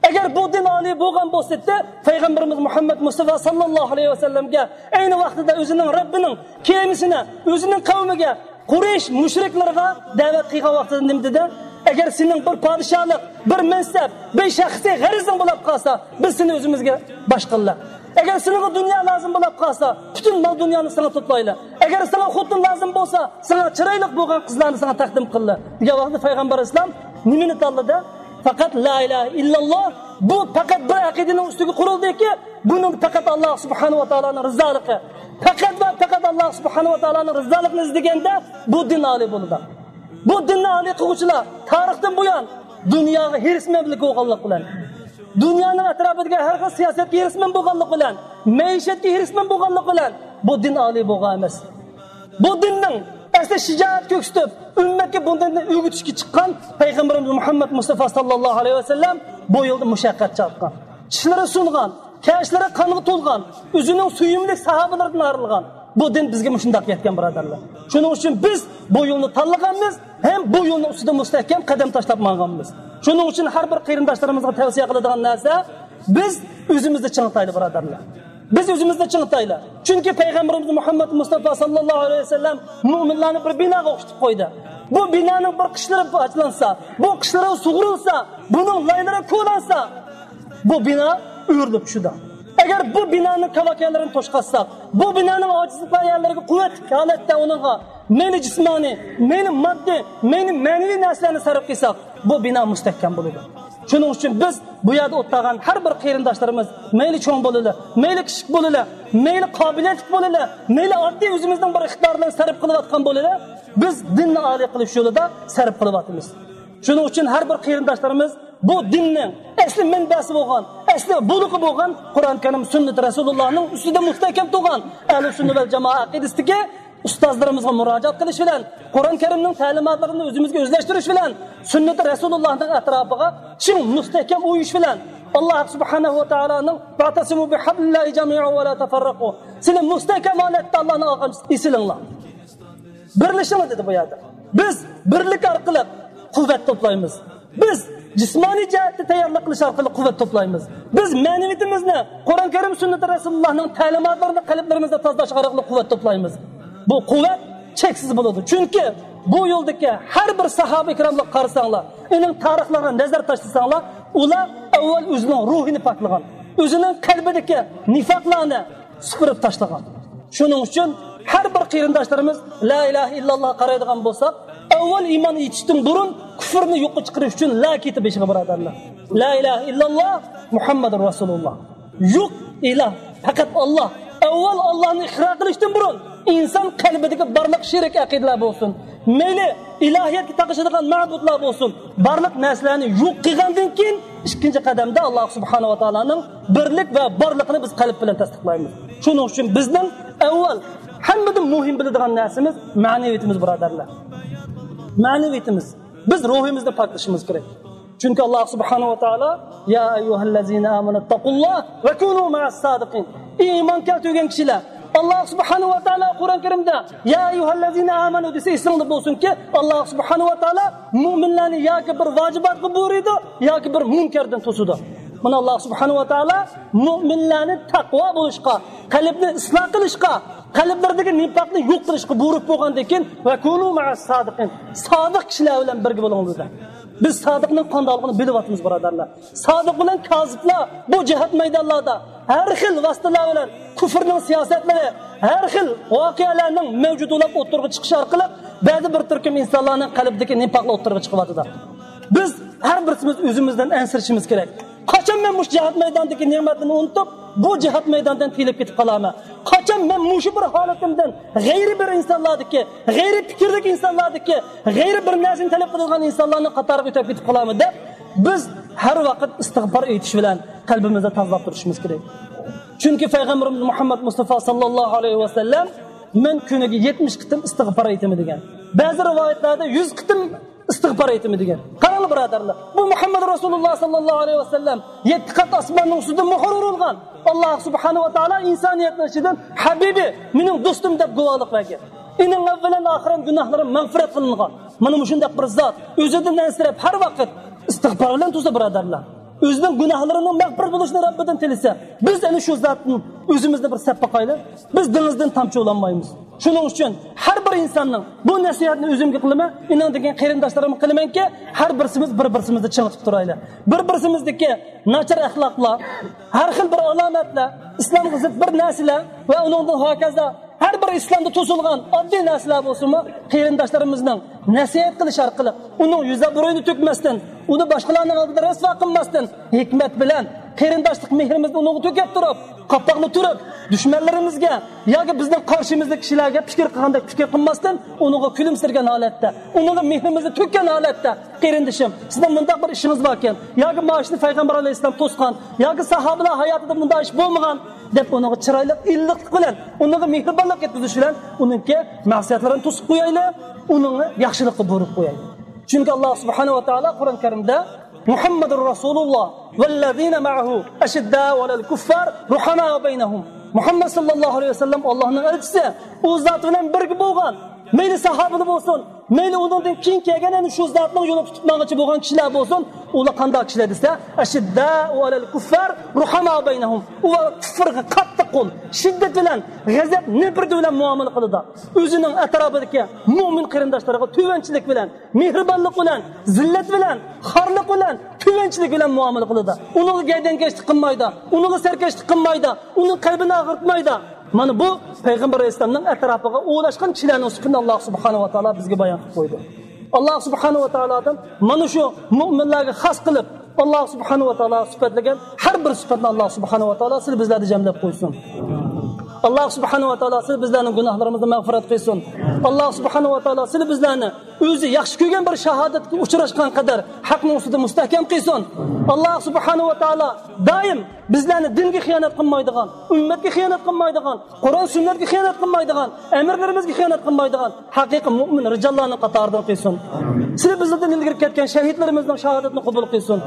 ئەگەر بۇ دىن ئالىي بولغان بولسىدى، پەيغەمبىرىمىز مۇھەممەد مۇستافا ساللاللاھۇ ئەلەيھى ۋەسەللەمگە ئەينى ۋاقتىدا ئۆزىنىڭ رەببىنىڭ كېمىسىنى، ئۆزىنىڭ قەۋمىگە، قۇرەيش مۇشرىكلىرىغا دەۋەت قىلغان ۋاقتىدا نېمە دېدى؟ ئەگەر سېنىڭ بىر پادىشاھلىق، بىر مەنسەپ، بىر شەخسىي غەرىزىڭ بولاپ قالسا، بىز سېنى ئۆزىمىزگە باش قىللا. ئەگەر سېنىڭغا دۇنيا لازىم بولاپ قالسا، پۈتۈن مال دۇنيانى ساڭا توپلايلا. ئەگەر ساڭا خوتۇن لازىم بولسا، ساڭا چىرايلىق بولغان قىزلارنى ساڭا تەقدىم قىللا، دېگەن ۋاقىتتا پەيغەمبەر ئەلەيھىسسالام نېمىنى تاللىدى؟ پەقەت لا ئىلاھە ئىللاللا. بۇ پەقەت بىر ئەقىدىنىڭ ئۈستىگە قۇرۇلدىكى، بۇنىڭ پەقەت ئاللا سۇبھانەھۇ ۋە تائالانىڭ رىزالىقى. پەقەت ۋە پەقەت ئاللا سۇبھانەھۇ ۋە تائالانىڭ رىزالىقىنى ئىزدىگەندە بۇ دىن ئالىي بولىدۇ. بۇ دىننى ئالىي قىلغۇچىلار تارىختىن بۇيان دۇنياغا ھېرىسمەنلىك بولغانلىق بىلەن، دۇنيانىڭ ئەتراپىدىكى ھەر خىل سىياسەتكە ھېرىسمەن بولغانلىق بىلەن، مەئىشەتكە ھېرىسمەن بولغانلىق بىلەن بۇ دىن ئالىي بولغان ئەمەس. بۇ دىننىڭ ئەسلى شىجائەت كۆرسىتىپ، ئۈممەتكە بۇ دىننى ئۆگىتىشكە چىققان پەيغەمبىرىمىز مۇھەممەد مۇستافا ساللاللاھۇ ئەلەيھى ۋەسەللەم بۇ يولدا مۇشەققەت چەككەن. چىشلىرى سۇنغان، كەشلىرى قانغا تولغان، ئۆزىنىڭ سۆيۈملۈك ساھابىلىرىدىن ئايرىلغان. بۇ دىن بىزگە مۇشۇنداق يەتكەن، بۇرادەرلەر. شۇنىڭ ئۈچۈن بىز بۇ يولنى تاللىغانمىز ھەم بۇ يولنىڭ ئۈستىدە مۇستەھكەم قەدەم تاشلاپ ماڭغانمىز. شۇنىڭ ئۈچۈن ھەر بىر قېرىنداشلىرىمىزغا تەۋسىيە قىلىدىغان نەرسە، بىز ئۆزىمىزنى چىڭىتايلى، بۇرادەرلەر. بىز ئۆزىمىزنى چىڭىتايلى. چۈنكى پەيغەمبىرىمىز مۇھەممەد مۇستافا ساللاللاھۇ ئەلەيھى ۋەسەللەم مۆمىنلارنى بىر بىناغا ئوخشىتىپ قويدى. بۇ بىنانىڭ بىر قىشلىرى پاچلانسا، بۇ قىشلىرى سۇغۇرۇلسا، بۇنىڭ لايلىرى كولانسا، بۇ بىنا ئۆرۈلۈپ چۈشىدۇ. ئەگەر بۇ بىنانىڭ كاۋاكەنلىرىنى توشقاتساق، بۇ بىنانىڭ ئاجىزلىق يەرلىرىگە قۇۋۋەتلىك ھالەتتە ئۇنىڭغا مەيلى جىسمانىي، مەيلى ماددىي، مەيلى مەنىۋى نەرسىلەرنى سەرپ قىلساق، بۇ بىنا مۇستەھكەم بولىدۇ. شۇنىڭ ئۈچۈن بىز بۇ يەردە ئولتۇرغان ھەر بىر قېرىنداشلىرىمىز، مەيلى چوڭ بولىلى، مەيلى كىچىك بولىلى، مەيلى قابىلىيەتلىك بولىلى، مەيلى ئاددىي ئۆزىمىزنىڭ بىر ئىقتىدارلىرىنى سەرپ قىلىۋاتقان بولىلى، بىز دىننى ئالىي قىلىش يولىدا سەرپ قىلىۋاتىمىز. شۇنىڭ ئۈچۈن ھەر بىر قېرىنداشلىرىمىز بۇ دىننىڭ ئەسلى مەنبەسى بولغان، ئەسلى بۇلىقى بولغان قۇرئان كەرىم، سۈننىتى رەسۇلۇللانىڭ ئۈستىدە مۇستەھكەم تۇرغان ئەھلى سۈننە ۋەل جامائە ئەقىدىسىدىكى ئۇستازلىرىمىزغا مۇراجىئەت قىلىش بىلەن، قۇرئان كەرىمنىڭ تەلىماتلىرىنى ئۆزىمىزگە ئۆزلەشتۈرۈش بىلەن، سۈننىتى رەسۇلۇللانىڭ ئەتراپىغا چىڭ مۇستەھكەم ئۇيۇش بىلەن، ئاللا سۇبھانەھۇ ۋە تائالانىڭ «ۋەئتەسىمۇ بىھەبلىللاھى جەمىئەن ۋە لا تەفەررەقۇ»، سىلى مۇستەھكەم ھالەتتە ئاللانىڭ ئالغان ئېسىلىڭلار. بىرلىشىڭلار دېدى بۇ يەردە. بىز بىرلىك ئارقىلىق قۇۋۋەت توپلايمىز. بىز جىسمانىي جەھەتتە تەييارلىق قىلىش ئارقىلىق قۇۋۋەت توپلايمىز. بىز مەنىۋىيىتىمىزنى قۇرئان كەرىم سۈننىتى رەسۇلۇللانىڭ تەلىماتلىرىنى قەلبلىرىمىزدە تازىلاش ئارقىلىق قۇۋۋەت توپلايمىز. بۇ قۇۋۋەت چەكسىز بولىدۇ. چۈنكى بۇ يولدىكى ھەر بىر ساھابە ئىكراملارغا قارىساڭلار، ئۇنىڭ تارىخلىرىغا نەزەر تاشلىساڭلار، ئۇلار ئەۋۋەل ئۆزىنىڭ روھىنى پاكلىغان، ئۆزىنىڭ قەلبىدىكى نىفاقلارنى سۈپۈرۈپ تاشلىغان. شۇنىڭ ئۈچۈن ھەر بىر قېرىنداشلىرىمىز لا ئىلاھە ئىللاللاھقا قارايدىغان بولساق، ئەۋۋەل ئىمان ئېيتىشتىن بۇرۇن كۇفرنى يوققا چىقىرىش ئۈچۈن لا كېتى بېشىغا، بۇرادەرلەر. لا ئىلاھە ئىللاللا مۇھەممەدۇر رەسۇلۇللا. يوق ئىلاھ، پەقەت ئاللا. ئەۋۋەل ئاللانى ئىقرار قىلىشتىن بۇرۇن ئىنسان قەلبىدىكى بارلىق شېرىك ئەقىدىلەر بولسۇن، مەيلى ئىلاھىيەتكە تاقىشىدىغان مەبۇدلار بولسۇن، بارلىق نەرسىلەرنى يوق قىلغاندىن كېيىن، ئىككىنچى قەدەمدە ئاللا سۇبھانەھۇ ۋە تائالانىڭ بىرلىك ۋە بارلىقىنى بىز قەلب بىلەن تەستىقلايمىز. شۇنىڭ ئۈچۈن بىزنىڭ ئەۋۋەل ھەممىدىن مۇھىم بىلىدىغان نەرسىمىز مەنىۋىيىتىمىز، بۇرادەرلەر. مەنىۋىيىتىمىز. بىز روھىمىزنى پاكلىشىمىز كېرەك. چۈنكى ئاللاھ سۇبھانەھۇ ۋە تائالا، يا ئەييۇھەللەزىنە ئامەنۇ تەقۇللاھ ۋە كۇنۇ مەئەس سادىقىن. ئى ئىمان كەلتۈرگەن كىشىلەر، ئاللاھ سۇبھانەھۇ ۋە تائالا قۇرئان كەرىمدە، يا ئەييۇھەللەزىنە ئامەنۇ دېسە ئېسىڭدە بولسۇنكى، ئاللاھ سۇبھانەھۇ ۋە تائالا مۇئمىنلارنى ياكى بىر ۋاجىباتقا بۇيرۇيدۇ، ياكى بىر مۇنكەردىن توسىدۇ. مانا ئاللاھ سۇبھانەھۇ ۋە تائالا مۇئمىنلارنى تەقۋا بولۇشقا، قەلبنى ئىسلاھ قىلىشقا، قەلبلىرىدىكى نىپاقنى يوق قىلىشقا بۇيرۇق بولغاندىن كېيىن، ۋە كۇنۇ مەئەس سادىقىن، سادىق كىشىلەر بىلەن بىرگە بولۇڭ دېدى. بىز سادىقنىڭ قانداقلىقىنى بىلىۋاتىمىز، بۇرادەرلەر. سادىق بىلەن كازىبلار بۇ جىھاد مەيدانلاردا ھەر خىل ۋاسىتىلەر بىلەن كۇفرنىڭ سىياسەتلىرى، ھەر خىل ۋەقەلەرنىڭ مەۋجۇت بولۇپ ئوتتۇرىغا چىقىشى ئارقىلىق بەزى بىر تۈركۈم ئىنسانلارنىڭ قەلبىدىكى نىپاقلار ئوتتۇرىغا چىقىۋاتىدۇ. بىز ھەر بىرسىمىز ئۆزىمىزدىن ئەنسىرىشىمىز كېرەك. قاچان مەن مۇشۇ جىھاد مەيدانىدىكى نېمەتنى ئۇنتۇپ، بۇ جىھاد مەيدانىدىن تىيىلىپ كېتىپ قالارمەن؟ قاچان مەن مۇشۇ بىر ھالىتىمدىن غەيرىي بىر ئىنسانلاردىكى، غەيرىي پىكىردىكى ئىنسانلاردىكى، غەيرىي بىر نەرسىنى تەلەپ قىلىدىغان ئىنسانلارنىڭ قاتارىغا ئۆتۈپ كېتىپ قالارمەن دەپ، بىز ھەر ۋاقىت ئىستىغپار ئېيتىش بىلەن قەلبىمىزنى تازىلاپ تۇرۇشىمىز كېرەك. چۈنكى پەيغەمبىرىمىز مۇھەممەد مۇستافا ساللاللاھۇ ئەلەيھى ۋەسەللەم، مەن كۈنىگە يەتمىش قېتىم ئىستىغپار ئېيتىمەن دېگەن. بەزى رىۋايەتلەردە يۈز قېتىم ئىستىغپار ئېيتىمەن دېگەن. قاراڭلار، بۇرادەرلەر، بۇ مۇھەممەد رەسۇلۇللاھ ساللاللاھۇ ئەلەيھى ۋەسەللەم يەتتە قات ئاسماننىڭ ئۈستىدە مۆھۈر ئۇرۇلغان، ئاللاھ سۇبھانەھۇ ۋە تائالا ئىنسانىيەتنىڭ ئىچىدىن ھەبىبى، مېنىڭ دوستۇم دەپ گۇۋاھلىق بەرگەن. ئېنىڭ ئەۋۋەلەن ئاخىرەن گۇناھلىرىم مەغپىرەت قىلىنغان. مانا مۇشۇنداق بىر زات ئۆزىدىن ئەنسىرەپ، ھەر ۋاقىت ئىستىغپار بىلەن تۇرسا، بۇرادەرلەر، ئۆزىنىڭ گۇناھلىرىنىڭ مەغپىرەت بولۇشىنى رەببىدىن تىلىسە، بىز ئەنە شۇ زاتتىن ئۆزىمىزنى بىر سەپ باقايلى. بىز دېڭىزدىن تامچە ئۇلانمايمىز. شۇنىڭ ئۈچۈن ھەر بىر ئىنساننىڭ، بۇ نەسىھەتنى ئۆزۈمگە قىلىمەن، ئېنىڭدىن كېيىن قېرىنداشلىرىمغا قىلىمەنكى، ھەر بىرسىمىز بىر-بىرسىمىزنى چىڭىتىپ تۇرايلى. بىر-بىرسىمىزدىكى ناچار ئەخلاقلار، ھەر خىل بىر ئالامەتلەر، ئىسلامغا زىت بىر نەرسىلەر ۋە ئۇنىڭدىن ھاكازا ھەر بىر ئىسلامدا توسۇلغان ئاددىي نەرسىلەر بولسىمۇ، قېرىنداشلىرىمىزنىڭ نەسىھەت قىلىش ئارقىلىق ئۇنىڭ يۈز ئابرۇيىنى تۆكمەستىن، ئۇنى باشقىلارنىڭ ئالدىدا رەسۋا قىلماستىن، ھېكمەت بىلەن قېرىنداشلىق مېھرىمىزنى ئۇنىڭغا تۆكۈپ تۇرۇپ، قاپاقنى تۈرۈپ، دۈشمەنلىرىمىزگە ياكى بىزنىڭ قارشىمىزدىكى كىشىلەرگە پىكىر قىلغاندەك پىكىر قىلماستىن، ئۇنىڭغا كۈلۈمسىرىگەن ھالەتتە، ئۇنىڭغا مېھرىمىزنى تۆككەن ھالەتتە، قېرىندىشىم، سىزنىڭ مۇنداق بىر ئىشىڭىز باركەن، ياكى مانا شۇنى پەيغەمبەر ئەلەيھىسسالام توسقان، ياكى ساھابىلەر ھاياتىدا مۇنداق ئىش بولمىغان، دەپ ئۇنىڭغا چىرايلىق، ئىللىقلىق بىلەن، ئۇنىڭغا مېھرىبانلىق يەتكۈزۈش بىلەن ئۇنىڭكى مەسىيەتلىرىنى توسۇپ قويايلى، ئۇنىڭغا ياخشىلىققا بۇيرۇق قويايلى. چۈنكى ئاللاھ سۇبھانەھۇ ۋە تائالا قۇرئان كەرىمدە، مۇھەممەدۇر رەسۇلۇللاھ ۋەللەزىنە مەئەھۇ ئەشىددائۇ ئەلەل كۇففار رۇھەمائۇ بەينەھۇم. مۇھەممەد ساللاللاھۇ ئەلەيھى ۋەسەللەم ئاللاھنىڭ ئەلچىسى، ئۇ زات بىلەن بىرگە بولغان، مەيلى ساھابىلەر بولسۇن، مەيلى ئۇنىڭدىن كېيىن كەلگەن، يەنى شۇ زاتنىڭ يولىنى تۇتۇپ ماڭغۇچى بولغان كىشىلەر بولسۇن، ئۇلار قانداق كىشىلەر دېسە، ئەشىددائۇ ئەلەل كۇففار رۇھەمائۇ بەينەھۇم. ئۇلار كۇففارغا قاتتىق قول، شىددەت بىلەن، غەزەپ، نەپرىتى بىلەن مۇئامىلە قىلىدۇ. ئۆزىنىڭ ئەتراپىدىكى مۆمىن قېرىنداشلىرىغا تۆۋەنچىلىك بىلەن، مېھرىبانلىق بىلەن، زىللەت بىلەن، خارلىق بىلەن، تۆۋەنچىلىك بىلەن مۇئامىلە قىلىدۇ. ئۇنىڭغا گەردەنكەشلىك قىلمايدۇ، ئۇنىڭغا سەركەشلىك قىلمايدۇ، ئۇنىڭ قەلبىنى ئاغرىتمايدۇ. مانا بۇ پەيغەمبەر ئەلەيھىسسالامنىڭ ئەتراپىغا ئولاشقان كىشىلەرنىڭ سۈپىتىنى ئاللاھ سۇبھانەھۇ ۋە تائالا بىزگە بايان قىلىپ قويدى. ئاللاھ سۇبھانەھۇ ۋە تائالادىن مانا شۇ مۆمىنلەرگە خاس قىلىپ، ئاللاھ سۇبھانەھۇ ۋە تائالا سۈپەتلىگەن ھەر بىر سۈپەتنى ئاللاھ سۇبھانەھۇ ۋە تائالا سىلى بىزلەردە جەملەپ قويسۇن. ئاللاھ سۇبھانەھۇ ۋە تائالا سىلى بىزلەرنىڭ گۇناھلىرىمىزنى مەغپىرەت قىلسۇن. ئاللاھ سۇبھانەھۇ ۋە تائالا سىلى بىزلەرنى ئۆزى ياخشى كۆرگەن بىر شاھادەتكە ئۇچراشقان قەدەر ھەقنىڭ ئۈستىدە مۇستەھكەم قىلسۇن. ئاللاھ سۇبھانەھۇ ۋە تائالا دائىم بىزلەرنى دىنگە خىيانەت قىلمايدىغان، ئۈممەتكە خىيانەت قىلمايدىغان، قۇرئان سۈننەتكە خىيانەت قىلمايدىغان، ئەمىرلىرىمىزگە خىيانەت قىلمايدىغان ھەقىقىي مۆمىن رىجاللارنىڭ قاتارىدىن قىلسۇن. سىلى بىزدىن ئىلگىرى كەتكەن شەھىدلىرىمىزنىڭ شاھادىتىنى قوبۇل قىلسۇن.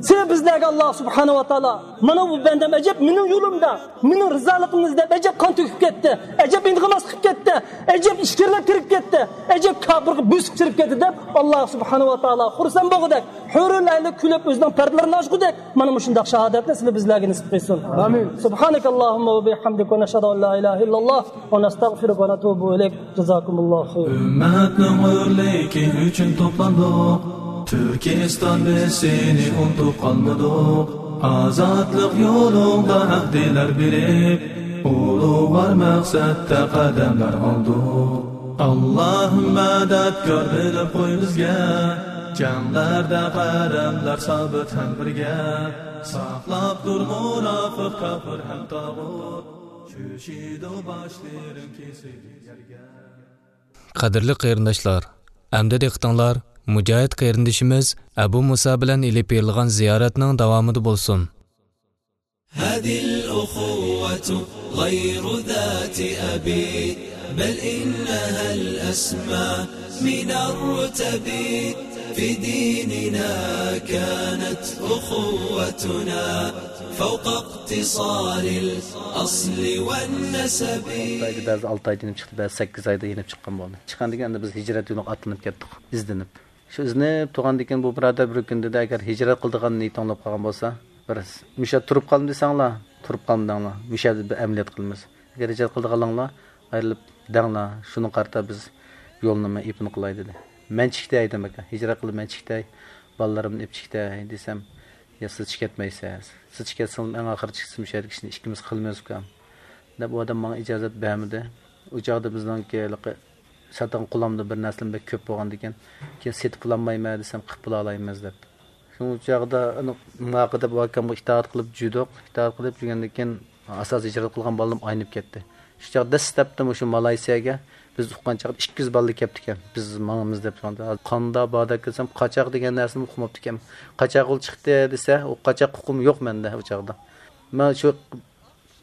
سىلى بىزلەرگە ئاللاھ سۇبھانەھۇ ۋە تائالا، مانا بۇ بەندەم ئەجەب مېنىڭ يولۇمدا، مېنىڭ رىزالىقىمنى ئىزدەپ ئەجەب قان تۆكۈپ كەتتى، ئەجەب ئىنغىماسلىق قىلىپ كەتتى، ئەجەب ئىچكىرىلەپ كىرىپ كەتتى، ئەجەب كاپىرغا بۆسۈپ كىرىپ كەتتى دەپ، ئاللاھ سۇبھانەھۇ ۋە تائالا خۇرسەن بولغۇدەك، ھۆرۈل ئەينى كۈلۈپ ئۆزىنىڭ پەردىلىرىنى ئاچقۇدەك، مانا مۇشۇنداق شاھادەتنى سىلى بىزلەرگە نېسىپ قىلسۇن. ئامىن. سۇبھانەكاللاھۇمما ۋە بىھەمدىك ۋە نەشھەدۇ ئەن لا ئىلاھە ئىللاللاھ ۋە نەستەغفىرۇكە ۋە نەتۇبۇ ئىلەيك. جازاكۇمۇللاھۇ خەير. ئۈممەتنىڭ ھۆرلۈكى ئۈچۈن توپلاندۇق. تۈركىستان، بىز سېنى ئۇنتۇپ قالمىدۇق. ئازادلىق يولۇڭدا ئەھدىلەر بېرىپ، ئۇلۇغۋار مەقسەتتە قەدەملەر ئالدۇق. ئاللاھۇممە دەپ كۆرۈنۈپ قوي بىزگە، جەڭلەردە قەدەملەر سابىت ھەم بىرگە. ساقلاپ تۇر مۇناپىق، كاپىر ھەم تاغۇت، چۆچىدۇ باشلىرىم كېسىلگەن يەرگە. قەدىرلىك قېرىنداشلار، ئەمدى دىققىتىڭلار مۇجاھىد قېرىندىشىمىز ئەبۇ مۇسا بىلەن ئېلىپ بېرىلغان زىيارەتنىڭ داۋامىدا بولسۇن. هذه الأخوة غير ذات أب، بل إنها الأسمى من الرتب. في ديننا كانت أخوتنا فوق اقتصار الأصل والنسب. خىتايدا بەزىدە ئالتە ئايدا يېنىپ چىقتى، بەزى سەككىز ئايدا يېنىپ چىققان بولدى. چىققاندىن كېيىن ئەمدى بىز ھىجرەت يولىغا ئاتلىنىپ كەتتۇق، ئىزدىنىپ. شۇ ئىزدىنىپ تۇرغاندىن كېيىن بۇ بۇرادەر بىر كۈن دېدى، ئەگەر ھىجرەت قىلىدىغان نىيىتىڭ بولۇپ قالغان بولسا، بىر مۇشۇ يەردە تۇرۇپ قالما دېسەڭلار، تۇرۇپ قالمىدىڭلار. مۇشۇ يەردە بىر ئەمەلىيەت قىلىمىز. ئەگەر ھىجرەت قىلىدىغانلىقىڭلار ئايرىلىپ دەڭلار، شۇنىڭغا قارىتا بىز يولنى ئېپىن قىلاي دېدى. مەن چىكتەي دېدىم، ئاكا، ھىجرەت قىلىپ مەن چىكتەي، بالىلىرىمنى ئېلىپ چىكتەي دېسەم، يا سىز چىكەتمەيسىز، سىز چىكەتسىڭىز ئەڭ ئاخىرى چىكسىز، مۇشۇ يەردىكى ئىشنى ئىككىمىز قىلىمىز ئۇكام دەپ، ئۇ ئادەم ماڭا ئىجازەت بەرمىدى. ئۇ چاغدا بىزنىڭكى ھېلىقى ساتىدىغان قۇلامدا بىر نەرسىلەر بەك كۆپ بولغاندىكىن، كېيىن سېتىپ بولالمايمەن دېسەم، قىلىپ بولالايمىز دەپ. شۇ چاغدا ئۇنى ماقۇل دەپ ئۇ ئاكامغا ئىتائەت قىلىپ جۈدۇق. ئىتائەت قىلىپ جۈگەندىن كېيىن ئاساسىي ھىجرەت قىلغان بالىلىرىم ئاينىپ كەتتى. شۇ چاغ دەسلەپتە مۇشۇ مالايسىيەگە بىز ئۇققان چاغدا ئىككى يۈز بالىلار كەپتىكەن. بىز ماڭىمىز دەپ. قاندا بادا دېسەم، قاچاق دېگەن نەرسىنى ئۇقماپتىكەن. قاچاق يول چىقتى دېسە، ئۇ قاچاق ئۇقۇم يوق مەندە ئۇ چاغدا. مەن شۇ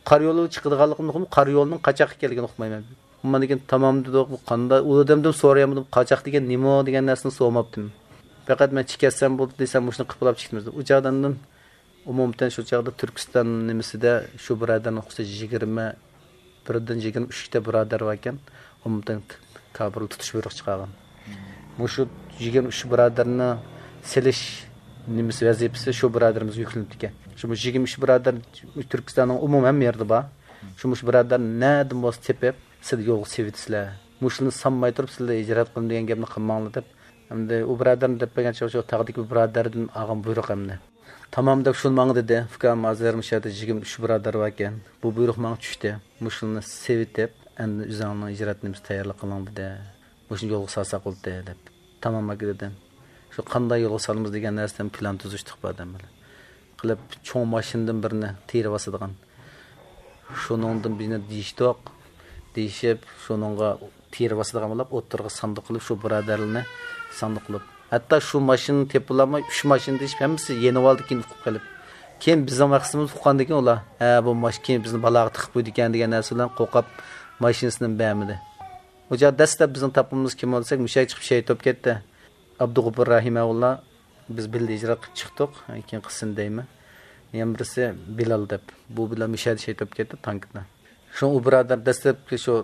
قارا يولغا چىقىدىغانلىقىمنى ئۇقۇم، قارا يولنىڭ قاچاققا ئىكەنلىكىنى ئۇقمايمەن. ئۇماندىن كېيىن تامام دېدۇق، بۇ قاندا، ئۇ ئادەمدىن سورىيالمىدىم، قاچاق دېگەن نېمە دېگەن نەرسىنى سورىماپتىم. پەقەت مەن چىكەتسەم بولدى دېسەم، مۇشۇنى قىلىپ بولاپ چىقتىمىز. ئۇ چاغدىن ئاندىن ئومۇمەن شۇ چاغدا تۈركىستان نېمىسىدە شۇ بۇرادەرنىڭ خۇسۇسىي يىگىرمە بىردىن يىگىرمە ئۈچكىچە بۇرادەر باركەن، ئومۇمەن كاپىرلار تۇتۇش بۇيرۇقى چىقارغان. مۇشۇ يىگىرمە ئۈچ بۇرادەرنى سېلىش نېمىسى، ۋەزىپىسى شۇ بۇرادىرىمىزگە يۈكلىنىپتىكەن. شۇ يىگىرمە ئۈچ بۇرادەر تۈركىستاننىڭ ئومۇمەن ھەممە يېرىدە بار. شۇ مۇشۇ بۇرادەرنى نەدىن بولسا تېپىپ، سىلەر يولغا سېلىۋېتىسىلەر. مۇشۇلارنى سانماي تۇرۇپ، سىلەر ھىجرەت قىلىمەن دېگەن گەپنى قىلماڭلار دەپ. ئەمدى ئۇ بۇرادەرنى دەپ بەرگەن چاغدا شۇ تاغدىكى بۇرادەردىن ئالغان بۇيرۇق ئەمدى. تامام دەپ شۇنى ماڭا دېدى. ئۇكام، ھازىر مۇشۇ يەردە يىگىرمە ئۈچ بۇرادەر باركەن. بۇ بۇيرۇق ماڭا چۈشتى. مۇشۇلارنى سېلىۋېتىپ، ئەمدى ئۆزۈڭنىڭ ھىجرەت نېمىسى تەييارلىق قىلىڭ دېدى. مۇشۇنى يولغا سالساق بولدى دەپ. تامام ئاكا دېدىم. شۇ قانداق يولغا سالىمىز دېگەن نەرسىدىن پىلان تۈزۈشتۇق بۇ ئادەم بىلەن. قىلىپ چوڭ ماشىنىدىن بىرنى تېرىۋاسىدىغان. شۇنىڭدىن بىرنى دېيىشتۇق. دېيىشىپ، شۇنىڭغا تېرىۋاسىدىغان بولۇپ، ئوتتۇرىغا ساندۇق قىلىپ، شۇ بۇرادەرلەرنى ساندۇق قىلىپ. ھەتتا شۇ ماشىنىنى تېپىۋالالماي، ئۈچ ماشىنا دېيىشىپ، ھەممىسى يېنىۋالدى، كېيىن ئۇقۇپ قېلىپ. كېيىن بىزنىڭ ۋاقتىمىز ئۇققاندىن كېيىن ئۇلار، ھە، بۇ ماشىنا كېيىن بىزنى بالاغا تىقىپ قويىدىكەن دېگەن نەرسە بىلەن قورقۇپ، ماشىنىسىنى بەرمىدى. ئۇ چاغ دەسلەپ بىزنى تاپقىنىمىز كىم بولساك، مۇشۇ يەرگە چىقىپ شېھىت بولۇپ كەتتى. ئابدۇغوپۇر رەھىمەۋۇللا، بىز بىللە ھىجرەت قىلىپ چىقتۇق. كېيىن قىسسىنى دەيمەن. يەنە بىرسى بىلال دەپ. بۇ بىلەن مۇشۇ يەردە شېھىت بولۇپ كەتتى تانكىدا. شۇ ئۇ بۇرادەر دەسلەپكى شۇ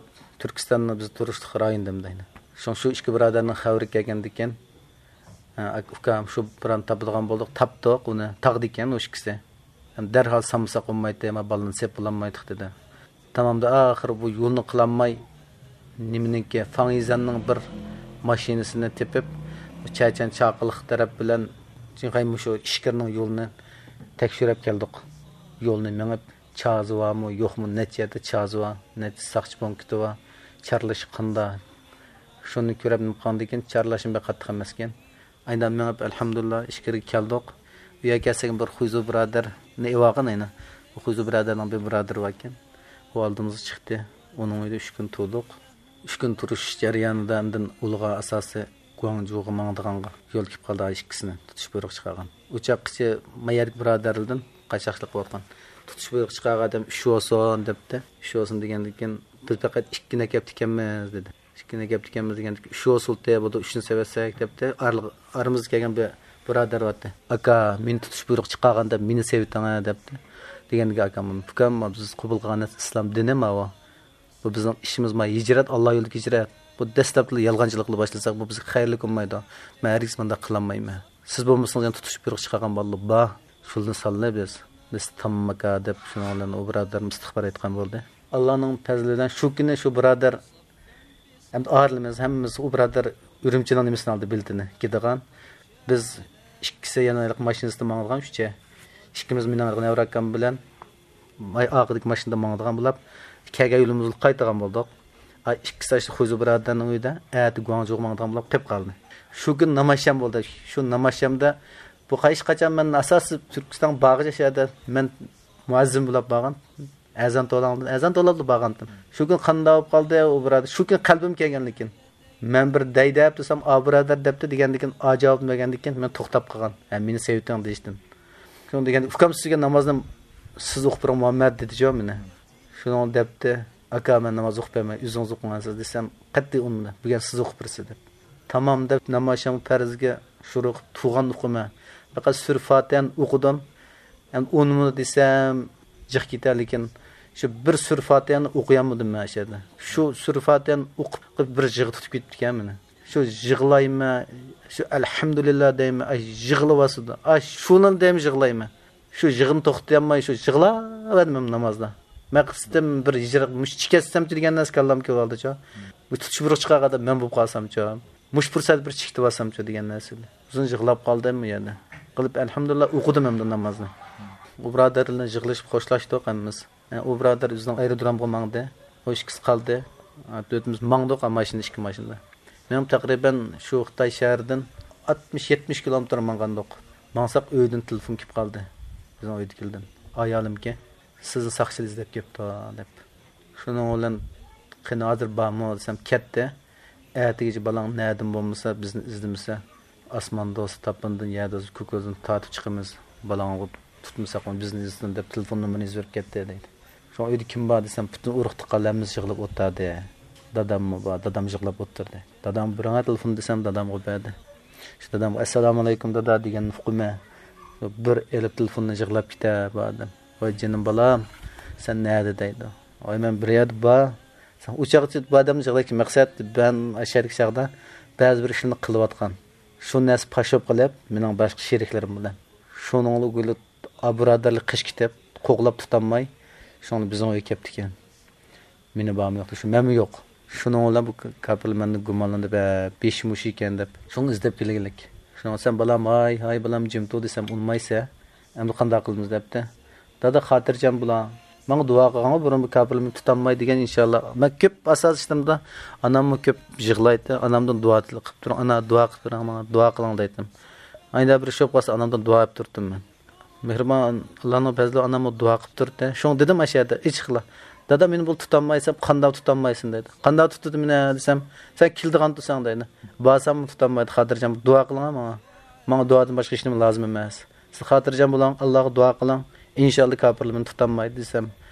تۈركىستاننى بىز تۇرۇشلۇق رايون دەيدۇ. شۇ، شۇ ئىككى بۇرادەرنىڭ خەۋىرى كەلگەندىكىن، ھە، ئۇكام، شۇ بۇرادەرنى تاپىدىغان بولدۇق، تاپتۇق ئۇنى، تاغدا ئىكەن ئۇ ئىككىسى. دەرھال سالمىساق بولمايتتى، ئەمما بالىنى سېلىپ بولالمايتتۇق دېدى. تامامدا ئاخىرى بۇ يولنى قىلالماي، نېمىنىڭكى، فاڭيىزەننىڭ بىر ماشىنىسىنى تېپىپ، چەچەن چاقىلىق تەرەپ بىلەن چىڭخەي مۇشۇ ئىچكىرىنىڭ يولىنى تەكشۈرۈپ كەلدۇق. يولنى مېڭىپ، چازى بارمۇ، يوقمۇ، نەچچە يەردە چازى بار، نەچچە ساقچى پونكىتى بار، چارلىشى قانداق. شۇنى كۆرۈپ نېمە قىلغاندىن كېيىن، چارلاشمۇ بەك قاتتىق ئەمەسكەن. ئاينا مېڭىپ، ئەلھەمدۇلىللا، ئىچكىرىگە كەلدۇق. ئۇ يەرگە كەلسەك، بىر خۇيزۇ بۇرادەرنى ئېۋالغان ئاينا. بۇ خۇيزۇ بۇرادەرنىڭ بىر بۇرادىرى باركەن. ئۇ ئالدىمىزغا چىقتى. ئۇنىڭ ئۆيىدە ئۈچ كۈن تۇردۇق. ئۈچ كۈن تۇرۇش جەريانىدا ئاندىن ئۇلىغا ئاساسىي گۇاڭجۇغا ماڭىدىغانغا يول كېلىپ قالدى، ئىككىسىنى تۇتۇش بۇيرۇقى چىقارغان. ئۇ چاغقىچە ما يەردىكى بۇرادەرلىرىدىن قاچاقچىلىق قىلىۋاتقان. تۇتۇش بۇيرۇقى چىقارغان ئادەم ئۈچ بولسۇن دەپتۇ. ئۈچ بولسۇن دېگەندىن كېيىن، بىز پەقەت ئىككىنى كەپتىكەنمىز دېدى. ئىككىنى كەپتىكەنمىز دېگەندىكىن، ئۈچ بولسۇن دەپ، بولدى، ئۈچنى سېۋەتسەك دەپتۇ. ئارىلىق-، ئارىمىزغا كەلگەن بىر بۇرادەر بارتى. ئاكا، مېنى تۇتۇش بۇيرۇقى چىقارغان دەپ مېنى سېۋىتىڭە دەپتۇ. دېگەندىكىن ئاكام، ئۇكام، بىز قوبۇل قىلغان نەرسە ئىسلام دىنى ماۋۇ. بۇ بىزنىڭ ئىشىمىز ما ھىجرەت، ئاللا يولىدىكى ھىجرەت. بۇ دەسلەپلا يالغانچىلىقلا باشلىساق، بۇ بىزگە خەيرلىك بولمايدۇ. مەن ھەرگىز مۇنداق قىلالمايمەن. سىز بولمىسىڭىز يەنە تۇتۇش بۇيرۇق چىقارغان بالىلار بار. شۇلىنى ساللا بىز. بىز تامام ئاكا دەپ، شۇنىڭ بىلەن ئۇ بۇرادەرمۇ ئىستىغپار ئېيتقان بولدى. ئاللانىڭ پەزلى بىلەن شۇ كۈنى شۇ بۇرادەر، ئەمدى ئائىلىمىز ھەممىمىز، ئۇ بۇرادەر ئۈرۈمچىنىڭ نېمىسىنى ئالدى، بېلىتىنى كىيىدىغان. بىز ئىككىسى يەنە ھېلىقى ماشىنىسىدا ماڭىدىغان ئۈچى. ئىككىمىز، مېنىڭ ھېلىقى نەۋرە ئاكام بىلەن ماي-، ئارقىدىكى ماشىنىدا ماڭىدىغان بولۇپ، كەلگەن يولىمىزدا قايتىدىغان بولدۇق. ئاي، ئىككىسى ئاشۇ خۇيزۇ بۇرادەرنىڭ ئۆيىدە، ئەتە گۇاڭجۇغا ماڭىدىغان بولۇپ قېلىپ قالدى. شۇ كۈن ناماز شام بولدى. شۇ ناماز شامدا بۇ ھېچقاچان مەن ئاساسىي تۈركىستان بارغىچە شۇ يەردە مەن مۇئەززىن بولۇپ بارغان. ئەزان توۋلاڭدىن، ئەزان توۋلاپلا بارغانتىم. شۇ كۈن قانداق بولۇپ قالدى ئۇ بۇرادەر؟ شۇ كۈن قەلبىم كەلگەن لېكىن. مەن بىر دەي دەپ تۇرسام، ئا بۇرادەر دەپتۇ دېگەندىكىن، ئا جاۋابنى بەرگەندىكىن مەن توختاپ قالغان. ھە، مېنى سېۋىتىڭ دېيىشتىن. شۇنىڭ دېگەندە، ئۇكام سىزگە نامازنى سىز ئوقۇپ بېرىڭ مۇھەممەد دېدىچۇ مېنى. شۇنىڭ دەپتۇ، ئاكا مەن ناماز ئوقۇپ بەرمەي، ئۆزىڭىز ئوقۇڭ سىز دېسەم، قەتئىي ئۇنىمىدى. بۈگۈن سىز ئوقۇپ بېرىسىز دەپ. تامام دەپ ناماز شام پەرزگە شۇرۇق تۇغان ئوقۇمەن. پەقەت سۈرە فاتىھەنى ئوقۇدۇم. ئەمدى ئۇنىمۇ دېسەم جىق كېتەر، لېكىن شۇ بىر سۈرە فاتىھەنى ئوقۇيالمىدىم مەن شۇ يەردە. شۇ سۈرە فاتىھەنى ئوقۇپ، بىر يىغا تۇتۇپ كېتىپتىكەن مېنى. شۇ يىغلايمەن، شۇ ئەلھەمدۇلىللا دەيمەن، ئاي يىغلىۋاتىدۇ. ئاي شۇنىلا دەيمەن يىغلايمەن. شۇ يىغىنى توختىتالماي، شۇ يىغلاۋەردىم نامازدا. مەقسىتىم بىر ھىجرەت، مۇشۇ چىكەتسەمچۇ دېگەن نەرسە كاللامغا كېلىۋالدىچۇ. بۇ تۇتۇش بۇرۇق چىقارغاندا مەن بولۇپ قالسامچۇ. مۇشۇ پۇرسەتتە بىر چىكىتىۋالسامچۇ دېگەن نەرسە. ئۇزۇن يىغلاپ قالدىم ئۇ يەردە. قىلىپ، ئەلھەمدۇلىللا، ئوقۇدۇم ھەمدە نامازنى. ئۇ بۇرادەر بىلەن يىغلىشىپ خوشلاشتۇق ھەممىمىز. ئۇ بۇرادەر ئۆزىنىڭ ئايرودرومغا ماڭدى. ئۇ ئىككىسى قالدى. تۆتىمىز ماڭدۇق، ماشىنا، ئىككى ماشىنىدا. مېنىڭ تەقرىبەن شۇ خىتاي شەھىرىدىن ئاتمىش، يەتمىش كىلومېتىر ماڭغانىدۇق. ماڭساق ئۆيدىن تېلېفون كېلىپ قالدى. بىزنىڭ ئۆيدىكىلەردىن. ئايالىمكى، سىزنى ساقچىلار ئىزدەپ كەپتۇ، دەپ. شۇنىڭ بىلەن قېنى ھازىر بارمۇ دېسەم، كەتتى. ئەتىگىچە بالاڭ نەدىن بولمىسا، بىزنى ئىزدىمىسە، ئاسماندا بولسا تاپىنىدىن، يەردە بولسا كوكۇزدىن تارتىپ چىقىمىز. بالاڭغا تۇتمىساقمۇ بىزنى ئىزدىسۇن دەپ تېلېفون نومۇرىنى يېزىۋېرىپ كەتتى، دەيدۇ. شۇڭا ئۆيدە كىم بار دېسەم، پۈتۈن ئۇرۇق-تۇغقانلىرىمىز يىغلاپ ئولتۇردى. داداممۇ بار، دادام يىغلاپ ئولتۇردى. دادام بىرىڭە تېلېفون دېسەم، دادامغا بەردى. شۇ دادامغا، «ئەسسالامۇئەلەيكۇم، دادا» دېگەننى ئۇقىمەن. بىر ئېلىپ تېلېفوننى يىغلاپ كېتە بار ئادەم. «ۋاي جېنىم بالام، سەن نەدە؟» دەيدۇ. «ۋاي مەن بىر يەردە بار.» سەن ئۇ چاغقىچە بۇ ئادەمنى يىغلايدىكى مەقسەت، مەن ئاشۇ يەردىكى چاغدا بەزى بىر ئىشلارنى قىلىۋاتقان. شۇ نەرسە پاش بولۇپ قېلىپ، مېنىڭ باشقا شېرىكلىرىم بىلەن. شۇنىڭلا گۈلى ئا بۇرادەرلىك قېچىپ كېتىپ، قوغلاپ تۇتالماي، شۇڭا بىزنىڭ ئۆيگە كەپتىكەن. مېنى بارمۇ يوقتا، شۇ مەنمۇ يوق. شۇنىڭ بىلەن بۇ كاپىرلار مەندىن گۇمانلىنىپ، ھە، بېشى مۇشۇ ئىكەن دەپ، شۇڭا ئىزدەپ كېلگىلىك. شۇنىڭ سەن بالام، ھاي، ھاي بالام، جىم تۇر دېسەم ئۇنىمايسەن. ئەمدى قانداق قىلىمىز دەپتۇ. دادا خاتىرجەم بولاڭ. ماڭا دۇئا قىلغانغا بۇرۇن بۇ كاپىرلار مېنى تۇتالمايدۇ دېگەن ئىنشاللا. مەن كۆپ ئاساس ئىشلىرىمدا ئاناممۇ كۆپ يىغلايتتى. ئانامدىن دۇئا تىلەپ قىلىپ تۇرۇڭ. ئانا دۇئا قىلىپ بېرىڭ ماڭا، دۇئا قىلىڭ دەيتتىم. ئايدا بىر ئىش بولۇپ قالسا ئانامدىن دۇئا ئېلىپ تۇرۇپتۇم مەن. مېھرىبان ئاللانىڭ پەزلى ئاناممۇ دۇئا قىلىپ تۇرۇپتۇ. شۇڭا دېدىم ئاشۇ يەردە ئېچىقلا. دادا مېنى بۇ تۇتالمايسەن، قانداق تۇتالمايسەن دەيدۇ. قانداق تۇتىدۇ مېنى دېسەم، سەن كېلىدىغان تۇرساڭ دەيدۇ. بارساممۇ تۇتالمايدۇ، خاتىرجەم دۇئا قىلىڭ ماڭا. ماڭا دۇئادىن باشقا ھېچنېمە لازىم ئەمەس. سىز خاتىرجەم بولۇڭ، ئاللاغا دۇئا قىلىڭ. ئىنشاللا كاپىرلار مېنى تۇتالمايدۇ دېسەم،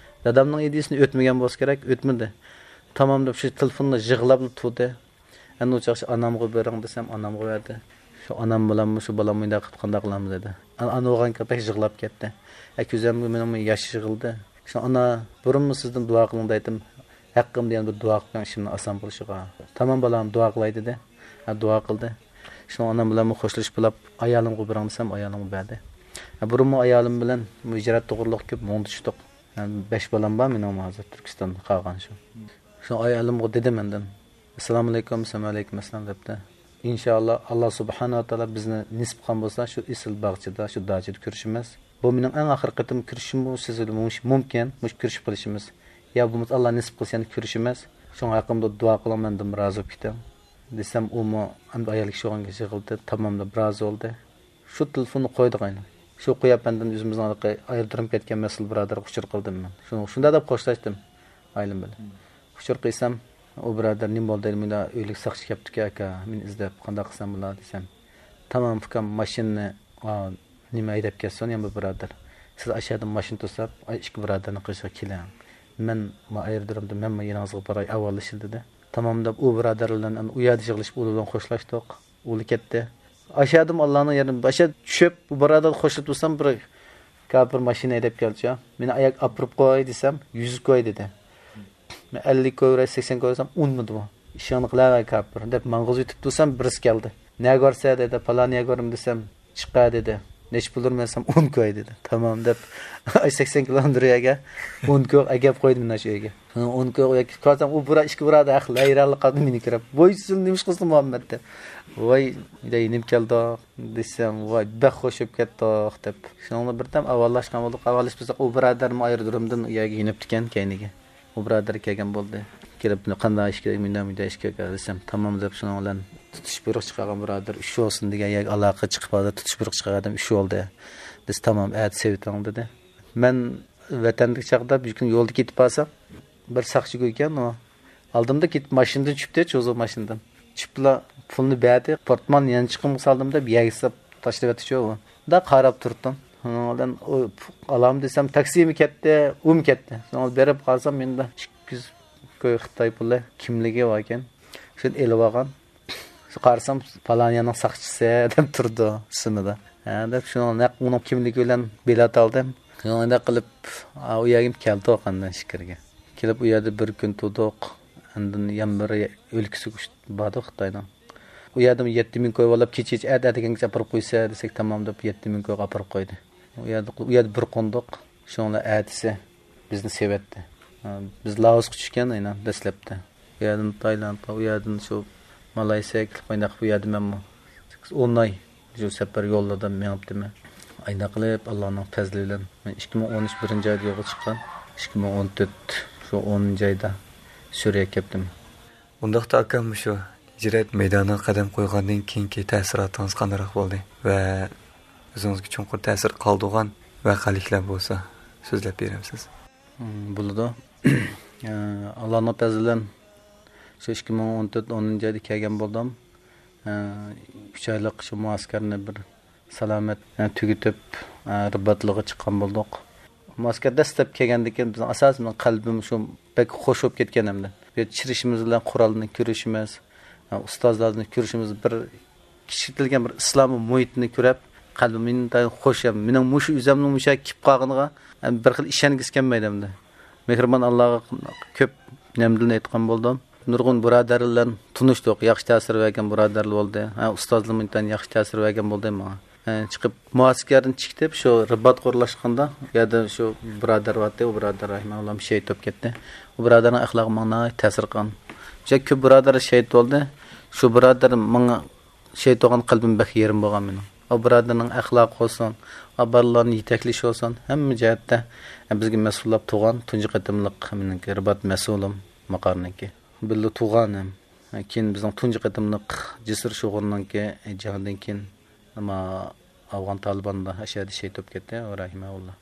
دادامنىڭ ئىدىيىسىنى ئۆتمىگەن بولسا كېرەك، ئۆتمىدى. تامام دەپ شۇ تېلېفوندا يىغلاپلا تۇردى. ئەنە ئۇ چاغ ئانامغا بېرىڭ دېسەم، ئانامغا بەردى. شۇ ئانام بىلەنمۇ شۇ بالام مۇنداق قىلىپ قانداق قىلامىز دېدى. ئانا، ئانا بولغانكەن بەك يىغلاپ كەتتى. ئە، كۆزۈمگە مېنىڭمۇ ياش يىغىلدى. شۇ ئانا، بۇرۇنمۇ سىزدىن دۇئا قىلىڭ دەيتتىم. ھەققىمدە يەنە بىر دۇئا قىلىڭ ئىشىمنىڭ ئاسان بولۇشىغا. تامام بالام دۇئا قىلاي دېدى. ھە، دۇئا قىلدى. شۇ ئانام بىلەنمۇ خوشلىشىپ بولاپ، ئايالىمغا بېرىڭ دېسەم، ئايالىمغا بەردى. ھە، بۇرۇنمۇ ئايالىم بىلەن بۇ ھىجرەت توغرۇلۇق كۆپ مۇڭدىشتۇق. ھە، بەش بالام بار مېنىڭمۇ ھازىر تۈركىستاندا قالغان شۇ. شۇ ئايالىمغا دېدىم ئاندىن، «ئەسسالامۇئەلەيكۇم، سەلامئەلەيكۇم ئەسسالام» دەپتۇ. ئىنشائاللا، ئاللا سۇبھانەھۇ ۋە تائالا بىزنى نېسىپ قىلغان بولسا، شۇ ئېسىل باغچىدا، شۇ داچىدا كۆرۈشىمىز. بۇ مېنىڭ ئەڭ ئاخىرقى قېتىم كۆرۈشۈشۈم، بۇ سىز بىلەن مۇش-، مۇمكىن، مۇشۇ كۆرۈشۈپ قېلىشىمىز. يا بولمىسا، ئاللا نېسىپ قىلسا، يەنە كۆرۈشىمىز. شۇڭا ھەققىمدە دۇئا قىلىڭ، مەندىن رازى بولۇپ كېتىڭ دېسەم، ئۇمۇ ئەمدى ئايال كىشى بولغان كېسە يىغلىدى، تاماملاپ رازى بولدى. شۇ تېلېفوننى قويدۇق ئەينى. شۇ قويۇپ ئاندىن ئۆزىمىزنىڭ ھېلىقى ئايرودروم كەتكەن مەسئۇل بۇرادەرگە ئۇچۇر قىلدىم مەن. شۇ-، شۇنداق دەپ خوشلاشتىم ئايالىم بىلەن. ئۇچۇر قىلسام، ئۇ بۇرادەر، «نېمە بولدى؟ مۇنداق ئۆيلۈك ساقچى كەپتىكەن ئاكا، مېنى ئىزدەپ، قانداق قىلسام بولار؟» دېسەم، «تامام ئۇكام، ماشىنىنى، ئا، نېمە ھەيدەپ كەتسۇن، يەنە بىر بۇرادەر. سىز ئاشۇ يەردە ماشىنا توساپ، ئاي، ئىككى بۇرادەرنىڭ قېشىغا كېلىڭ. مەن ما ئايرودرومدا، مەنمۇ يېنىڭىزغا باراي، ئاۋارلىشىلى» دېدى. تامام دەپ، ئۇ بۇرادەر بىلەن ئۇ يەردە يىغلىشىپ، ئۇلار بىلەن خوشلاشتۇق. ئۇلار كەتتى. ئاشۇ يەردىمۇ ئاللانىڭ يېرىدىن باشا چۈشۈپ، بۇ بۇرادەر خوشلاپ تۇرسام، بىر كاپىر ماشىنا ھەيدەپ كەلدى. «مېنى ئاياق ئاپىرىپ قوي» دېسەم، «يۈز كوي» دېدى. مەن «ئەللىك كوي بېرەي، سەكسەن كوي» دېسەم، «ئۇنىمىدى بۇ. ئىشىڭنى قىلىۋەر كاپىر» دەپ ماڭغۇزۇۋېتىپ تۇرسام، بىرسى كەلدى. «نەگە بارسەن؟» دېدى. «پالان يەرگە بارىمەن» دېسەم، «چىقە» دېدى. «نەچچە پۇل بېرىمەن؟» دېسەم، «ئون كوي» دېدى. تامام دەپ، ئاي، سەكسەن كىلومېتىر يەرگە ئون كوي ئەكەپ قويدى مانا شۇ يەرگە. ئون كوي يەپ كەلسەم، ئۇ بۇرا-، ئىككى بۇرادەر ھەق ھەيرانلىق قالدى مېنى كۆرۈپ. «ۋاي، سىز نېمە ئىش قىلسىڭ مۇھەممەد؟» دەپ. «ۋاي، دەي، نېمە كەلدۇق؟» دېسەم، «ۋاي، بەك خوش بولۇپ كەتتۇق» دەپ. شۇنىڭ بىلەن بىردەم ئاۋارلاشقان بولدۇق. ئاۋارلىشىپ بولساق، ئۇ بۇرادەرمۇ ئايرودرومدىن ئۇ يەرگە يېنىپتىكەن كەينىگە. ئۇ بۇرادەر كەلگەن بولدى. كېلىپ، «بۇنى قانداق ئىش كېرەك، مۇنداق، مۇنداق ئىش كېرەك» دېسەم، «تامام» دەپ، شۇنىڭ بىلەن تۇتۇش بۇيرۇق چىقارغان بۇرادەر، «ئۈچ بولسۇن» دېگەن يەرگە ئالاقە چىقىپ، ھازىر تۇتۇش بۇيرۇق چىقارغان ئادەم «ئۈچ بولدى» دېسە، «تامام، ئەتە سېۋىتىڭ» دېدى. مەن ۋەتەندىكى چاغدا بىر كۈن يولدا كېتىپ بارسام، بىر ساقچى گۇيكەن ئۇ. ئالدىمدا كېتىپ ماشىنىدىن چۈشتى، چوزۇ ماشىنىدىن. چۈشۈپلا پۇلنى بەردى، پورتماننى يانچۇقۇمغا سالدىم دەپ يەرگە ساپ تاشلىۋەتتىچۇ ئۇ. دا قاراپ تۇردۇم. ئۇنىڭ بىلەن ئۇ ئالام دېسەم، تاكسىمۇ كەتتى، ئۇمۇ كەتتى. شۇڭا بېرىپ قارىسام، مېنىڭدە ئىككى يۈز كوي خىتاي پۇلى، كىملىكى باركەن. شۇنى ئېلىۋالغان. قارىسام، پالان يەرنىڭ ساقچىسى دەپ تۇرىدۇ ئىسمىدا. ھە دەپ، شۇنىڭ نەق ئۇنىڭ كىملىكى بىلەن بېلەت ئالدىم. شۇنىڭ ئۇنداق قىلىپ، ئا، ئۇ يەرگە كەلدۇق ئاندىن ئىچكىرىگە. كېلىپ ئۇ يەردە بىر كۈن تۇردۇق. ئاندىن يەنە بىر ئۆلكىسىگە ئۇچ-، باردۇق خىتاينىڭ. ئۇ يەردىمۇ يەتتە مىڭ كوي بولۇپ، كېچىچە ئەت-، ئەتىگەنگىچە ئاپىرىپ قويسا دېسەك، تامام دەپ يەتتە مىڭ كويغا ئاپىرىپ قويدى. ئۇ يەردە، ئۇ يەردە بىر قوندۇق. شۇنىڭ بىلەن ئەتىسى بىزنى سېۋەتتى. ھە، بىز لائوسقا چۈشكەن ئەينەن دەسلەپتە. ئۇ يەردىن تايلاندقا، ئۇ يەردىن شۇ مالايسىياگە كېلىپ، ئاينداق بۇ يەردە مەنمۇ سەككىز، ئون ئاي شۇ سەپەر يوللىرىدا مېڭىپتىمەن. ئاينداق قىلىپ، ئاللانىڭ پەزلى بىلەن مەن ئىككى مىڭ ئون ئۈچ بىرىنچى ئايدا يولغا چىققان. ئىككى مىڭ ئون تۆت شۇ ئونىنچى ئايدا سۈرىيەگە كەپتىم. ئۇنداقتا ئاكام، مۇشۇ ھىجرەت مەيدانىغا قەدەم قويغاندىن كېيىنكى تەسىراتىڭىز قانداقراق بولدى؟ ۋە ئۆزىڭىزگە چوڭقۇر تەسىر قالدۇرغان ۋەقەلىكلەر بولسا سۆزلەپ بېرەمسىز؟ مم، بولىدۇ. ئاللانىڭ پەزلى بىلەن شۇ ئىككى مىڭ ئون تۆت ئونىنچى ئايدا كەلگەن بولدۇم. ئۈچ ئايلىق شۇ مۇئەسكەرنى بىر سالامەت، ئە، تۈگىتىپ، ئە، رىباتلىققا چىققان بولدۇق. مۇئەسكەر دەسلەپ كەلگەندىن كېيىن بىزنىڭ ئاساسىي بىزنىڭ قەلبىم شۇ بەك خوش بولۇپ كەتكەن ئەمدى. بۇ يەردە چىرىشىمىز بىلەن قورالنى كۆرۈشىمىز، ئە، ئۇستازلارنى كۆرۈشىمىز، بىر كىچىكلىگەن بىر ئىسلامىي مۇھىتنى كۆرۈپ، قەلبىم ئىنتايىن خوش. مېنىڭ مۇشۇ ئۆزۈمنىڭ مۇشۇ يەرگە كېلىپ قالغىنىغا، ئە، بىر خىل ئىشەنگۈسى كەلمەيدۇ ئەمدى. مېھرىبان ئاللاغا كۆپ ھەمدۇلىللا ئېيتقان بولدۇم. نۇرغۇن بۇرادەرلەر بىلەن تونۇشتۇق، ياخشى تەسىر بەرگەن بۇرادەرلەر بولدى. ھە، ئۇستازلىرىم ئىنتايىن ياخشى تەسىر بەرگەن بولدى ماڭا. ھە، چىقىپ، مۇئەسكەردىن چىقىپ، شۇ رىباتقا ئورۇنلاشقاندا، ئۇ يەردە شۇ بۇرادەر بارتى، ئۇ بۇرادەر رەھىمەھۇللا شېھىت بولۇپ كەتتى. ئۇ بۇرادەرنىڭ ئەخلاقى ماڭا ناھايىتى تەسىر قىلغان. شۇ كۆپ بۇرادەر شېھىت بولدى. شۇ بۇرادەر ماڭا شېھىت بولغان قەلبىم بەك يېرىم بولغان مېنىڭ. ئۇ بۇرادەرنىڭ ئەخلاقى بولسۇن، ئۇ بالىلارنى يېتەكلىشى بولسۇن، ھەممە جەھەتتە بىزگە مەسئۇللاپ تۇرغان تۇنجى قېتىملىق مېنىڭكى رىبات مەسئۇلۇم ماقارنىڭكى. بىللە تۇغان ھەم. كېيىن بىزنىڭ تۇنجى قېتىملىق جېسۇر شوغۇرنىڭكى جېڭىدىن كېيىن، ئەمما ئافغان تالىباندا ئەشەدە شېھىت بولۇپ كەتتى، رەھىمەھۇللا.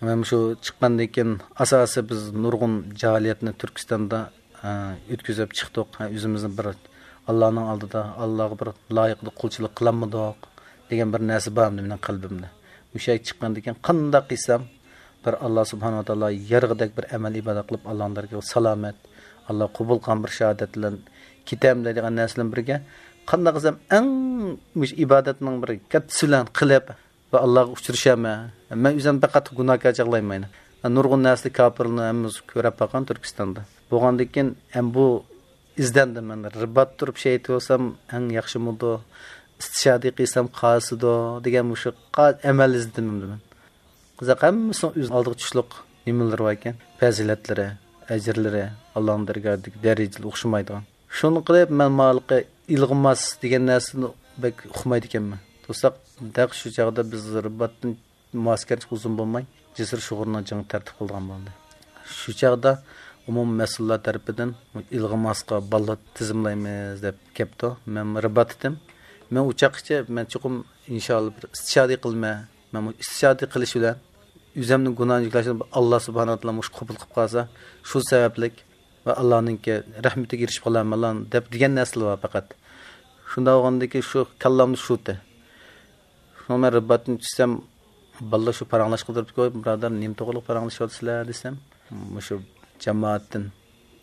مەن شۇ چىققاندىن كېيىن ئاساسىي بىز نۇرغۇن جاھىلىيەتنى تۈركىستاندا، ئە، ئۆتكۈزۈپ چىقتۇق. ئە، ئۆزىمىزنى بىر ئاللانىڭ ئالدىدا، ئاللاغا بىر لايىقىدا قۇلچىلىق قىلالمىدۇق دېگەن بىر نەرسە بار ئەمدى مېنىڭ قەلبىمدە. مۇشۇ يەرگە چىققاندىن كېيىن قانداق قىلسام، بىر ئاللا سۇبھانەھۇ ۋە تائالا يارىغۇدەك بىر ئەمەل ئىبادەت قىلىپ، ئاللانىڭ دەرگىھىگە سالامەت، ئاللا قوبۇل قىلغان بىر شاھادەت بىلەن كېتەمدە دېگەن نەرسە بىلەن بىرگە، قانداق قىلسام ئەڭ مۇشۇ ئىبادەتنىڭ بىر كاتتىسى بىلەن قىلىپ ۋە ئاللاغا ئۇچرىشامەن. مەن ئۆزۈم پەقەت گۇناھكار چاغلايمەن. نۇرغۇن نەرسىدە كاپىرلارنى ھەممىمىز كۆرۈپ باققان تۈركىستاندا. بولغاندىن كېيىن ھەم بۇ ئىزدەندىم مەن. رىبات تۇرۇپ شېھىت بولسام ئەڭ ياخشىمىدۇ؟ ئىستىشادى قىلسام قالسىدۇ دېگەن مۇشۇ قا-، ئەمەل ئىزدىدىم ئەمدى مەن. قىزىق، ھەممىسىنىڭ ئۆز ئالدىغا چۈشلۈك نېمىلىرى باركەن، پەزىلەتلىرى، ئەجىرلىرى، ئاللانىڭ دەرگاھىدىكى دەرىجىلىرى ئوخشىمايدىغان. شۇنى قىلىپ، مەن مالىقى ئىلغىماس دېگەن نەرسىنى بەك ئۇقمايدىكەنمەن. توساق، دەق شۇ چاغدا بىز رىباتتىن مۇئەسكەر ئۇزۇن بولماي، جېسۇر شوغۇرنىڭ جېڭى تەرتىپ قىلىدىغان بولدى. شۇ چاغدا ئومۇمىي مەسئۇللار تەرىپىدىن ئىلغىماسقا باللا تىزىملايمىز دەپ كەپتۇ. مەن رىبات ئىدىم. مەن ئۇ چاغقىچە مەن چوقۇم ئىنشائاللا بىر ئىستىشادى قىلىمەن. مەن بۇ ئىستىشادە قىلىش بىلەن ئۆزۈمنىڭ گۇناھىنى يۈكلەشنى ئاللا سۇبھانەھۇ ۋە تائالا مۇشۇ قوبۇل قىلىپ قالسا، شۇ سەۋەبلىك ۋە ئاللانىڭكى رەھمىتىگە ئېرىشىپ قالارمەن دەپ دېگەن نەرسىلەر بار پەقەت. شۇنداق بولغاندىكىن شۇ كاللامدا شۇتى. شۇڭا مەن رىباتتىن چۈشسەم، بالىلار شۇ پاراڭلاشقا تۇرۇپتۇ، بۇرادەر، نېمە توغرىلىق پاراڭلىشىۋاتىسىلەر دېسەم، مۇشۇ جامائەتتىن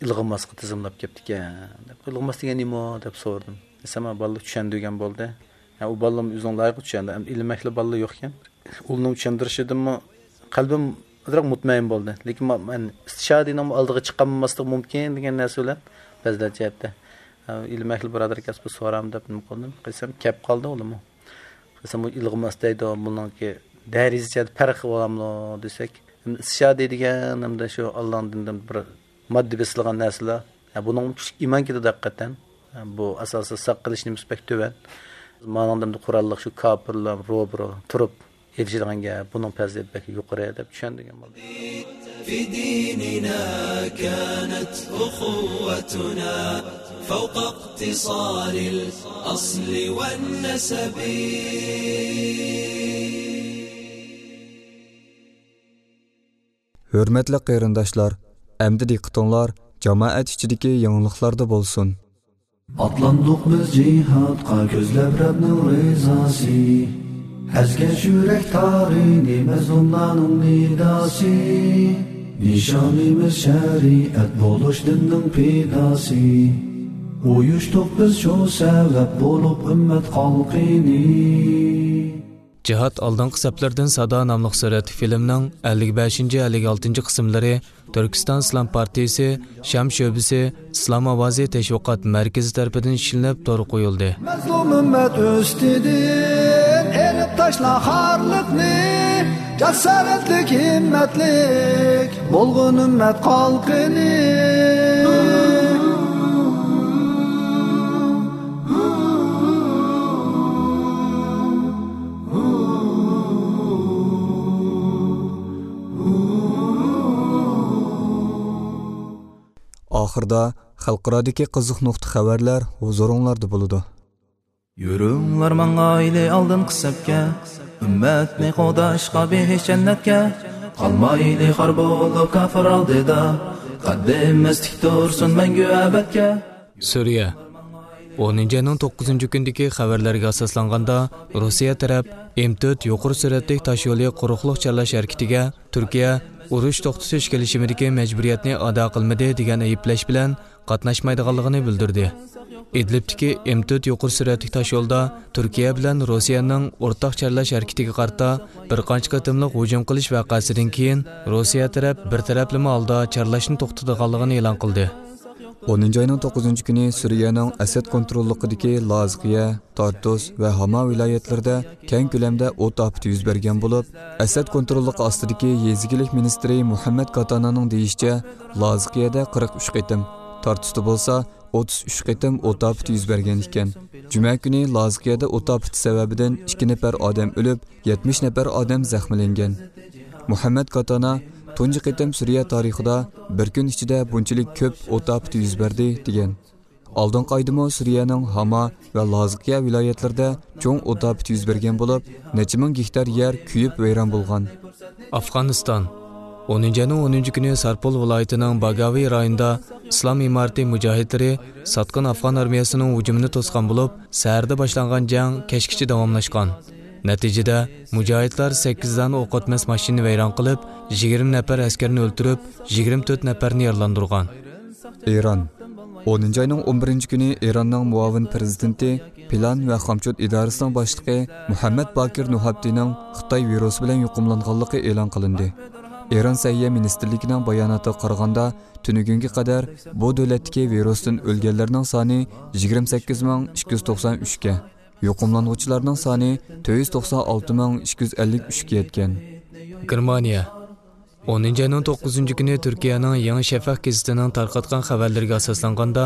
ئىلغىماسقا تىزىملاپ كەپتىكەن دەپ. ئىلغىماس دېگەن نېمە دەپ سورىدىم. دېسەم، بالىلار چۈشەندۈرگەن بولدى. ھە، ئۇ بالىلىرىم ئۆزىنىڭ لايىقىدا چۈشەندى. ئەمدى ئىلىم ئەھلى بالىلار يوقكەن. ئۇلارنىڭ چۈشەندۈرۈشىدىنمۇ قەلبىم ئازراق مۇتمەئىن بولدى. لېكىن ما-، مەن ئىستىشادىنىڭ ئالدىغا چىقالماسلىق مۇمكىن دېگەن نەرسە بىلەن پەزىلەت جەھەتتە، ئە، ئىلىم ئەھلى بۇرادەر كەلسە بىر سورارمەن دەپ نېمە قىلدىم. قىلسام كەپ قالدى ئۇلارمۇ. قىلسام بۇ ئىلغىماس دەيدۇ، بۇنىڭكى دەرىجىسى پەرقى بولامدۇ دېسەك، ئىستىشادە دېگەن ھەمدە شۇ ئاللانىڭ دىنىدىن بىر ماددىي بېسىلغان نەرسىلەر. ھە، بۇنىڭ كۈچلۈك ئىمان كېتىدۇ ھەقىقەتەن. ھە، بۇ ئاساسىدا ساق قىلىش نېمىسى بەك تۆۋەن. مانىڭدا ئەمدى قوراللىق شۇ كاپىرلار روبىرو تۇرۇپ ئېلىشىدىغان گەپ، بۇنىڭ پەزىلىتى بەك يۇقىرى دەپ چۈشەندۈرگەن بولدى. في ديننا كانت أخوتنا فوق اقتصار الأصل والنسب. ھۆرمەتلىك قېرىنداشلار، ئەمدى دىققىتىڭلار جامائەت ئىچىدىكى يېڭىلىقلاردا بولسۇن. ئاتلاندۇق بىز جىھادقا كۆزلەپ رەبنىڭ رىزاسى. ئەزگەن يۈرەك تارىنى مەزلۇملارنىڭ نىداسى. نىشانىمىز شەرىئەت بولۇش دىننىڭ پىداسى. ئۇيۇشتۇق بىز شۇ سەۋەب بولۇپ ئۈممەت خەلقىنى. جىھاد ئالدىنقى سەپلىرىدىن سادا ناملىق سۈرەتلىك فىلىمنىڭ ئەللىك بەشىنچى، ئەللىك ئالتىنچى قىسىملىرى تۈركىستان ئىسلام پارتىيىسى شام شۆبىسى ئىسلام ئاۋازى تەشۋىقات مەركىزى تەرىپىدىن ئىشلىنىپ تورغا قويۇلدى. مەزلۇم ئۈممەت ئۈستىدىن ئېلىپ تاشلا خارلىقنى، جاسارەتلىك، ھىممەتلىك بولغىن ئۈممەت خەلقىنى. ئاخىردا خەلقئارادىكى قىزىق نۇقتا خەۋەرلەر ھۇزۇرۇڭلاردا بولىدۇ. يۈرۈڭلار ماڭايلى ئالدىنقى سەپكە، ئۈممەتنى قوغداشقا بېھىش جەننەتكە، قالمايلى خار بولۇپ كاپىر ئالدىدا، قەددىمىز تىك تۇرسۇن مەڭگۈ ئەبەدكە. سۈرىيە. ئونىنچى ئاينىڭ توققۇزىنچى كۈنىدىكى خەۋەرلەرگە ئاساسلانغاندا، روسىيە تەرەپ ئېم تۆت يۇقىرى سۈرئەتلىك تاشيولى قۇرۇقلۇق چارلاش ھەرىكىتىگە تۈركىيە ئۇرۇش توختىتىش كېلىشىمىدىكى مەجبۇرىيەتنى ئادا قىلمىدى دېگەن ئەيىبلەش بىلەن قاتناشمايدىغانلىقىنى بىلدۈردى. ئىدلىبتىكى ئېم تۆت يۇقىرى سۈرئەتلىك تاشيولدا تۈركىيە بىلەن روسىيەنىڭ ئورتاق چارلاش ھەرىكىتىگە قارىتا بىر قانچە قېتىملىق ھۇجۇم قىلىش ۋەقەسىدىن كېيىن، روسىيە تەرەپ بىر تەرەپلىمە ھالدا چارلاشنى توختىتىدىغانلىقىنى ئېلان قىلدى. ئونىنچى ئاينىڭ توققۇزىنچى كۈنى سۈرىيەنىڭ ئەسەد كونتروللۇقىدىكى لازقىيە، تارتۇس ۋە ھاما ۋىلايەتلىرىدە كەڭ كۆلەمدە ئوت ئاپىتى يۈز بەرگەن بولۇپ، ئەسەد كونتروللۇقى ئاستىدىكى يېزا ئىگىلىك مىنىستىرى مۇھەممەد كاتانانىڭ دېيىشىچە، لازقىيەدە قىرىق ئۈچ قېتىم، تارتۇستا بولسا ئوتتۇز ئۈچ قېتىم ئوت ئاپىتى يۈز بەرگەن ئىكەن. جۈمە كۈنى لازقىيەدە ئوت ئاپىتى سەۋەبىدىن ئىككى نەپەر ئادەم ئۆلۈپ، يەتمىش نەپەر ئادەم زەخىملەنگەن. مۇھەممەد كاتانا تۇنجى قېتىم سۈرىيە تارىخىدا بىر كۈن ئىچىدە بۇنچىلىك كۆپ ئوت ئاپىتى يۈز بەردى، دېگەن. ئالدىنقى ئايدىمۇ سۈرىيەنىڭ ھاما ۋە لازقىيە ۋىلايەتلىرىدە چوڭ ئوت ئاپىتى يۈز بەرگەن بولۇپ، نەچچە مىڭ گېكتار يەر كۆيۈپ ۋەيران بولغان. ئافغانىستان. ئونىنچى ئاينىڭ ئونىنچى كۈنى سارپول ۋىلايىتىنىڭ باگاۋى رايونىدا ئىسلام ئىمارىتى مۇجاھىدلىرى ساتقىن ئافغان ئارمىيەسىنىڭ ھۇجۇمىنى توسقان بولۇپ، سەھەردە باشلانغان جەڭ كەچكىچە داۋاملاشقان. نەتىجىدە، مۇجاھىدلار سەككىز دانە ئوق ئەتمەس ماشىنىنى ۋەيران قىلىپ، يىگىرمە نەپەر ئەسكەرنى ئۆلتۈرۈپ، يىگىرمە تۆت نەپەرنى يارىلاندۇرغان. ئىران. ئونىنچى ئاينىڭ ئون بىرىنچى كۈنى ئىراننىڭ مۇئاۋىن پىرېزىدېنتى، پىلان ۋە خامچوت ئىدارىسىنىڭ باشلىقى مۇھەممەد باكىر نۇھابتىنىڭ خىتاي ۋىرۇسى بىلەن يۇقۇملانغانلىقى ئېلان قىلىندى. ئىران سەھىيە مىنىستىرلىكىنىڭ باياناتىغا قارىغاندا، تۈنۈگۈنگە قەدەر بۇ دۆلەتتىكى ۋىرۇستىن ئۆلگەنلەرنىڭ سانى يىگىرمە سەككىز مىڭ ئىككى يۈز توقسان ئۈچكە، يۇقۇملانغۇچىلارنىڭ سانى تۆت يۈز توقسان ئالتە مىڭ ئىككى يۈز ئەللىك ئۈچكە يەتكەن. گېرمانىيە. ئونىنچى ئاينىڭ توققۇزىنچى كۈنى تۈركىيەنىڭ يېڭى شەفەق گېزىتىنىڭ تارقاتقان خەۋەرلىرىگە ئاساسلانغاندا،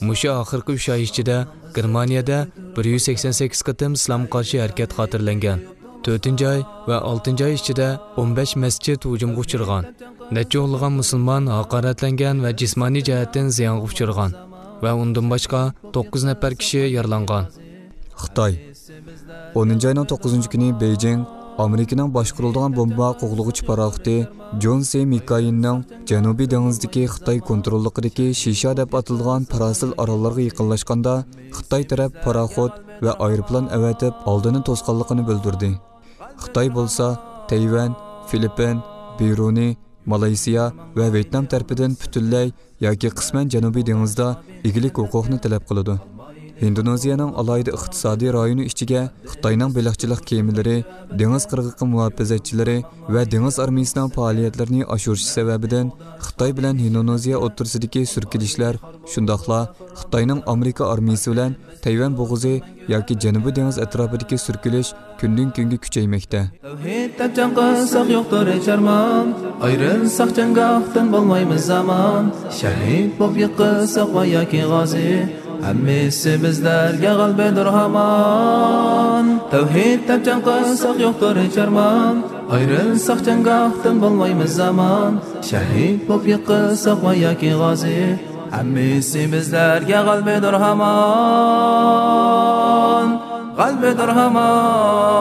مۇشۇ ئاخىرقى ئۈچ ئاي ئىچىدە گېرمانىيەدە بىر يۈز سەكسەن سەككىز قېتىم ئىسلامغا قارشى ھەرىكەت خاتىرىلەنگەن. تۆتىنچى ئاي ۋە ئالتىنچى ئاي ئىچىدە ئون بەش مەسچىت ھۇجۇمغا ئۇچرىغان. نەچچە ئونلىغان مۇسۇلمان ھاقارەتلەنگەن ۋە جىسمانىي جەھەتتىن زىيانغا ئۇچرىغان ۋە ئۇندىن باشقا توققۇز نەپەر كىشى يارىلانغان. خىتاي. ئونىنچى ئاينىڭ توققۇزىنچى كۈنى بېيجىڭ ئامېرىكىنىڭ باشقۇرۇلىدىغان بومبا قوغلىغۇچ پاراخوتى جون سى مىكايىننىڭ جەنۇبىي دېڭىزدىكى خىتاي كونتروللۇقىدىكى شىشا دەپ ئاتىلىدىغان پاراسىل ئاراللارغا يېقىنلاشقاندا، خىتاي تەرەپ پاراخوت ۋە ئايروپىلان ئەۋەتىپ ئالدىنى توسقانلىقىنى بىلدۈردى. خىتاي بولسا تەيۋەن، فىلىپپىن، بىرۇنى، مالايسىيا ۋە ۋيېتنام تەرىپىدىن پۈتۈنلەي ياكى قىسمەن جەنۇبىي دېڭىزدا ئىگىلىك ھوقۇقنى تەلەپ قىلىدۇ. ھىندونېزىيەنىڭ ئالاھىدە ئىقتىسادىي رايونى ئىچىگە خىتاينىڭ بېلىقچىلىق كېمىلىرى، دېڭىز قىرغىقى مۇھاپىزەتچىلىرى ۋە دېڭىز ئارمىيىسىنىڭ پائالىيەتلىرىنى ئاشۇرۇشى سەۋەبىدىن خىتاي بىلەن ھىندونېزىيە ئوتتۇرىسىدىكى سۈركىلىشلەر، شۇنداقلا خىتاينىڭ ئامېرىكا ئارمىيىسى بىلەن تەيۋەن بوغۇزى ياكى جەنۇبىي دېڭىز ئەتراپىدىكى سۈركىلىش كۈندىن-كۈنگە كۈچەيمەكتە. تەۋھىد دەپ جەڭ قىلساق يوقتۇر ھېچ ئارمان، ئايرىلساق جەڭگاھتىن بولمايمىز ئامان. شەھىد بولۇپ يىقىلساق ۋە ياكى غازى، ھەممىسى بىزلەرگە غەلىبىدۇر ھامان. تەۋھىد دەپ جەڭ قىلساق يوقتۇر ھېچ ئارمان، ئايرىلساق جەڭگاھتىن بولمايمىز ئامان. شەھىد بولۇپ يىقىلساق ۋە ياكى غازى، ھەممىسى بىزلەرگە غەلىبىدۇر ھامان، غەلىبىدۇر ھامان.